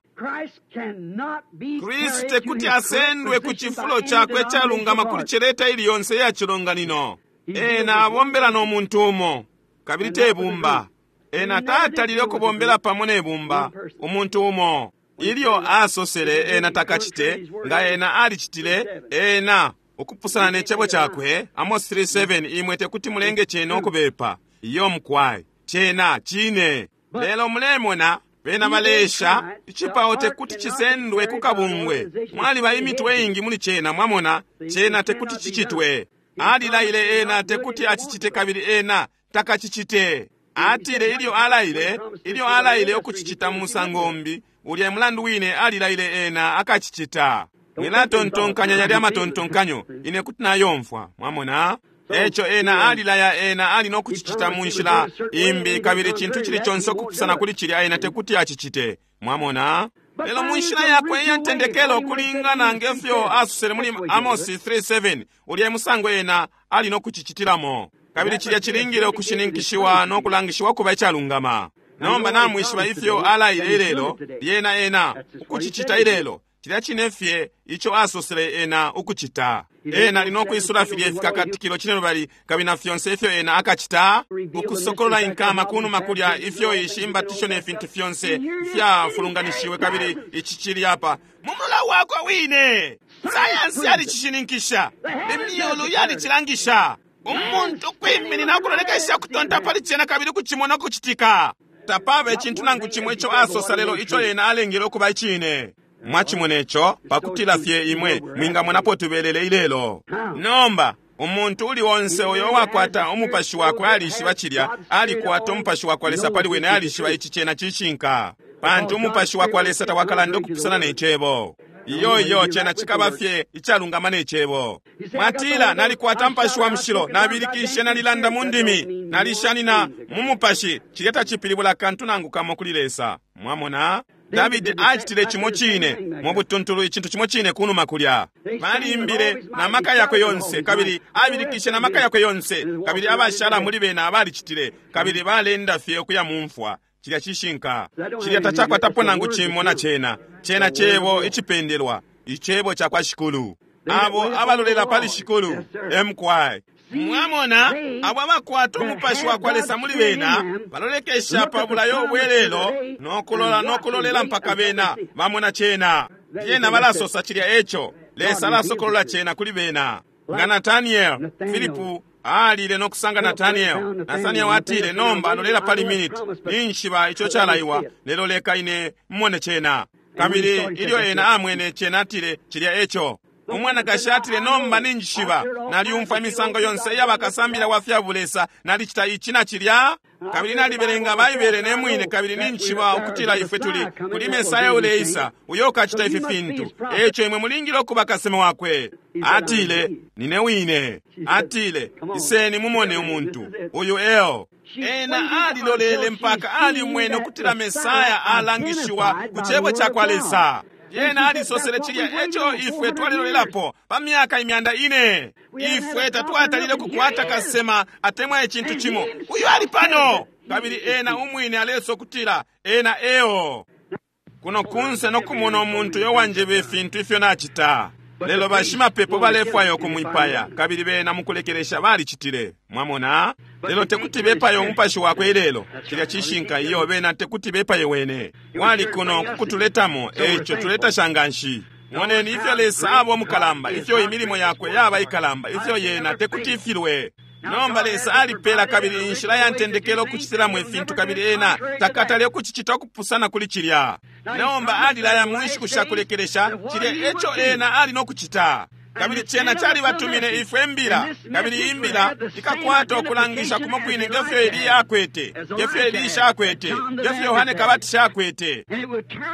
Speaker 1: Kristu tekuti asendwe ku cifulo cakwe calungama kuli celeta ili yonse ya cilonganino. Ena abombela no muntu umo, kabili te bumba. Ena tatalile ukubombela pamo ne bumba, umuntu umo. Ilyo asosele ena takacite, nga ena alicitile, ena ukupusana ne cebo cakwe, Amos three seven, imwe tekuti mulenge cena ukubepa. Iyo mukwai, cena cine. Lelo mulemona, bena balesha, icipao tekuti cisendwe ku kabungwe. Mwaliba imitwe ingi muli cena, mwamona, cena tekuti cicitwe. Alilaile ena tekuti acicite kabili ena takacicite. Atile ilyo alaile, ilyo alaile ukucicita mu musango umbi, ulya mulandu wine alilaile ena akacicita. Mwilatontonkanya yalya matontonkanyo, ine kuti nayomfwa, mwamona? Eco ena alilaya ena ali nokucicita mu nshila imbi kabili cintu cili conse ukupusana kuli cilya ena tekuti acicite. Mwamona? Lelo mu nshila yakwe iya ntendekelo kulingana ngefyo asosele muli Amos three seven, ulya musango ena ali nokucicitilamo. Kabili cilya cilingile ukushininkishiwa no kulangishiwa kuba icalungama. Nomba namwishiba ifyo alaile ilelo, lyena ena ukucicita ilelo. Cilya cine fye ico asosele ena ukucita. Ena ali nokwisula filya ifikakatikilo cine lubali kabili na fyonse ifyo ena akacita, ukusokolola inkama kunuma kulya ifyo ishi imbatisho ne fintu fyonse fyafulunganishiwe kabili ici cili apa mu mulola wakwe wine. Sayansi yalicishininkisha, imyulu yalicilangisha. Umuntu kwiminina ukulolekesha kutonta pali cena kabili kucimona ukucitika. Tapaba icintu nangu cimo ico asosa lelo ico ena alengele ukuba icine. Mwachimona ico pakutila fye imwe mwingamonapo tubelele ilelo. Nomba umuntu uli onse uyo wakwata umupashi wakwe alishiba cilya, alikwata umupashi wakwa Lesa pali wene, alishiba ici cena cishinka, pantu umupashi wakwa Lesa tawakalanda ukupusana ne cebo. Iyo iyo cena cikaba fye icalungama ne cebo. Mwatila nalikwata mupashi wa mushilo, nabilikishe, nalilanda mu ndimi, nalishanina mu mupashi. Cilya tacipilibula kantu nangu kamo kuli Lesa. Mwamona? Davidi acitile cimo cine mu butuntulu, icintu cimo cine kunuma kulya. Balimbile na maka yakwe yonse kabili abilikishe na maka yakwe yonse kabili abashala muli bena abalicitile kabili balenda fye ukuya mu mfwa. Cilya cishinka. Cilya tacakwatapo nangu cimo na cena. Cena cebo icipendelwa, icebo ca kwa Shikulu. Abo abalolela pali Shikulu, emkwai. Mwamona, abo abakwata umupashi wa kwa Lesa muli bena balolekesha pa bulayo obwelelo nokulola nokulolela mpaka bena bamona cena. Lyena balasosa cilya eco Lesa alasokolola cena kuli bena. Nga Nathaniel, Filipu alile nokusanga Nathaniel. Nathaniel atile, nomba lolela pali minute, ninshiba ico calaiwa, lelo leka ine mmone cena. Kabili ilyo ena amwene cena atile, cilya eco. Umwanakashi atile, nomba ninjishiba, naliumfwa imisango yonse iyabakasambila wa fya bulesa, nalicita ici na cilya, kabili nalibelenga Baibele ne mwine, kabili ninjishiba ukutila ifwe tuli kuli Mesaya uleisa uyo ukacita ifi fintu. Eco imwe mulingile ukuba kasema wakwe. Atile, nine wine. Atile, iseni mumone umuntu uyu eo. Ena alilolele mpaka alimwene ukutila Mesaya alangishiwa ku cebo ca kwa Lesa. Yena alisosele cilya eco ifwe twalilolelapo pa myaka imyanda ine. Ifwe tatwatalile kukwata kasema atemwa icintu cimo. Uyu ali pano. Kabili ena umwine aleso kutila ena eo. Kuno kunse nokumona umuntu yowanjeba ifintu ifyo nachita. Lelo bashimapepo balefwaya ukumwipaya, kabili bena mukulekelesha balicitile. Mwamona? Lelo tekuti bepaye umupashi wakwe ilelo. Cilya cishinka iyo bena tekuti bepaye wene. Wali kuno kukutuletamo, eco tuletasha nganshi. Moneni ifyo Lesa aba umukalamba, ifyo imilimo yakwe yaba ikalamba, ifyo yena tekuti ifilwe. Nomba Lesa alipela kabili inshila ya ntendekelo kucitilamo ifintu, kabili ena takatale ukucicita ukupusana kuli cilya. Nomba alilaya mu nshiku shakulekelesha cilya eco ena ali nokucita. Kabili cena calibatumine ifwe imbila, kabili imbila ikakwata ukulangisha kumo kwine ngefyo Eliya akwete, ngefyo Elisha akwete, ngefyo Yohane Kabatisha akwete.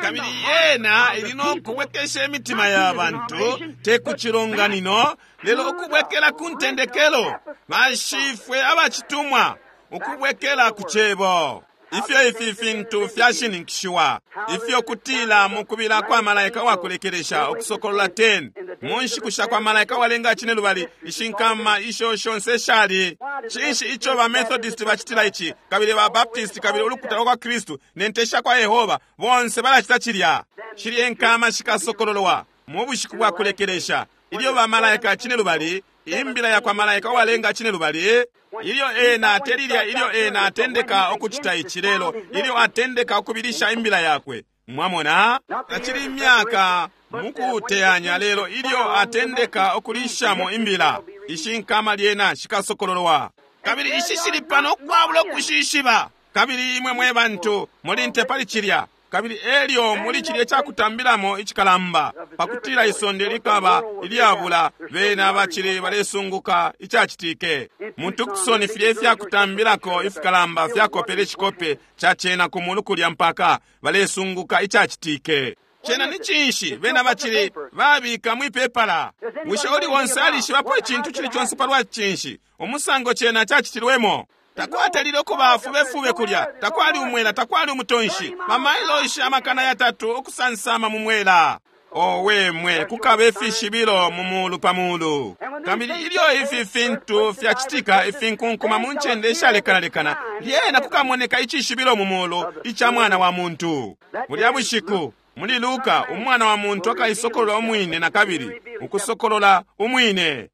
Speaker 1: Kabili yena ili nokubwekesha imitima ya bantu, te ku cilonganino, lelo ukubwekela ku ntendekelo, bashifwe abacitumwa, ukubwekela ku cebo. Ifyo ifi fintu fyashininkishiwa, ifyo kutila mukubila kwa malaika wakulekelesha ukusokolola ten, mu nshiku sha kwa malaika walenga cine lubali, ishinkama isho shonse shali. Cinshi ico ba Methodist bacitila ici, kabili ba Baptist, kabili ulukuta lwa kwa Kristu, ne nte sha kwa Yehova, bonse balacita cilya. Shilye nkama shikasokololwa mu bushiku bwa kulekelesha, ilyo ba malaika cine lubali, imbila ya kwa malaika walenga cine lubali, ilyo ena atelilya, ilyo ena atendeka ukucita ici lelo, ilyo atendeka ukubilisha imbila yakwe. Mwamona? Tacili imyaka mukuteyanya, lelo ilyo atendeka ukulishamo imbila, ishi nkama lyena shikasokololwa. Kabili ishi shili pano ukwabula ukushishiba. Kabili imwe mwe bantu muli nte pali cilya. Kabili elyo muli cilye cakutambilamo icikalamba, pakutila isonde likaba ilyabula, bena bacili balesunguka icacitike. Mu Tucson filye ifyakutambilako ifikalamba fyakopele icikope ca cena ku mulu kulya mpaka balesunguka icacitike. Cena ni cinshi bena bacili babika mwipepala? Bushe uli wonse alishibapo icintu cili conse palwa cinshi umusango cena cacitilwemo? Takwatalile ukuba fubefube kulya, takwali umwela, takwali umutonshi, bamailoshi amakana yatatu ukusansama mu mwela. Owe mwe, kukaba ifishibilo mu mulu pa mulu. Kabili ilyo ifi fintu fyacitika, ifinkunkuma mu ncende ishalekanalekana, lyena kukamoneka icishibilo mu mulu ica mwana wa muntu. Bulya bushiku muli Luka, umwana wa muntu akaisokolola umwine na kabili, ukusokolola umwine.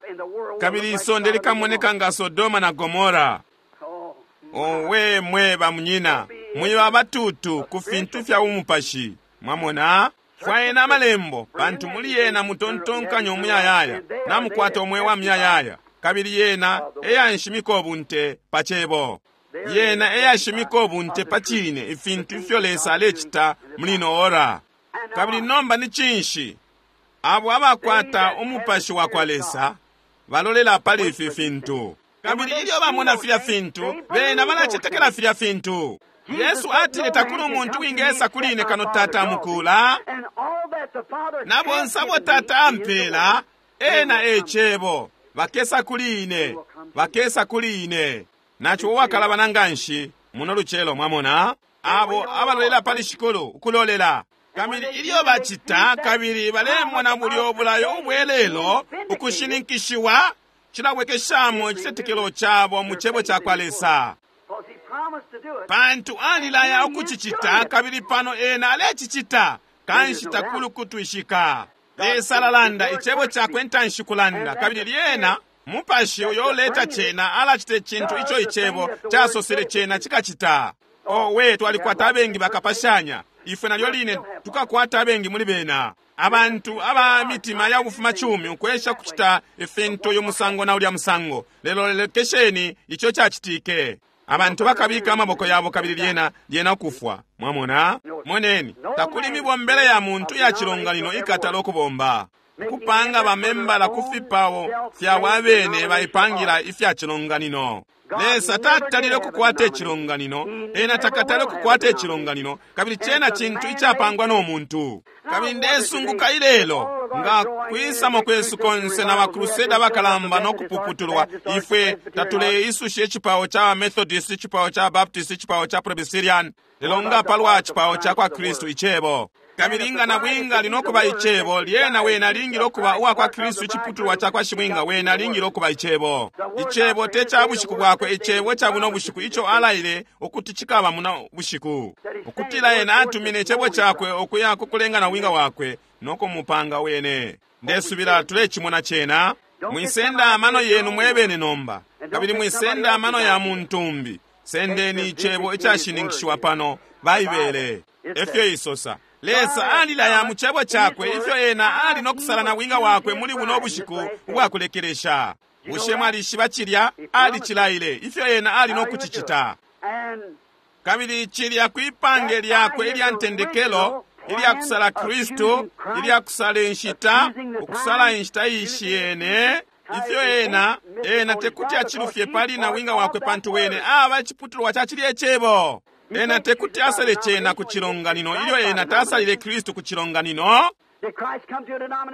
Speaker 1: Kabili isonde likamoneka nga Sodoma na Gomora. Owe mwe bamunyina, mwiba abatutu ku fintu fya umupashi. Mwamona? Fwayeni amalembo, pantu muli yena mutontonkanya umuyayaya, namukwata umwe wa muyayaya. Kabili yena eyanshimika ubunte pa cebo. Yena eyashimika ubunte pa cine, ifintu ifyo Lesa alecita muli ino ora. Kabili nomba ni cinshi? Abo abakwata umupashi wa kwa Lesa balolela pali ifi fintu. Kabili ilyo bamona filya fintu, bena balacetekela filya fintu. Yesu atile takuli umuntu wingesa kuli ine kano Tata amukula, na bonse abo Tata ampela, ena e cebo, bakesa kuli ine, bakesa kuli ine. Nacho uwakalabana nganshi muno lucelo, mwamona? Abo abalolela pali Shikulu, ukulolela. Kabili ilyo bacita, kabili balemona bulyo bulayo ubwelelo ukushininkishiwa, cilabwekeshamo icitetekelo cabo mu cebo ca kwa Lesa. Pantu alilaya ukucicita, kabili pano ena alecicita, kanshi takuli kutwishika. Lesa alalanda icebo cakwe ntanshi kulanda, kabili lyena mupashi uyo uleta cena alacita icintu ico icebo casosele cena cikacita. Owe, twalikwata abengi bakapashanya, ifwe nalyo line tukakwata abengi muli bena. Abantu aba mitima ya kufuma chumi ukwesha kucita ifintu uyu musango na ulya musango, lelo lelekesheni ico cacitike. Abantu bakabika amaboko yabo kabili lyena lyena kufwa. Mwamona? Moneni, takuli mibombele ya muntu ya cilonganino ikatala okubomba. Kupanga bamembala kufipawo fya wabene baipangira ifya cilonganino. Lesa tatalile kukwata icilonganino, ena takatale kukwata icilonganino, kabili cena cintu icapangwa no muntu. Kabili ndesunguka ilelo nga kwisamo kwesu konse na bakruseda bakalamba no kupuputulwa, ifwe tatuleisusha icipawo ca Methodist, icipawo ca Baptist, icipawo ca Presbyterian, lelo nga palwa cipawo ca kwa Kristu icebo. Kabili nga nabwinga ali nokuba Icebo, lyena wene alingile ukuba uwakwa Kristu, iciputulwa cakwa shibwinga, wene alingile ukuba Icebo. Icebo te ca bushiku bwakwe, Icebo ca buno bushiku ico alaile ukuti cikaba muno bushiku. Ukutila ena atumine Icebo cakwe ukuya kukulenga nabwinga wakwe no kumupanga wene. Ndesubila tulecimona cena. Mwisenda amano yenu mwebene nomba, kabili mwisenda amano ya muntu umbi. Sendeni Icebo icashininkishiwa pano, Baibele. Efyo isosa. Lesa alilaya mu Cebo cakwe ifyo ena ali no kusala nabwinga wakwe muli buno bushiku ubwakulekelesha. Bushe mwalishiba cilya? Alicilaile ifyo ena ali no kucicita. Kabili cilya kwipange lyakwe ilya ntendekelo, ilya kusala Kristu, ilya kusala inshita, ukusala inshita ishiyene, ifyo ena, ena tekuti acilufye pali nabwinga wakwe, pantu wene aba iciputulwa ca cilye Cebo. Ena tekuti asale cena ku cilonganino ilyo ena tasalile Kristu ku cilonganino.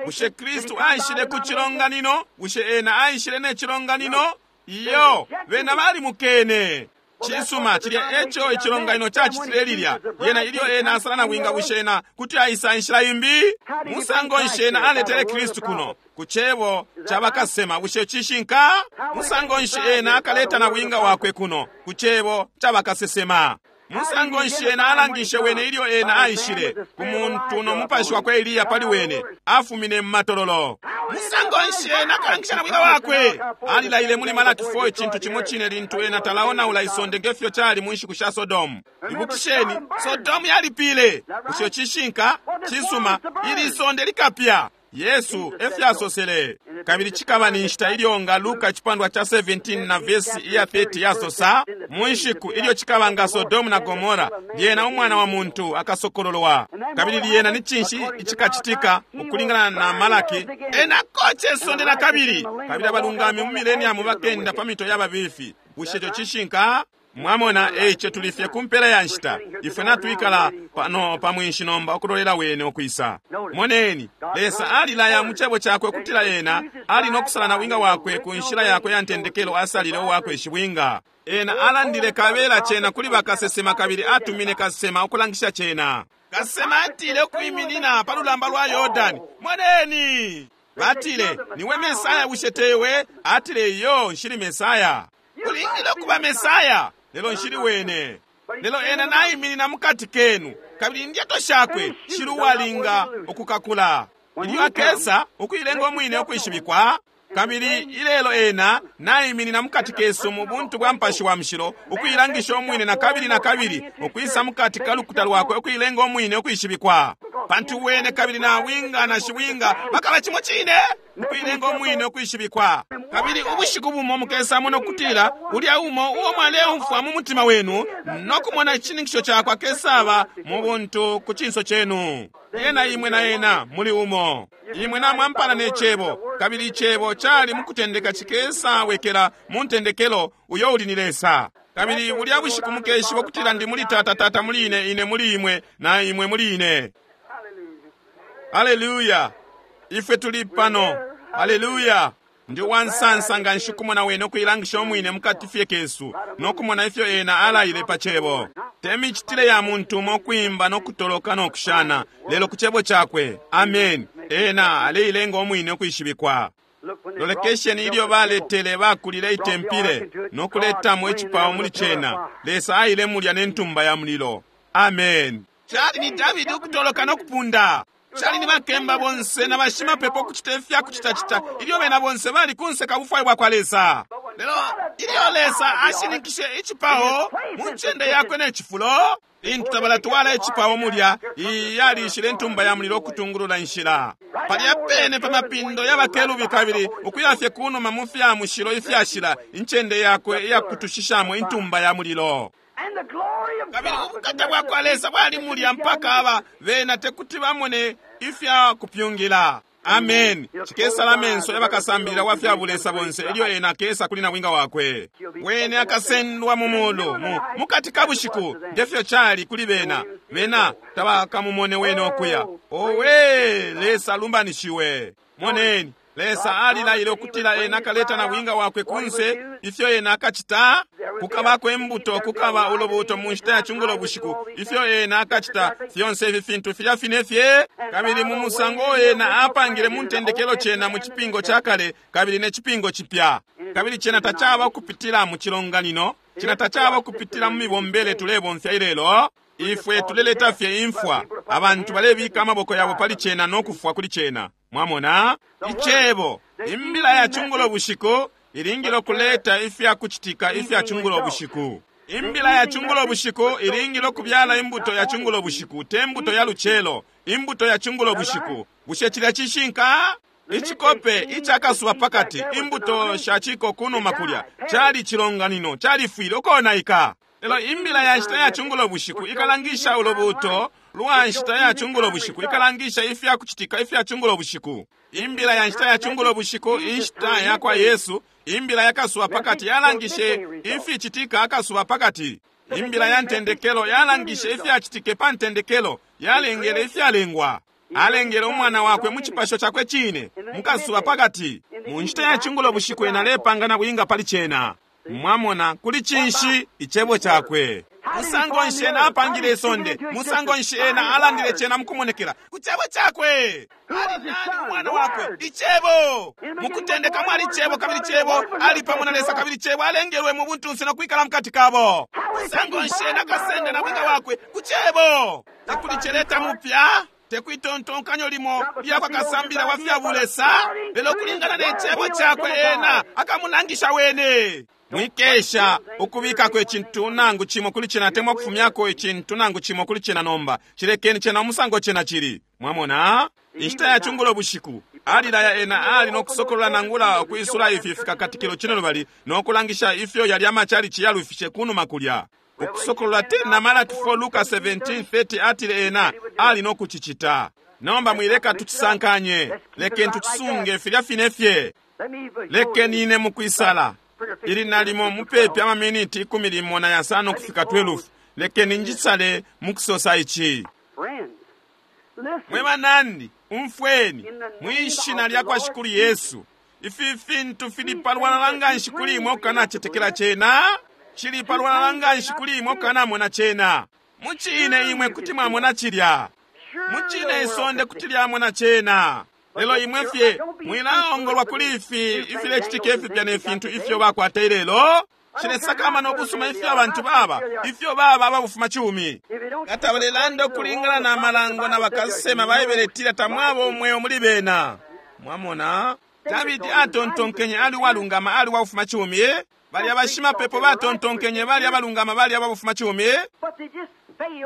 Speaker 1: Bushe Kristu aishile ku cilonganino? Bushe ena aishile ne cilonganino? Iyo, bena balimukene. Cisuma, cilya eco icilonganino cacitile lilya. Yena ilyo ena asala nabwinga, bushe ena kuti aisa inshila imbi? Musango nshi ena aletele Kristu kuno ku cebo ca bakasema? Bushe cishinka? Musango nshi ena akaleta nabwinga wakwe kuno ku cebo ca bakasesema? Musango nshi ena alangishe wene ilyo ena aishile ku muntu no mupashi wakwe Eliya pali wene afumine mu matololo? Musango nshi ena akalangisha nabwinga wakwe? Alilaile muli Malaki four icintu cimo cine lintu ena talaonaula isonde ngefyo cali mu nshiku sha Sodomu. Ibukisheni, Sodomu yalipile. Bushe cishinka? Cisuma, ili isonde likapya. Yesu efyasosele. Kabili cikaba ni nshita ilyo nga Luka icipandwa ca seventeen na vesi iya thirty yasosa, mu nshiku ilyo cikaba nga Sodomu na Gomora, lyena umwana wa muntu akasokololwa. Kabili lyena ni cinshi icikacitika ukulingana na Malaki? Ena koce isonde na kabili, kabili abalungami mu mileniamu bakenda pa mito ya babifi. Bushe ico cishinka? Mwamona, eico tulifye ku mpela ya nshita. Ifwe natwikala pano pa mwinshi nomba ukulolela wene ukwisa. Moneni, Lesa alilaya mu Cebo cakwe ukutila ena ali no kusala nabwinga wakwe ku nshila yakwe ya ntendekelo asalile uwakwe shibwinga. Ena alandile kabela cena kuli bakasesema, kabili atumine kasesema ukulangisha cena. Kasesema atile ukwiminina pa lulamba lwa Yordani. Moneni! Batile, niwe Mesaya, bushe tewe? Atile, iyo, nshili Mesaya. Ulingile ukuba Mesaya, lelo nshili wene. Lelo ena naiminina mukati kenu, kabili indyato shakwe shili uwalinga ukukakula. Ilyo akesa ukuilenga umwine ukwishibikwa, kabili ilelo ena naiminina mukati kesu mu buntu bwa Mupashi wa Mushilo, ukuilangisha umwine na kabili na kabili, ukwisa mukati ka lukuta lwakwe ukuilenga umwine ukwishibikwa. Pantu wene kabili nabwinga na shibwinga bakaba cimo cine, ukuilenga umwine ukwishibikwa. Kabili ubushiku bumo mukesa muno kutila ulya umo uo mwaleumfwa mu mutima wenu no kumona icininkisho cakwe akesaba mu buntu ku cinso cenu. Ena imwe na ena muli umo. Imwe namwampana ne Cebo, kabili Icebo cali mukutendeka cikesa wekela mu ntendekelo uyo uli ni Lesa. Kabili bulya bushiku mukeshiba ukutila ndi muli Tata, Tata muli ine, ine muli imwe, na imwe muli ine. Haleluya! Ifwe tuli pano. Haleluya! Ndi wansansa nga nshikumona wene ukuilangisha umwine mukati fye kesu no kumona ifyo ena alaile pa Cebo. Te micitile ya muntu umo kwimba no kutoloka no kushana, lelo ku Cebo cakwe. Amen. Ena aleilenga umwine ukwishibikwa. Lolekesheni ilyo baletele bakulile itempile no kuletamo icipao muli cena. Lesa aile mulya ne ntumba ya mulilo. Amen. Cali ni Davidi ukutoloka no kupunda. Cali ni bakemba bonse na bashimapepo kucita ifya kucitacita ilyo bena bonse bali kunse ka bufwayo bwa kwa Lesa. Lelo ilyo Lesa ashininkishe icipao mu ncende yakwe ne cifulo, lintu tabalatwala icipao mulya, iyi yalishile intumba ya mulilo ukutungulula inshila. Palya pene pa mapindo ya bakerubi kabili ukuyafye kunuma mu fya mushilo ifyashila, incende yakwe iyakutushishamo intumba ya mulilo. Kabili ubukata bwa kwa Lesa bwali mulya mpaka aba bena tekuti bamone ifya kupyungila. Amen. Cikesala amenso yabakasambilila wa fya bulesa bonse ilyo ena akesa kuli nabwinga wakwe. Wene akasendwa mu mulu mu mukati ka bushiku, ngefyo cali kuli bena. Bena tabakamumone wene okuya. Owe, Lesa alumbanishiwe. Moneni, Lesa alilaile ukutila ena akaleta na bwinga wakwe kunse, ifyo ena akacita, kukabako imbuto, kukaba ulubuto mu nshita ya cungulo bushiku, ifyo ena akacita, fyonse ifi fintu filya fine fye, kabili mu musango ena apangile mu ntendekelo cena mu cipingo ca kale, kabili ne cipingo cipya. Kabili cena tacaba kupitila mu cilonganino, cena tacaba kupitila mu mibombele tulebomfya ilelo. Ifwe tuleleta fye imfwa, abantu balebika amaboko yabo pali cena no kufwa kuli cena. Mwamona? Icebo, imbila ya cungulo bushiku ilingile kuleta ifya kuchitika ifya cungulo bushiku. Imbila ya cungulo bushiku ilingile kubyala imbuto ya cungulo bushiku, te mbuto ya lucelo, imbuto ya cungulo bushiku. Bushe cilya cishinka? Ichikope ichakasuba pakati, imbuto shachiko kunuma kulya, chali chilonganino, chalifwile ukonaika. Lelo imbila ya nshita ya cungulo bushiku ikalangisha ulubuto lwa nshita ya cungulo bushiku, ikalangisha ifya kuchitika ifya cungulo bushiku. Imbila ya nshita ya cungulo bushiku, inshita ya kwa Yesu, imbila yakasuba pakati yalangishe ifichitika akasuba pakati. Imbila ya ntendekelo yalangishe ifyachitike pa ntendekelo, yalengele ifyalengwa. Alengele umwana wakwe mu chipasho chakwe chine mukasuba pakati. Mu nshita ya cungulo bushiku ena alepanga na bwinga pali chena. Mwamona kuli chinshi icebo chakwe. Musango nshi ena apangile isonde, musango nshi ena alandile chena mukumonekela ku cebo chakwe. Ali nani umwana wakwe? Icebo. Mukutendeka mwali cebo, kabili cebo ali pamo na Lesa, kabili cebo alengelwe mu buntunse no kwikala mukati kabo. Musango nshi ena akasenda na bwinga wakwe ku cebo. Tekuli cheleta mupya, tekwitontonkanyo limo lyakwa kasambila wa fya bulesa, lelo kulingana ne cebo chakwe ena akamulangisha wene. Mwikesha ukubikako icintu nangu chimo kuli chena, temwa kufumyako icintu nangu chimo kuli chena nomba. Chilekeni chena umusango chena chili. Mwamona? Inshita ya cungulo bushiku alilaya ena ali nokusokolola nangula ukwisula ifi fikakatikilo chino lubali nokulangisha ifyo yali amachalichi yalufishe kunuma kulya. Ukusokolola tena Malaki four Luka seventeen thirty atile ena ali nokuchichita. Nomba mwileka tuchisankanye, lekeni tuchisunge filya fine fye. Lekeni ine mukwisala ili nalimo mupepi amaminiti ikumi limo na yasano kufika twelve. Lekeni njisale mukusosa ichi. Mwe banandi, umfweni mwishina lya kwa Shikulu Yesu. Ifi fintu fili palwalala nganshi kuli imwe okukanachetekela chena, chili palwalala nganshi kuli imwe okukanamona chena. Muchine imwe kuti mwamona chilya, muchine isonde kuti lyamona chena. Lelo imwe fye mwilaongolwa kuli ifi ifilechitika ifipya ne fintu ifyo bakwata ilelo. Chilesakama nokusuma ifyo abantu baba, ifyo baba ababufuma chumi. Kata balelanda okulingana na malango na bakasema Baibele tamwabo omweyo muli bena. Mwamona? Davidi atontonkenye ali walungama ali wabufuma chumi. Bali abashimapepo batontonkenye bali abalungama bali ababufuma chumi.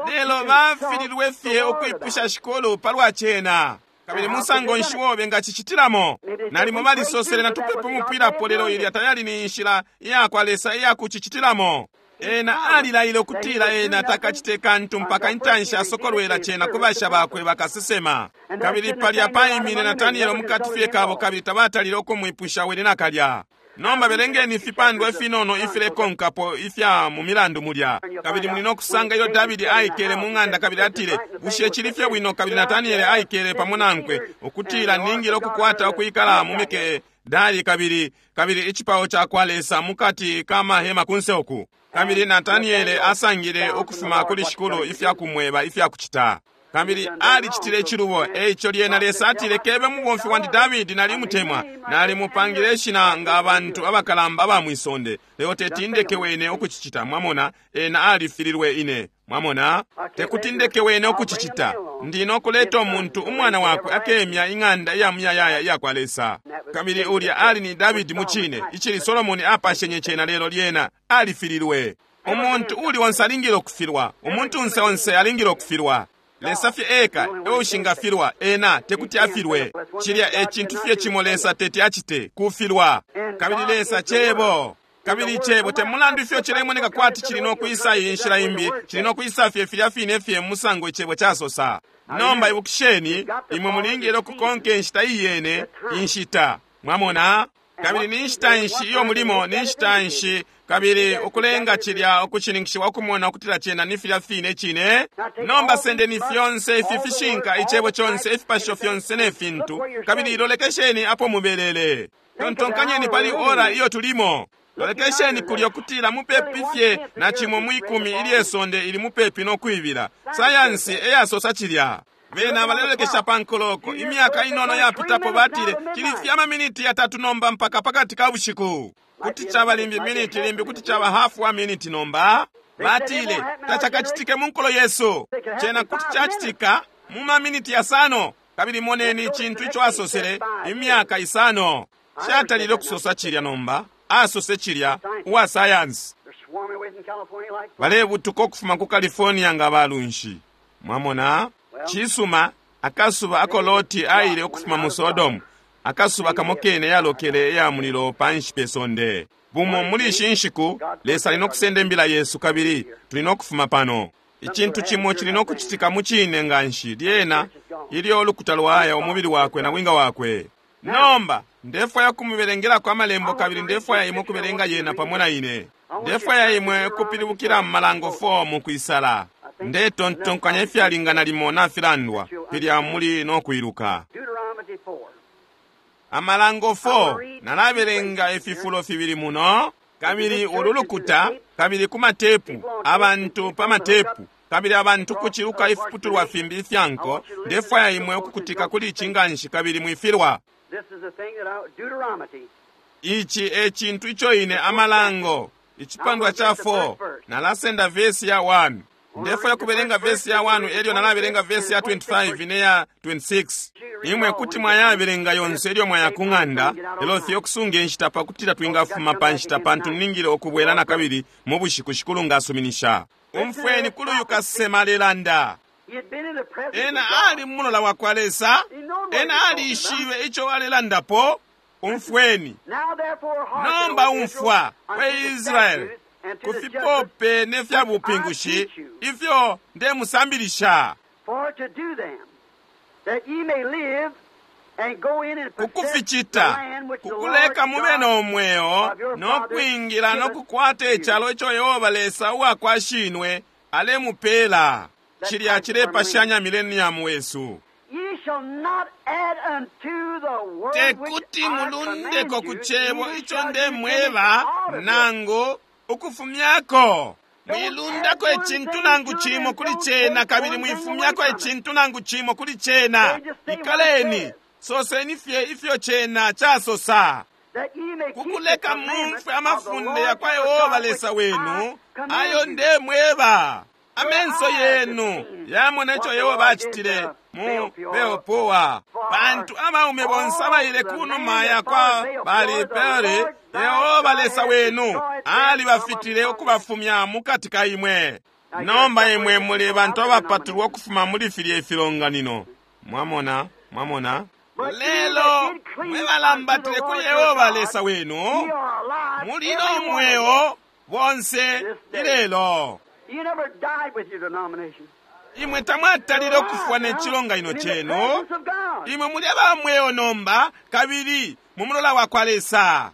Speaker 1: Lelo bafililwe fye okwipusha shikolo palwa chena. Kabili musango nshi wobe nga chichitilamo. Nalimo balisosele na tupepo mupwilapo lelo ilya tayali ni nshila iyakwa Lesa iyakuchichitilamo. Ena alilaile okutila ena takachite kantu mpaka intanshi asokolwela chena kubasha bakwe bakasesema. Kabili palya paimine Natanielo mukati fye kabo, kabili tabatalile okumwipusha wene nakalya. Nomba belengeni ifipandwa ifinono ifilekonkapo ifya mu milandu mulya. Kabili muli nokusanga ilyo Davidi aikele mu ng'anda, kabili atile, bushe chili fye bwino? Kabili Nataniele aikele pamo nankwe, ukutila ningile okukwata okwikala mu Mikedali kabili kabili icipao ca kwa Lesa mukati ka mahema kunse oku. Kabili Nataniele asangile ukufuma kuli Shikulu ifya kumweba ifya kuchita. Kabili alichitile ichilubo, eicho lyena Lesa atile, kebe mubomfi wandi Davidi nalimutemwa, nalimupangile ishina nga abantu abakalamba aba mwisonde, lelo tetindeke wene okuchichita. Mwamona, ena alifililwe ine. Mwamona, tekutindeke wene okuchichita. Ndino kuleta omuntu umwana wakwe akemya ing'anda iya muyayaya iya kwa Lesa. Kabili ulya ali ni Davidi muchine, ichili Solomoni apashenye chena, lelo lyena alifililwe. Umuntu uli onse alingile okufilwa, umuntu onse onse alingile okufilwa. Lesa fye eka eushingafilwa, ena tekuti afilwe. Chilya echintu fye chimo Lesa teti achite, kufilwa. Kabili Lesa chebo. Kabili chebo temulandu ifyo chilemoneka kwati chili nokuisa iyi nshila imbi, chili nokuisa fye filya fine fye musango ichebo chasosa. Nomba ibukisheni, imwe mulingile okukonka inshita iyene, inshita. Mwamona? Kabili ni nshita nshi iyo mulimo, ni nshita nshi, kabili ukulenga cilya ukushininkishiwa ukumona ukutila cena ni filya fine cine. Nomba sendeni fyonse ifi fishinka, icebo conse, ifipasho fyonse ne fintu, kabili lolekesheni apo mubelele. Tontonkanyeni pali ora iyo tulimo. Lolekesheni kulyo kutila mupepi fye na cimo mwikumi ilye sonde ili mupepi no kwibila. Sayansi eyasosa cilya. Bena balelolekesha pa nkoloko. Imyaka inono yapitapo batile cili fye amaminiti yatatu nomba mpaka pakati ka bushiku. Kuti caba limbi miniti, limbi kuti caba hafu wa miniti nomba. Batile tacakacitike mu nkolo yesu. Cena kuti cacitika mu maminiti yasano. Kabili moneni icintu ico asosele imyaka isano. Catalile ukusosa cilya nomba. Asose cilya uwa sayansi. Balebutuka ukufuma ku California nga balunshi. Mwamona? Cisuma, akasuba ako Loti aile ukufuma mu Sodomu, akasuba kamo kene yalokele ya mulilo panshi pe sonde. Bumo muli ishi nshiku, Lesa ali no kusenda imbila yesu kabili tuli no kufuma pano. Icintu cimo cili no kucitika mu cine nganshi lyena ilyo ulukuta lwaya umubili wakwe na winga wakwe. Nomba ndefwaya kumubelengelako amalembo kabili ndefwaya imwe kubelenga yena pamo na ine. Ndefwaya imwe kupilibukila mu Malango four mu kwisala. Ndetontonkanya ifyalingana limo nafilandwa filya muli no kwiluka. Amalango four, nalabelenga ififulo fibili muno, kabili ulu lukuta, kabili ku matepu, abantu pa matepu, kabili abantu kuciluka ifiputulwa fimbi ifyanko. Ndefwaya imwe ukukutika kuli ici nganshi kabili mwifilwa. Ici e cintu ico ine Amalango icipandwa ca four, nalasenda vesi ya one. Ndefwaya kubelenga vesi ya one elyo nalabelenga vesi ya twenty-five ne ya twenty-six. Imwe kuti mwayabelenga yonse elyo mwaya ku ng'anda, lelo fye okusunga enshita pakutila twingafuma pa nshita pantu ningile okubwela na kabili mu bushiku Shikulu ngasuminisha. Umfweni kuli uyu kasesema alelanda. Ena ali mulola wa kwa Lesa, ena aliishibe ico alelandapo. Umfweni. Nomba umfwa, we Israeli, kufipope ne fya bupingushi ifyo ndemusambilisha, kukuficita, kukuleka mube no mweo no kwingila no kukwata icalo ico Yehova Lesa uwakwa shinwe alemupela. Cilya cilepashanya millennium wesu. Tekuti mulundeko ku cebo ico ndemweba nangu ukufumyako. Mwilundako icintu nangu cimo kuli cena, kabili mwifumyako icintu nangu cimo kuli cena. Ikaleni, soseni fye ifyo cena casosa, kukuleka mumfwe amafunde ya kwa Yehova Lesa wenu ayo ndemweba. Amenso yenu yamona ico Yehova acitile mu Beopoa, pantu abaume bonse abaile kunuma ya kwa Baali-Peori, Yehova Lesa wenu alibafitile ukubafumya mukati ka imwe. Nomba imwe muli bantu abapatulwa ukufuma muli filya ifilonganino. Mwamona, mwamona. Lelo mwe balambatile kuli Yehova Lesa wenu, muli no mweo bonse ilelo. Imwe tamwatalile ukufwa ne cilonganino cenu. Imwe muli abamweo nomba kabili mu mulola wa kwa Lesa.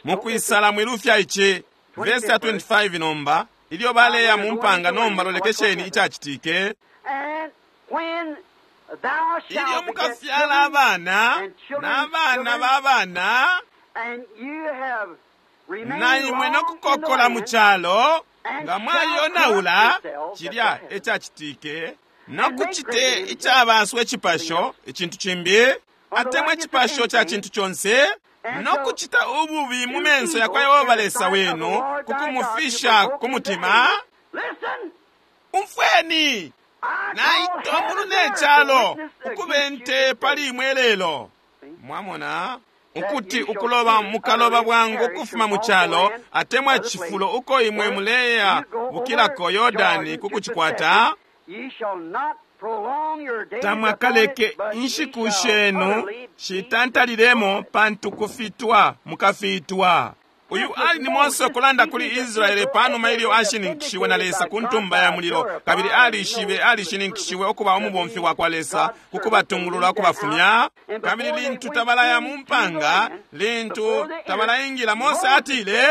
Speaker 1: Mukwisala mwilufya ici. Verse ya twenty-five nomba, ilyo baleya mu mpanga nomba lolekesheni icacitike. Ilyo mukafyala abana n'abana b'abana, na imwe no kukokola mu calo, nga mwayonaula cilya ecacitike, no kucite icabaswa icipasho, icintu cimbi, atemwa icipasho ca cintu conse, no kucita ububi mu menso ya kwa Yehova Lesa wenu, kukumufisha ku mutima. Umfweni, naito mulu ne calo ukubente pali imwe lelo. Mwamona ukuti ukuloba mukaloba bwangu ukufuma mu calo atemwa cifulo uko imwe muleya bukilako Yordani kukucikwata. Tamwakaleke inshiku shenu shitantalilemo, pantu kufitwa mukafitwa. Uyu ali ni Mose ukulanda kuli Israele panuma ilyo ashininkishiwe na Lesa ku ntumba ya mulilo, kabili alishibe alishininkishiwe ukuba umubomfi wa kwa Lesa ku kubatungulula ukubafumya. Kabili lintu tabalaya mu mpanga, lintu tabalaingila, Mose atile,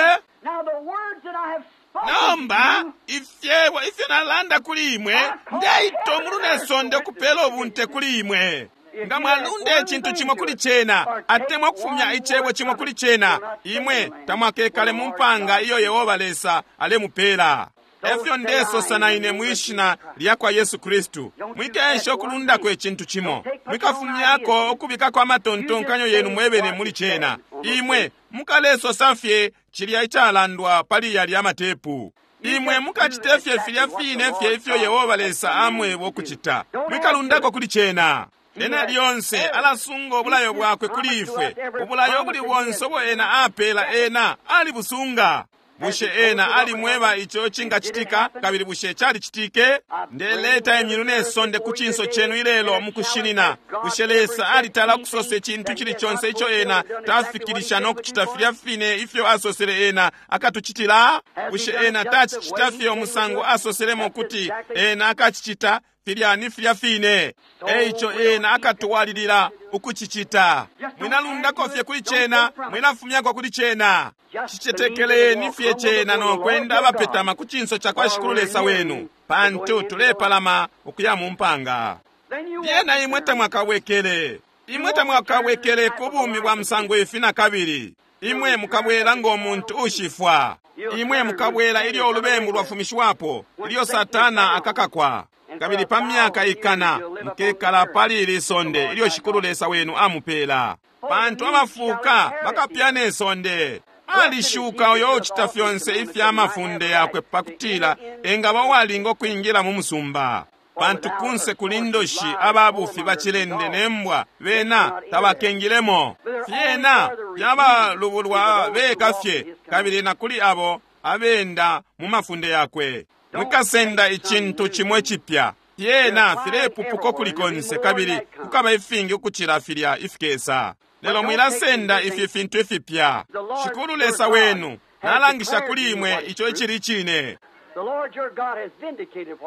Speaker 1: nomba ifyebo ifyo nalanda kuli imwe ndeita umulu ne sonde ukupela ubunte kuli imwe. Nga mwalunda icintu cimo kuli cena, atemwa kufumya icebo cimo kuli cena, imwe tamwakekale mu mpanga iyo Yehova Lesa alemupela. Efyo ndesosa na ine mwishina lya kwa Yesu Kristu, mwikesha ukulundako icintu cimo, mwikafumyako ukubikako amatontonkanyo yenu mwebene muli cena. Imwe mukalesosa fye cilya icalandwa pali yalya matepu. Imwe mukacite fye filya fine fye ifyo Yehova Lesa amweba ukucita, mwikalundako kuli cena. Ena lyonse alasunga ubulayo bwakwe kuli ifwe. Ubulayo buli bonse ubo ena apela, ena alibusunga. Bushe ena alimweba ico cingacitika, kabili bushe calicitike? Ndeleta imyulu ne sonde ku cinso cenu ilelo mukushinina. Bushe Lesa alitala ukusosa icintu cili conse ico ena tafikilisha no kucita filya fine ifyo asosele ena akatucitila? Bushe ena tacicita fye umusango asoselemo kuti ena akacicita? Filya ni filya fine. Eico ena akatwalilila ukucicita. Mwinalundako fye kuli cena, mwinafumyako kuli cena. Cicetekeleni fye cena no kwenda abapetama ku cinso ca kwa Shikulu Lesa wenu, pantu tulepalama ukuya mu mpanga. Lyena imwe tamwakabwekele, imwe tamwakabwekele ku bumi bwa musango ifi na kabili. Imwe mukabwela ngo muntu ushifwa. Imwe mukabwela ilyo ulubembu lwafumishiwapo, ilyo Satana akakakwa. Kabili pa myaka ikana mukekala pali ili sonde ilyo Shikulu Lesa wenu amupela, pantu abafuuka bakapyana isonde. Alishuka uyo ucita fyonse ifya mafunde yakwe, pakutila engaba uwalinga ukwingila mu musumba. Pantu kunse kuli ndoshi, ababufi, bacilende ne mbwa, bena tabakengilemo. Fyena fyabalubulwa beka fye, kabili na kuli abo abenda mu mafunde yakwe. Mwikasenda icintu cimo icipya. Fyena filepupuka kuli konse, kabili kukaba ifingi ukucila filya ifikesa. Lelo mwilasenda ifi fintu ifipya. Shikulu Lesa wenu nalangisha kuli imwe ico icili cine.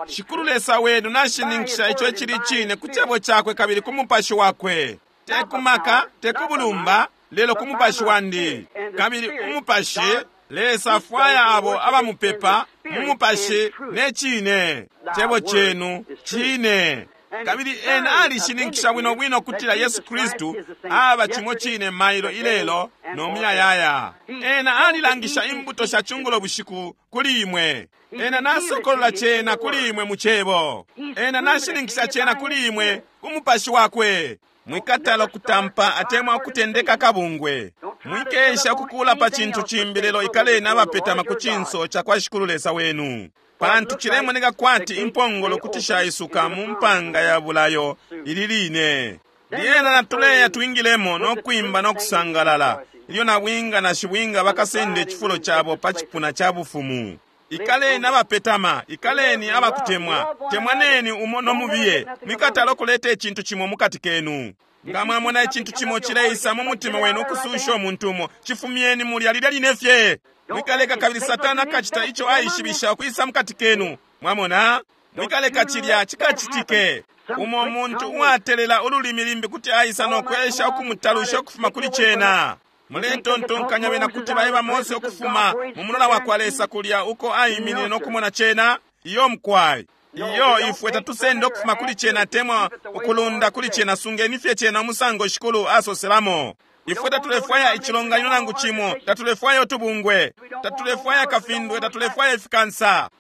Speaker 1: Shikulu Lesa wenu nashininkisha ico icili cine ku cebo cakwe kabili ku mupashi wakwe. Te ku maka, te ku bulumba, lelo ku mupashi wandi. Kabili umupashi, Lesa afwaya abo abamupepa mu mupashi ne cine. Cebo cenu cine. Kabili ena alishininkisha bwino bwino kutila Yesu Kristu aba cimo cine mailo ilelo no muyayaya. Ena alilangisha imbuto sha chungulo bushiku kuli imwe. Ena nasokolola cena kuli imwe mu cebo. Ena nashininkisha cena kuli imwe ku mupashi wakwe. Mwikatala kutampa atemwa kutendeka kabungwe. Mwikesha kukula pa cintu cimbi, lelo ikaleni abapetama ku cinso ca kwa Shikulu Lesa wenu. Pantu cilemoneka kwati impongolo kuti shaisuka mu mpanga ya bulayo ili line. Lyena natuleya twingilemo no kwimba no kusangalala, ilyo nabwinga na shibwinga bakasenda icifulo cabo pa cipuna ca bufumu. Ikaleni abapetama, ikaleni abakutemwa, temwaneni umo no mubiye. Mwikatala ukuleta icintu cimo mukati kenu. Nga mwamona icintu cimo cileisa mu mutima wenu ukususha umuntu umo, cifumyeni mulya lilya line fye. Mwikaleka kabili Satana akacita ico aishibisha ukwisa mukati kenu. Mwamona? Mwikaleka cilya cikacitike. Umo muntu uwatelela ululimi limbi kuti aisa no kwesha ukumutalusha ukufuma kuli cena. Muletontonkanya bena kuti baeba Mose ukufuma mu mulola wa kwa Lesa kulya uko aiminine no kumona cena? Iyo mkwai. Iyo ifwe tatusenda ukufuma kuli cena atemwa ukulunda kuli cena. Sungeni fye cena umusango Shikulu asoselamo. Ifwe tatulefwaya icilonganino nangu cimo, tatulefwaya utubungwe, tatulefwaya kafindwe, tatulefwaya ifikansa.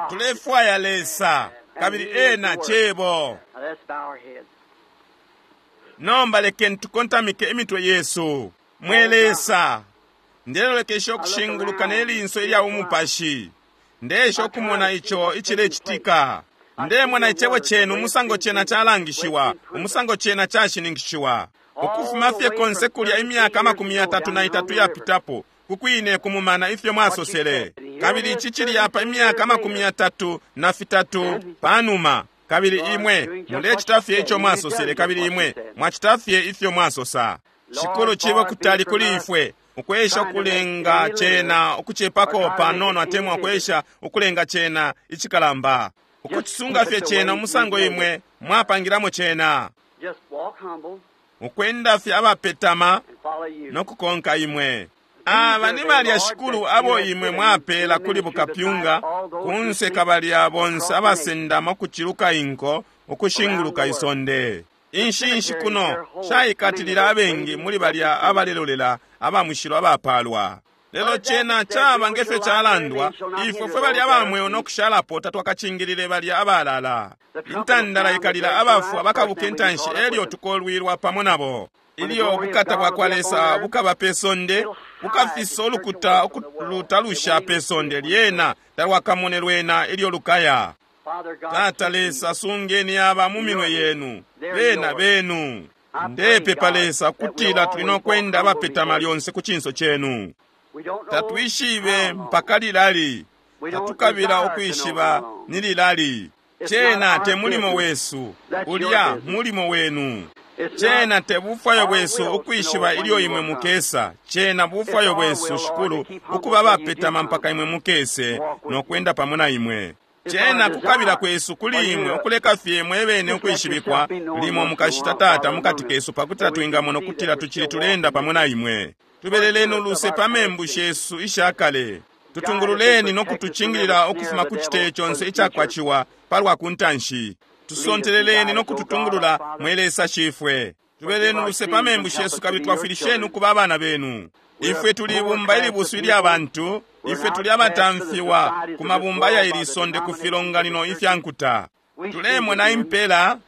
Speaker 1: Tulefwaya Lesa, kabili ena cebo. Nomba lekeni tukontamike imitwe yesu. Mwe Lesa, ndelolekesha ukushinguluka ne linso ilya umupashi. Ndesha ukumona ico icilecitika. Ndemona icebo cenu umusango cena calangishiwa, umusango cena cashininkishiwa. Ukufuma fye konse kulya imyaka amakumi yatatu na itatu yapitapo, kukwine kumumana ifyo mwasosele. Kabili ici cili apa imyaka amakumi yatatu na fitatu panuma. Kabili imwe mulecita fye ico mwasosele, kabili imwe mwacita fye ifyo mwasosa. Shikulu cibe kutali kuli ifwe Ukwesha ukulenga cena ukucepako panono atemwa ukwesha ukulenga cena icikalamba, ukucisunga fye cena umusango imwe mwapangilamo cena, ukwenda fye abapetama no kukonka imwe. Aba ni balya Shikulu abo imwe mwapela kuli bukapyunga kunse kabalya bonse abasendama ukuciluka inko ukushinguluka isonde. Inshinshi kuno shaikatilila abengi muli balya abalelolela abamushilo abapalwa. Lelo cena caba ngefyo calandwa, ifwe fwe balya abamweo nokushalapo tatwakacingilile balya abalala. Intandala ikalila abafwa bakabuka intanshi elyo tukolwilwa pamo nabo. Ilyo ubukata bwa kwa Lesa bukaba pe sonde, bukafisa ulukuta ukulutalusha pe sonde, lyena talwakamone lwena ilyo lukaya. Tata Lesa, sungeni aba mu minwe yenu, bena benu. Ndepepa Lesa kutila tuli nokwenda abapetama lyonse ku cinso cenu. Tatwishibe mpaka lilali, tatukabila ukwishiba ni lilali. Cena te mulimo wesu, ulya mulimo wenu. Cena te bufwayo bwesu ukwishiba ilyo imwe mukesa. Cena bufwayo bwesu, Shikulu, ukuba abapetama mpaka imwe mukese nokwenda pamo na imwe. Cena kukabila kwesu kuli imwe ukuleka fye mwebene ukwishibikwa limo mukashita Tata mukati kesu, pakutila twingamona ukutila tucili tulenda pamo na imwe. Tubeleleni uluse pa membu shesu ishakale. Tutungululeni nokutucingilila ukufuma ku citeyo conse icakwaciwa palwa kuntanshi. Tusonteleleni nokututungulula mwe Lesa Shifwe. Tubeleni uluse pa membu shesu kabili twafwilisheni ukuba abana benu. Ifwe tuli ibumba ilibusu ilya bantu, ifwe tuli abatamfiwa ku mabumba ya ili sonde ku filonganino ifya nkuta. Tulemona impela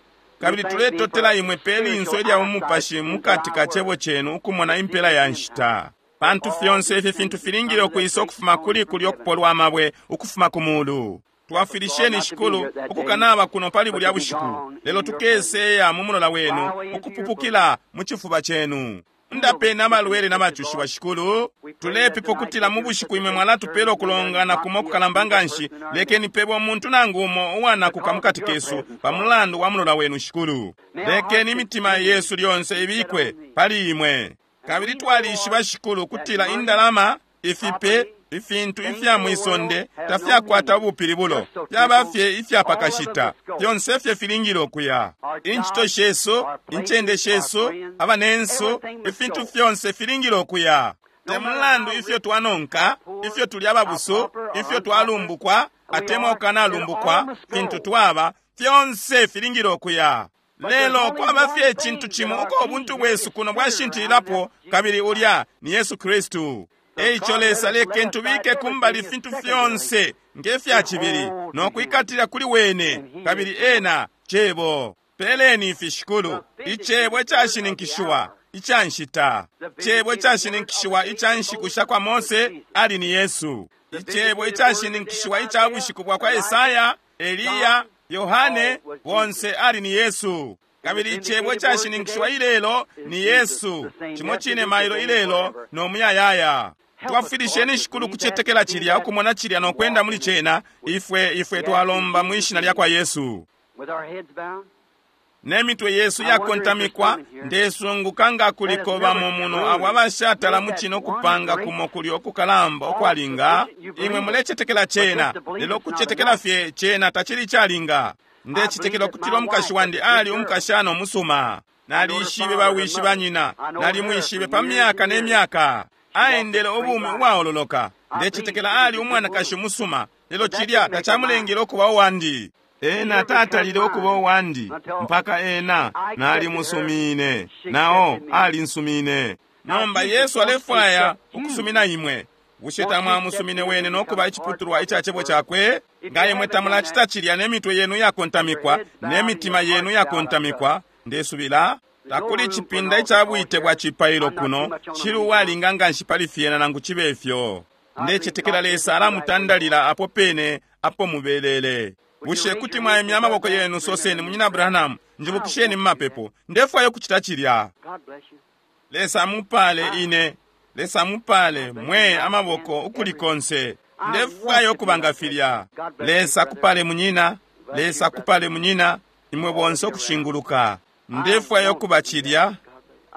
Speaker 1: kabili tuletotela imwe pe linso ilya umupashi mukati ka cebo cenu ukumona impela ya nshita. Pantu fyonse ifi fintu filingile ukwisa ukufuma kuli kulyo kupolwa amabwe ukufuma ku mulu. Twafwilisheni Shikulu ukukanaba kuno pali bulya bushiku, lelo tukeseya mu mulola wenu ukupupukila mu cifuba cenu. Ndapeni amalwele n'abacushiwa Shikulu. Tulepepa ukutila mu bushiku imwe mwalatupela ukulongana kumo kukalamba nganshi. Lekeni pebo umuntu nangu umo uwanakuka mukati kesu pa mulandu wa mulola wenu Shikulu. Lekeni imitima yesu lyonse ibikwe pali imwe. Kabili twalishiba Shikulu kutila indalama, ifipe, ifintu ifya mwisonde tafyakwata ubupilibulo, fyaba fye ifyapakashita, fyonse fye filingile ukuya. Incito shesu, incende shesu, abanensu, ifintu fyonse filingile ukuya. Te mulandu ifyo twanonka, ifyo tuli ababusu, ifyo twalumbukwa atemwa ukanalumbukwa, fintu twaba, fyonse filingile ukuya. Lelo kwaba fye icintu cimo uko ubuntu bwesu kuno bwashintililapo, kabili ulya ni Yesu Kristu. Eico Lesa leke ntubike kumbali fintu fyonse ngefya cibili nokwikatila kuli wene, kabili ena cebo. Peleni ifi Shikulu, icebo icashininkishiwa ica nshita, cebo icashininkishiwa ica nshiku sha kwa Mose ali ni Yesu, icebo icashininkishiwa ica bushiku bwa kwa Esaya, Eliya, Yohane, bonse ali ni Yesu. Kabili icebo icashininkishiwa ilelo ni Yesu, cimo cine mailo ilelo no muyayaya. Twafwilisheni Shikulu kucetekela cilya, ukumona cilya nokwenda muli cena. Ifwe ifwe twalomba mwishina lya kwa Yesu. Ne mitwe yesu yakontamikwa, ndesunguka nga kuliko bamo muno abo abashatala mu kino kupanga kumo kulyo okukalamba okwalinga. Imwe mulecetekela cena, lelo kucetekela fye cena tacili calinga. Ndecetekela ukutila umukashi wandi ali umukashana umusuma. Nalishibe bawishi banyina, nalimwishibe pa myaka ne myaka. Aendele ubumi ubwaololoka. Ndecetekela ali umwanakashi umusuma, lelo cilya tacamulengele ukuba uwandi. Ena tatalile ukuba uwandi mpaka ena nalimusumine, nao alinsumine. Nomba Yesu alefwaya ukusumina imwe. Bushe tamwamusumine wene nokuba iciputulwa ica cebo cakwe? Nga imwe tamulacita cilya ne mitwe yenu yakontamikwa ne mitima yenu yakontamikwa, ndesubila takuli cipinda ica bwite bwa cipailo kuno cili uwalinga nganshi pali fyena nangu cibe ifyo. Ndecetekela Lesa alamutandalila apo pene apo mubelele. Bushe kuti mwaimya amaboko yenu, soseni, Munyina Branham, njibukisheni mumapepo, ndefwaya ukucita cilya. Lesa amupale ine, Lesa amupale mwe amaboko ukuli konse. Ndefwaya ukuba nga filya. Lesa akupale munyina, Lesa akupale munyina, imwe bonse ukushinguluka. Ndefwaya ukuba cilya.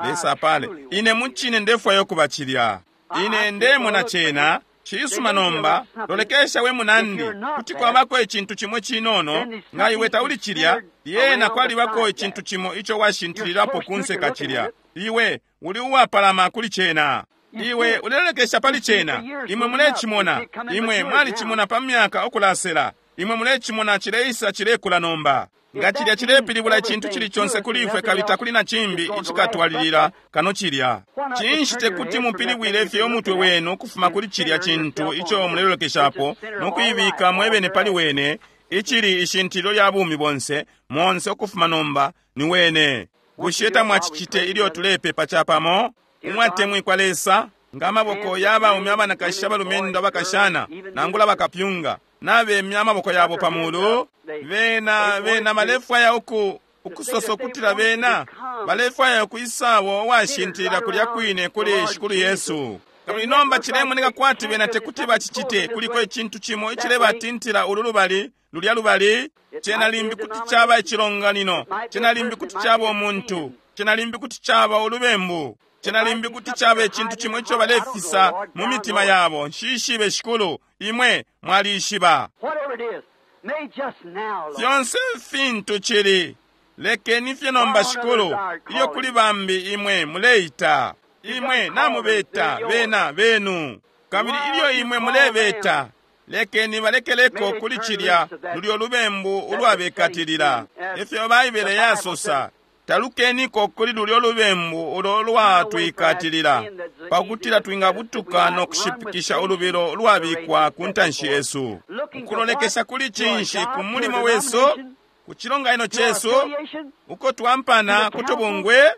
Speaker 1: Lesa apale ine mucine, ndefwaya ukuba cilya. Ine ndemona cena cisuma nomba lolekesha we munandi kuti kwabako icintu cimo cinono nga iwe tauli cilya lyena kwalibako icintu cimo ico washintilirapo kunseka cilya iwe uli uwapalama kuli cena iwe ulelekesha pali cena imwe mulecimona imwe mwalicimona pa myaka okulasela imwe mulecimona cileisa cilekula nomba nga cilya cilepilibula icintu cili conse kuli ifwe kabili takuli na cimbi icikatwalilila kano cilya cinshi tekuti mupilibwile fye umutwe wenu ukufuma kuli cilya cintu ico mulelolekeshapo nokuibika mwebene pali wene icili ishintililo lya bumi bonse monse ukufuma nomba ni wene bushe tamwacicite ilyo tulepepa capamo umwatemwikwa lesa nga amaboko y'abaume abanakashi abalumendo abakashana nangula bakapyunga nabemya amaboko yabo pamulu bena bena balefwaya uku ukusosa ukutila bena balefwaya ukwisawo uwashintilila kulya kwine kuli shikulu yesu kabili nomba cilemoneka kwati bena tekuti bacicite kuliko icintu cimo icilebatintila ulu lubali lulya lubali cena limbi kuti caba icilonganino cena limbi kuti caba umuntu cena limbi kuti caba ulubembu cena limbi kuti caba icintu cimo ico balefisa mu mitima yabo nshishibe shikulu imwe mwalishiba fyonse fintu cili lekeni fye nomba shikulu ilyo kuli bambi imwe muleita imwe namubeta bena benu kabili ilyo imwe mulebeta lekeni balekeleko kuli cilya lulyo lubembu ulwabekatilila ifyo baibele yasosa talukeniko kuli lulyo lubembu ulo lwatwikatilila pakutila twingabutuka no kushipikisha ulubilo lwabikwa ku ntanshi yesu ukulolekesha kuli cinshi ku mulimo wesu ku cilonganino cesu uko twampana kutubungwe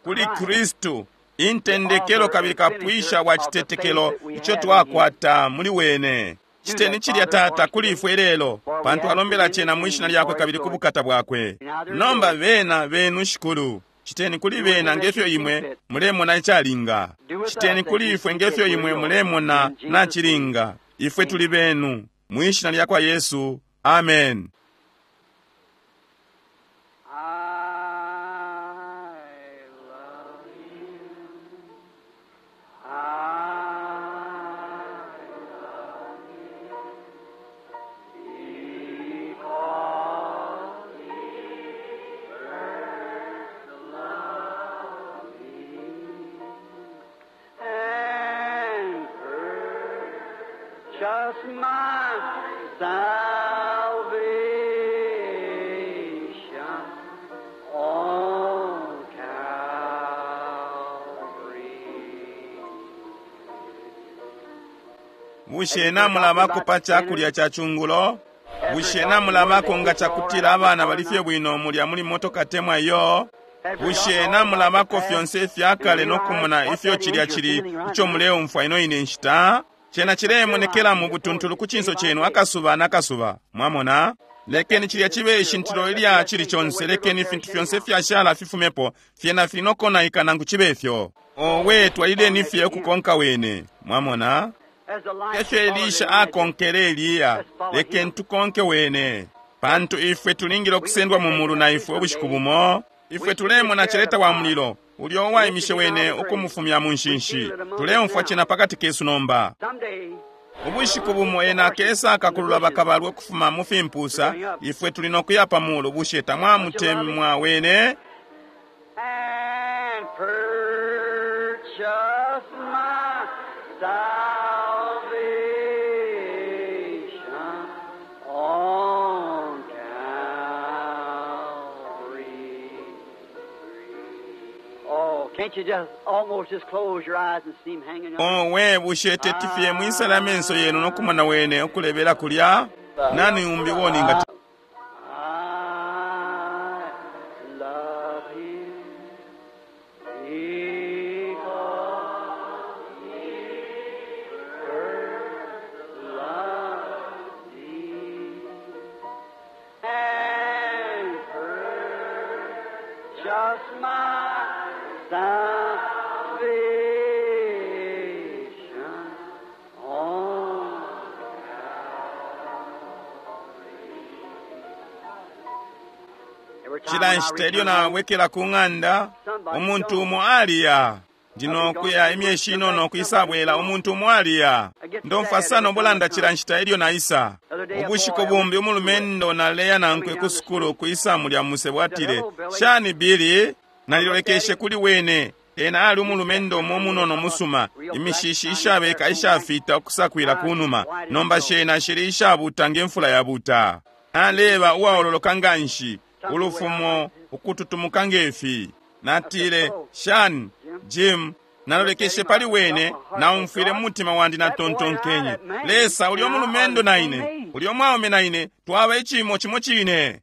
Speaker 1: kuli kristu intendekelo kabili kapwisha wa citetekelo ico twakwata muli wene citeni cilya tata kuli ifwe lelo pantu alombela cena mwishina lyakwe kabili ku bukata bwakwe nomba bena benu shikulu citeni kuli bena ngefyo imwe mulemona icalinga citeni kuli ifwe ngefyo imwe mulemona nacilinga ifwe tuli benu mwishina lyakwa yesu amen
Speaker 2: Just my salvation on Calvary.
Speaker 1: Bushe namulabako pa chakulya cha chungulo bushe namulabako nga chakutila abana bali fye bwino mulya muli motoka temwa iyo bushe namulabako fyonse ifyakale nokumona ifyo chilya chili icho muleumfwa ino ine nshita chena chilemonekela mu butuntulu ku chinso chenu akasuba nakasuba mwamona lekeni chilya chibe ishintilo ilya chili chonse lekeni ifintu fyonse fyashala fifumepo fyena fili nokonaika nangu chibe ifyo owe twalileni fye ukukonka wene mwamona efyo elisha akonkele eliya lekeni tukonke wene pantu ifwe tulingile okusendwa mu mulu na ifwe ubushiku bumo ifwe tulemona celeta wa mulilo ulyo uwaimishe wene ukumufumya mu nshinshi tuleumfwa cena pakati kesu nomba ubushiku bumo ena akesa akakulula bakabalwe ukufuma mu fimpusa ifwe tuli nokuya pa mulu bushe tamwamutemwa wene
Speaker 2: And purchase my salvation on Calvary. Oh, can't you just almost just close your eyes and see him hanging up?
Speaker 1: owe bushe tetifye mwisala amenso yenu nokumona wene okulebera kulya nani umbi woninga
Speaker 2: I love him because he first loved me and purchased my salvation on
Speaker 1: cila nshita ilyo nawekela ku ng'anda umuntu umo aliya Ndino kuya imyeshi inono kwisabwela umuntu umwaliya. Ndomfwa sana ubulanda cila nshita ilyo naisa. Ubushiku bumbi umulumendo naleya nankwe ku sukulu kwisa mulya musebo atile, "Shani Billy?" Nalilolekeshe kuli wene. Ena ali umulumendo umo munono musuma, imishishi ishabeka ishafita ukusakwila kunuma, nomba shena shili ishabuta ngemfula yabuta. Aleba uwaololoka nganshi, ulufumo ukututumuka ngefi. Natile, "Shani Jim." Nalolekeshe pali wene, naumfwile mu mutima wandi natontonkenye, Lesa, ulyo mulumendo na ine, ulyo mwaume na ine, twaba icimo cimo cine.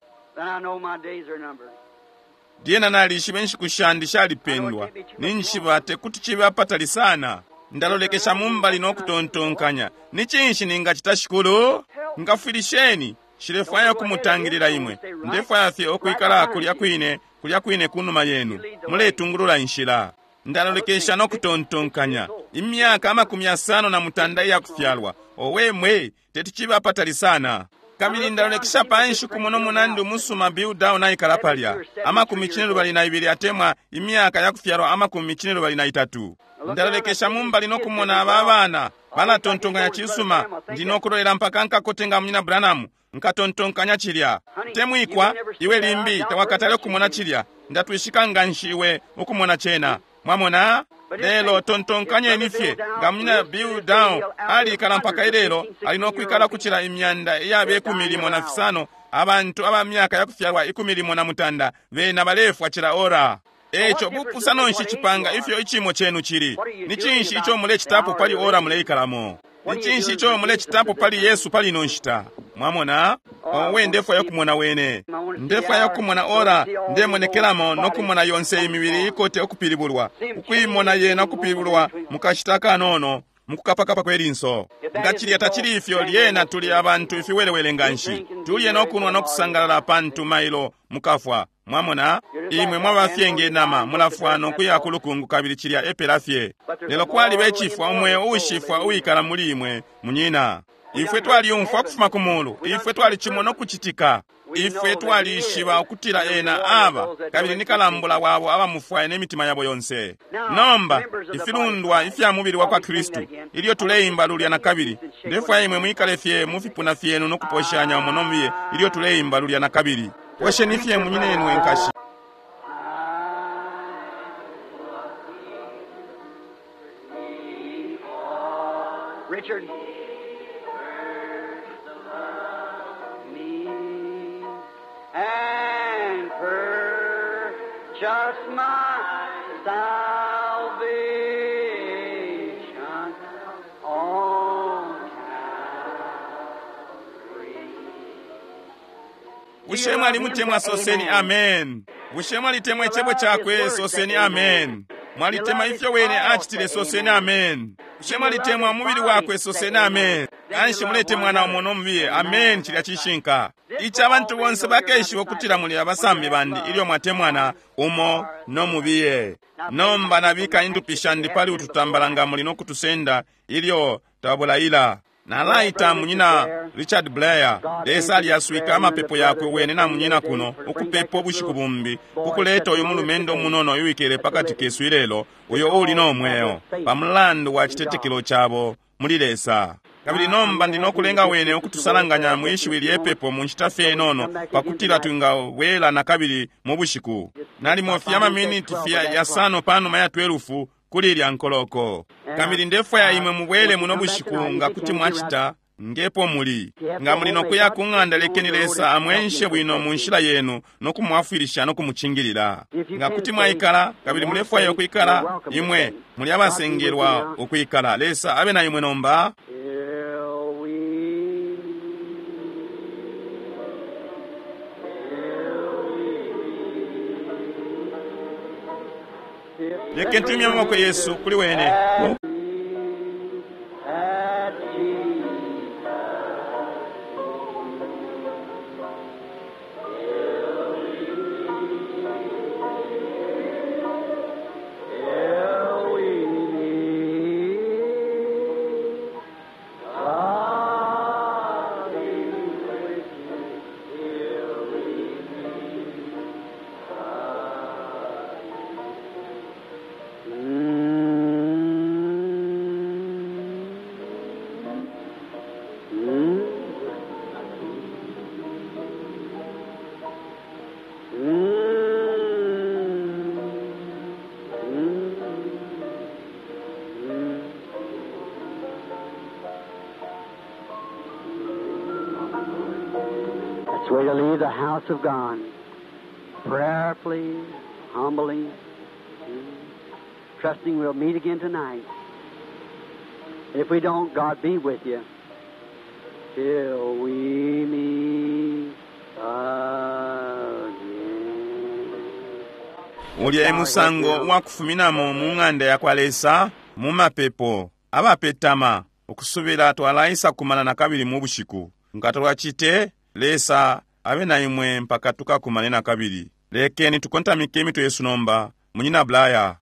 Speaker 1: Lyena nalishiba inshiku shandi shalipendwa, ninshiba tekuti cibe apatali sana. Ndalolekesha mumbali nokutontonkanya, ni cinshi ningacita Shikulu? Ngafwilisheni, nshilefwaya kumutangilila imwe, ndefwaya fye ukwikala kulya kwine, kulya kwine kunuma yenu, muletungulula inshila. Ndalolekesha nokutontonkanya, imyaka amakumi yasano na mutanda iyakufyalwa, owe mwe, teti cibe apatali sana. Kabili ndalolekesha panshi kumono munandi umusuma Bill Dow naikala palya, amakumi cine lubali na ibili atemwa imyaka yakufyalwa amakumi cine lubali na itatu. Ndalolekesha mumbali nokumona aba abana balatontonkanya cisuma, ndi nokulolela mpaka nkakote nga munyina Branham, nkatontonkanya cilya. Temwikwa iwe limbi tawakatale kumona cilya, ndatwishika nganshi iwe ukumona cena. Mwamona? Lelo tontonkanyeni fye nga munyina Bill Dow alikala mpaka ilelo, ali nokwikala kucila imyanda iyabe ikumi limo na fisano, abantu aba myaka yakufyalwa ikumi limo na mutanda bena balefwa cila ora. Eco bupusano nshi cipanga ifyo icimo cenu cili? Ni cinshi ico mulecitapo pali ora muleikalamo? Ni cinshi ico mulecitapo pali Yesu pali ino nshita? Mwamona? Owe, ndefwaya kumona wene, ndefwaya kumona ora ndemonekelamo nokumona yonse imibili ikote okupilibulwa, ukuimona yena okupilibulwa mukashita kanono mukukapakapa kwelinso. Nga cilya tacili ifyo, lyena tuli abantu ifiwelewele nganshi, tulye nokunwa nokusangalala pantu mailo mukafwa. Mwamona? Imwe mwaba fye nge nama, mulafwa nokuya ku lukungu kabili cilya epela fye. Lelo kwaliba icifwa umweo uushifwa uwikala muli imwe, munyina. Ifwe twaliumfwa kufuma ku mulu, ifwe twalicimona ukucitika, ifwe twalishiba ukutila ena aba kabili ni kalambula wabo abamufwaya n'emitima yabo yonse. Nomba ifilundwa ifya mubili wa kwa Kristu, ilyo tuleimba lulya na kabili, ndefwaya imwe mwikale fye mu fipuna fyenu nokuposhanya umo nomubiye ilyo tuleimba lulya na kabili. Posheni fye munyinenwe nkashi.
Speaker 2: Richard. Me and purchase my salvation on Calvary.
Speaker 1: Bushe mwalimutemwa? Soseni amen. Bushe mwalitemwa icebo cakwe? Soseni amen. Mwalitemwa ifyo wene acitile? Soseni amen. Bushe mwalitemwa umubili wakwe? Soseni amen. Kanshi muletemwana umo nomubiye. Amen. Cilya cishinka. Ici abantu bonse bakeshiba ukutila muli abasambi bandi ilyo mwatemwana umo nomubiye. Nomba nabika indupi shandi pali ututambala nga muli nokutusenda ilyo tabulaila. Nalaita munyina Richard Blair, Lesa alyaswika amapepo yakwe wene na munyina kuno ukupepa ubushiku bumbi kukuleta uyu mulumendo munono uwikele pakati kesu ilelo, uyo uli no mweo pamulandu wa citetekelo cabo muli Lesa. Kabili nomba ndi nokulenga wene ukutusalanganya mwishiwi lyepepo mu nshita fye inono pakutila twingabwela na kabili mu bushiku nalimo fye amaminiti fye yasano panuma ya twelufu kuli ilya nkoloko. Kabili ndefwaya imwe mubwele muno bushiku nga kuti mwacita ngepo muli. Nga muli nokuya ku ng'anda, lekeni Lesa amwenshe bwino mu nshila yenu nokumwafwilisha nokumucingilila. Nga kuti mwaikala kabili mulefwaya ukwikala, imwe muli abasengelwa ukwikala. Lesa abe na imwe nomba.
Speaker 2: Till we, till we,
Speaker 1: Lekeni tumye amaboko yesu kuli wene.
Speaker 2: at Jesus. Till we meet, God be with you till we meet. Mm. It's the way to leave the house of God. Prayerfully, humbly, trusting we'll meet again tonight. If we don't, God be with you till we meet again.
Speaker 1: Ulya e musango wakufuminamo mu ng'anda yakwa Lesa mu mapepo abapetama ukusubila twalaisa kumana nakabili mu bushiku. Nga twacite, Lesa abe na imwe mpaka tukakumane nakabili. Lekeni tukontamike imitwe yesu nomba. Munyina Blaya.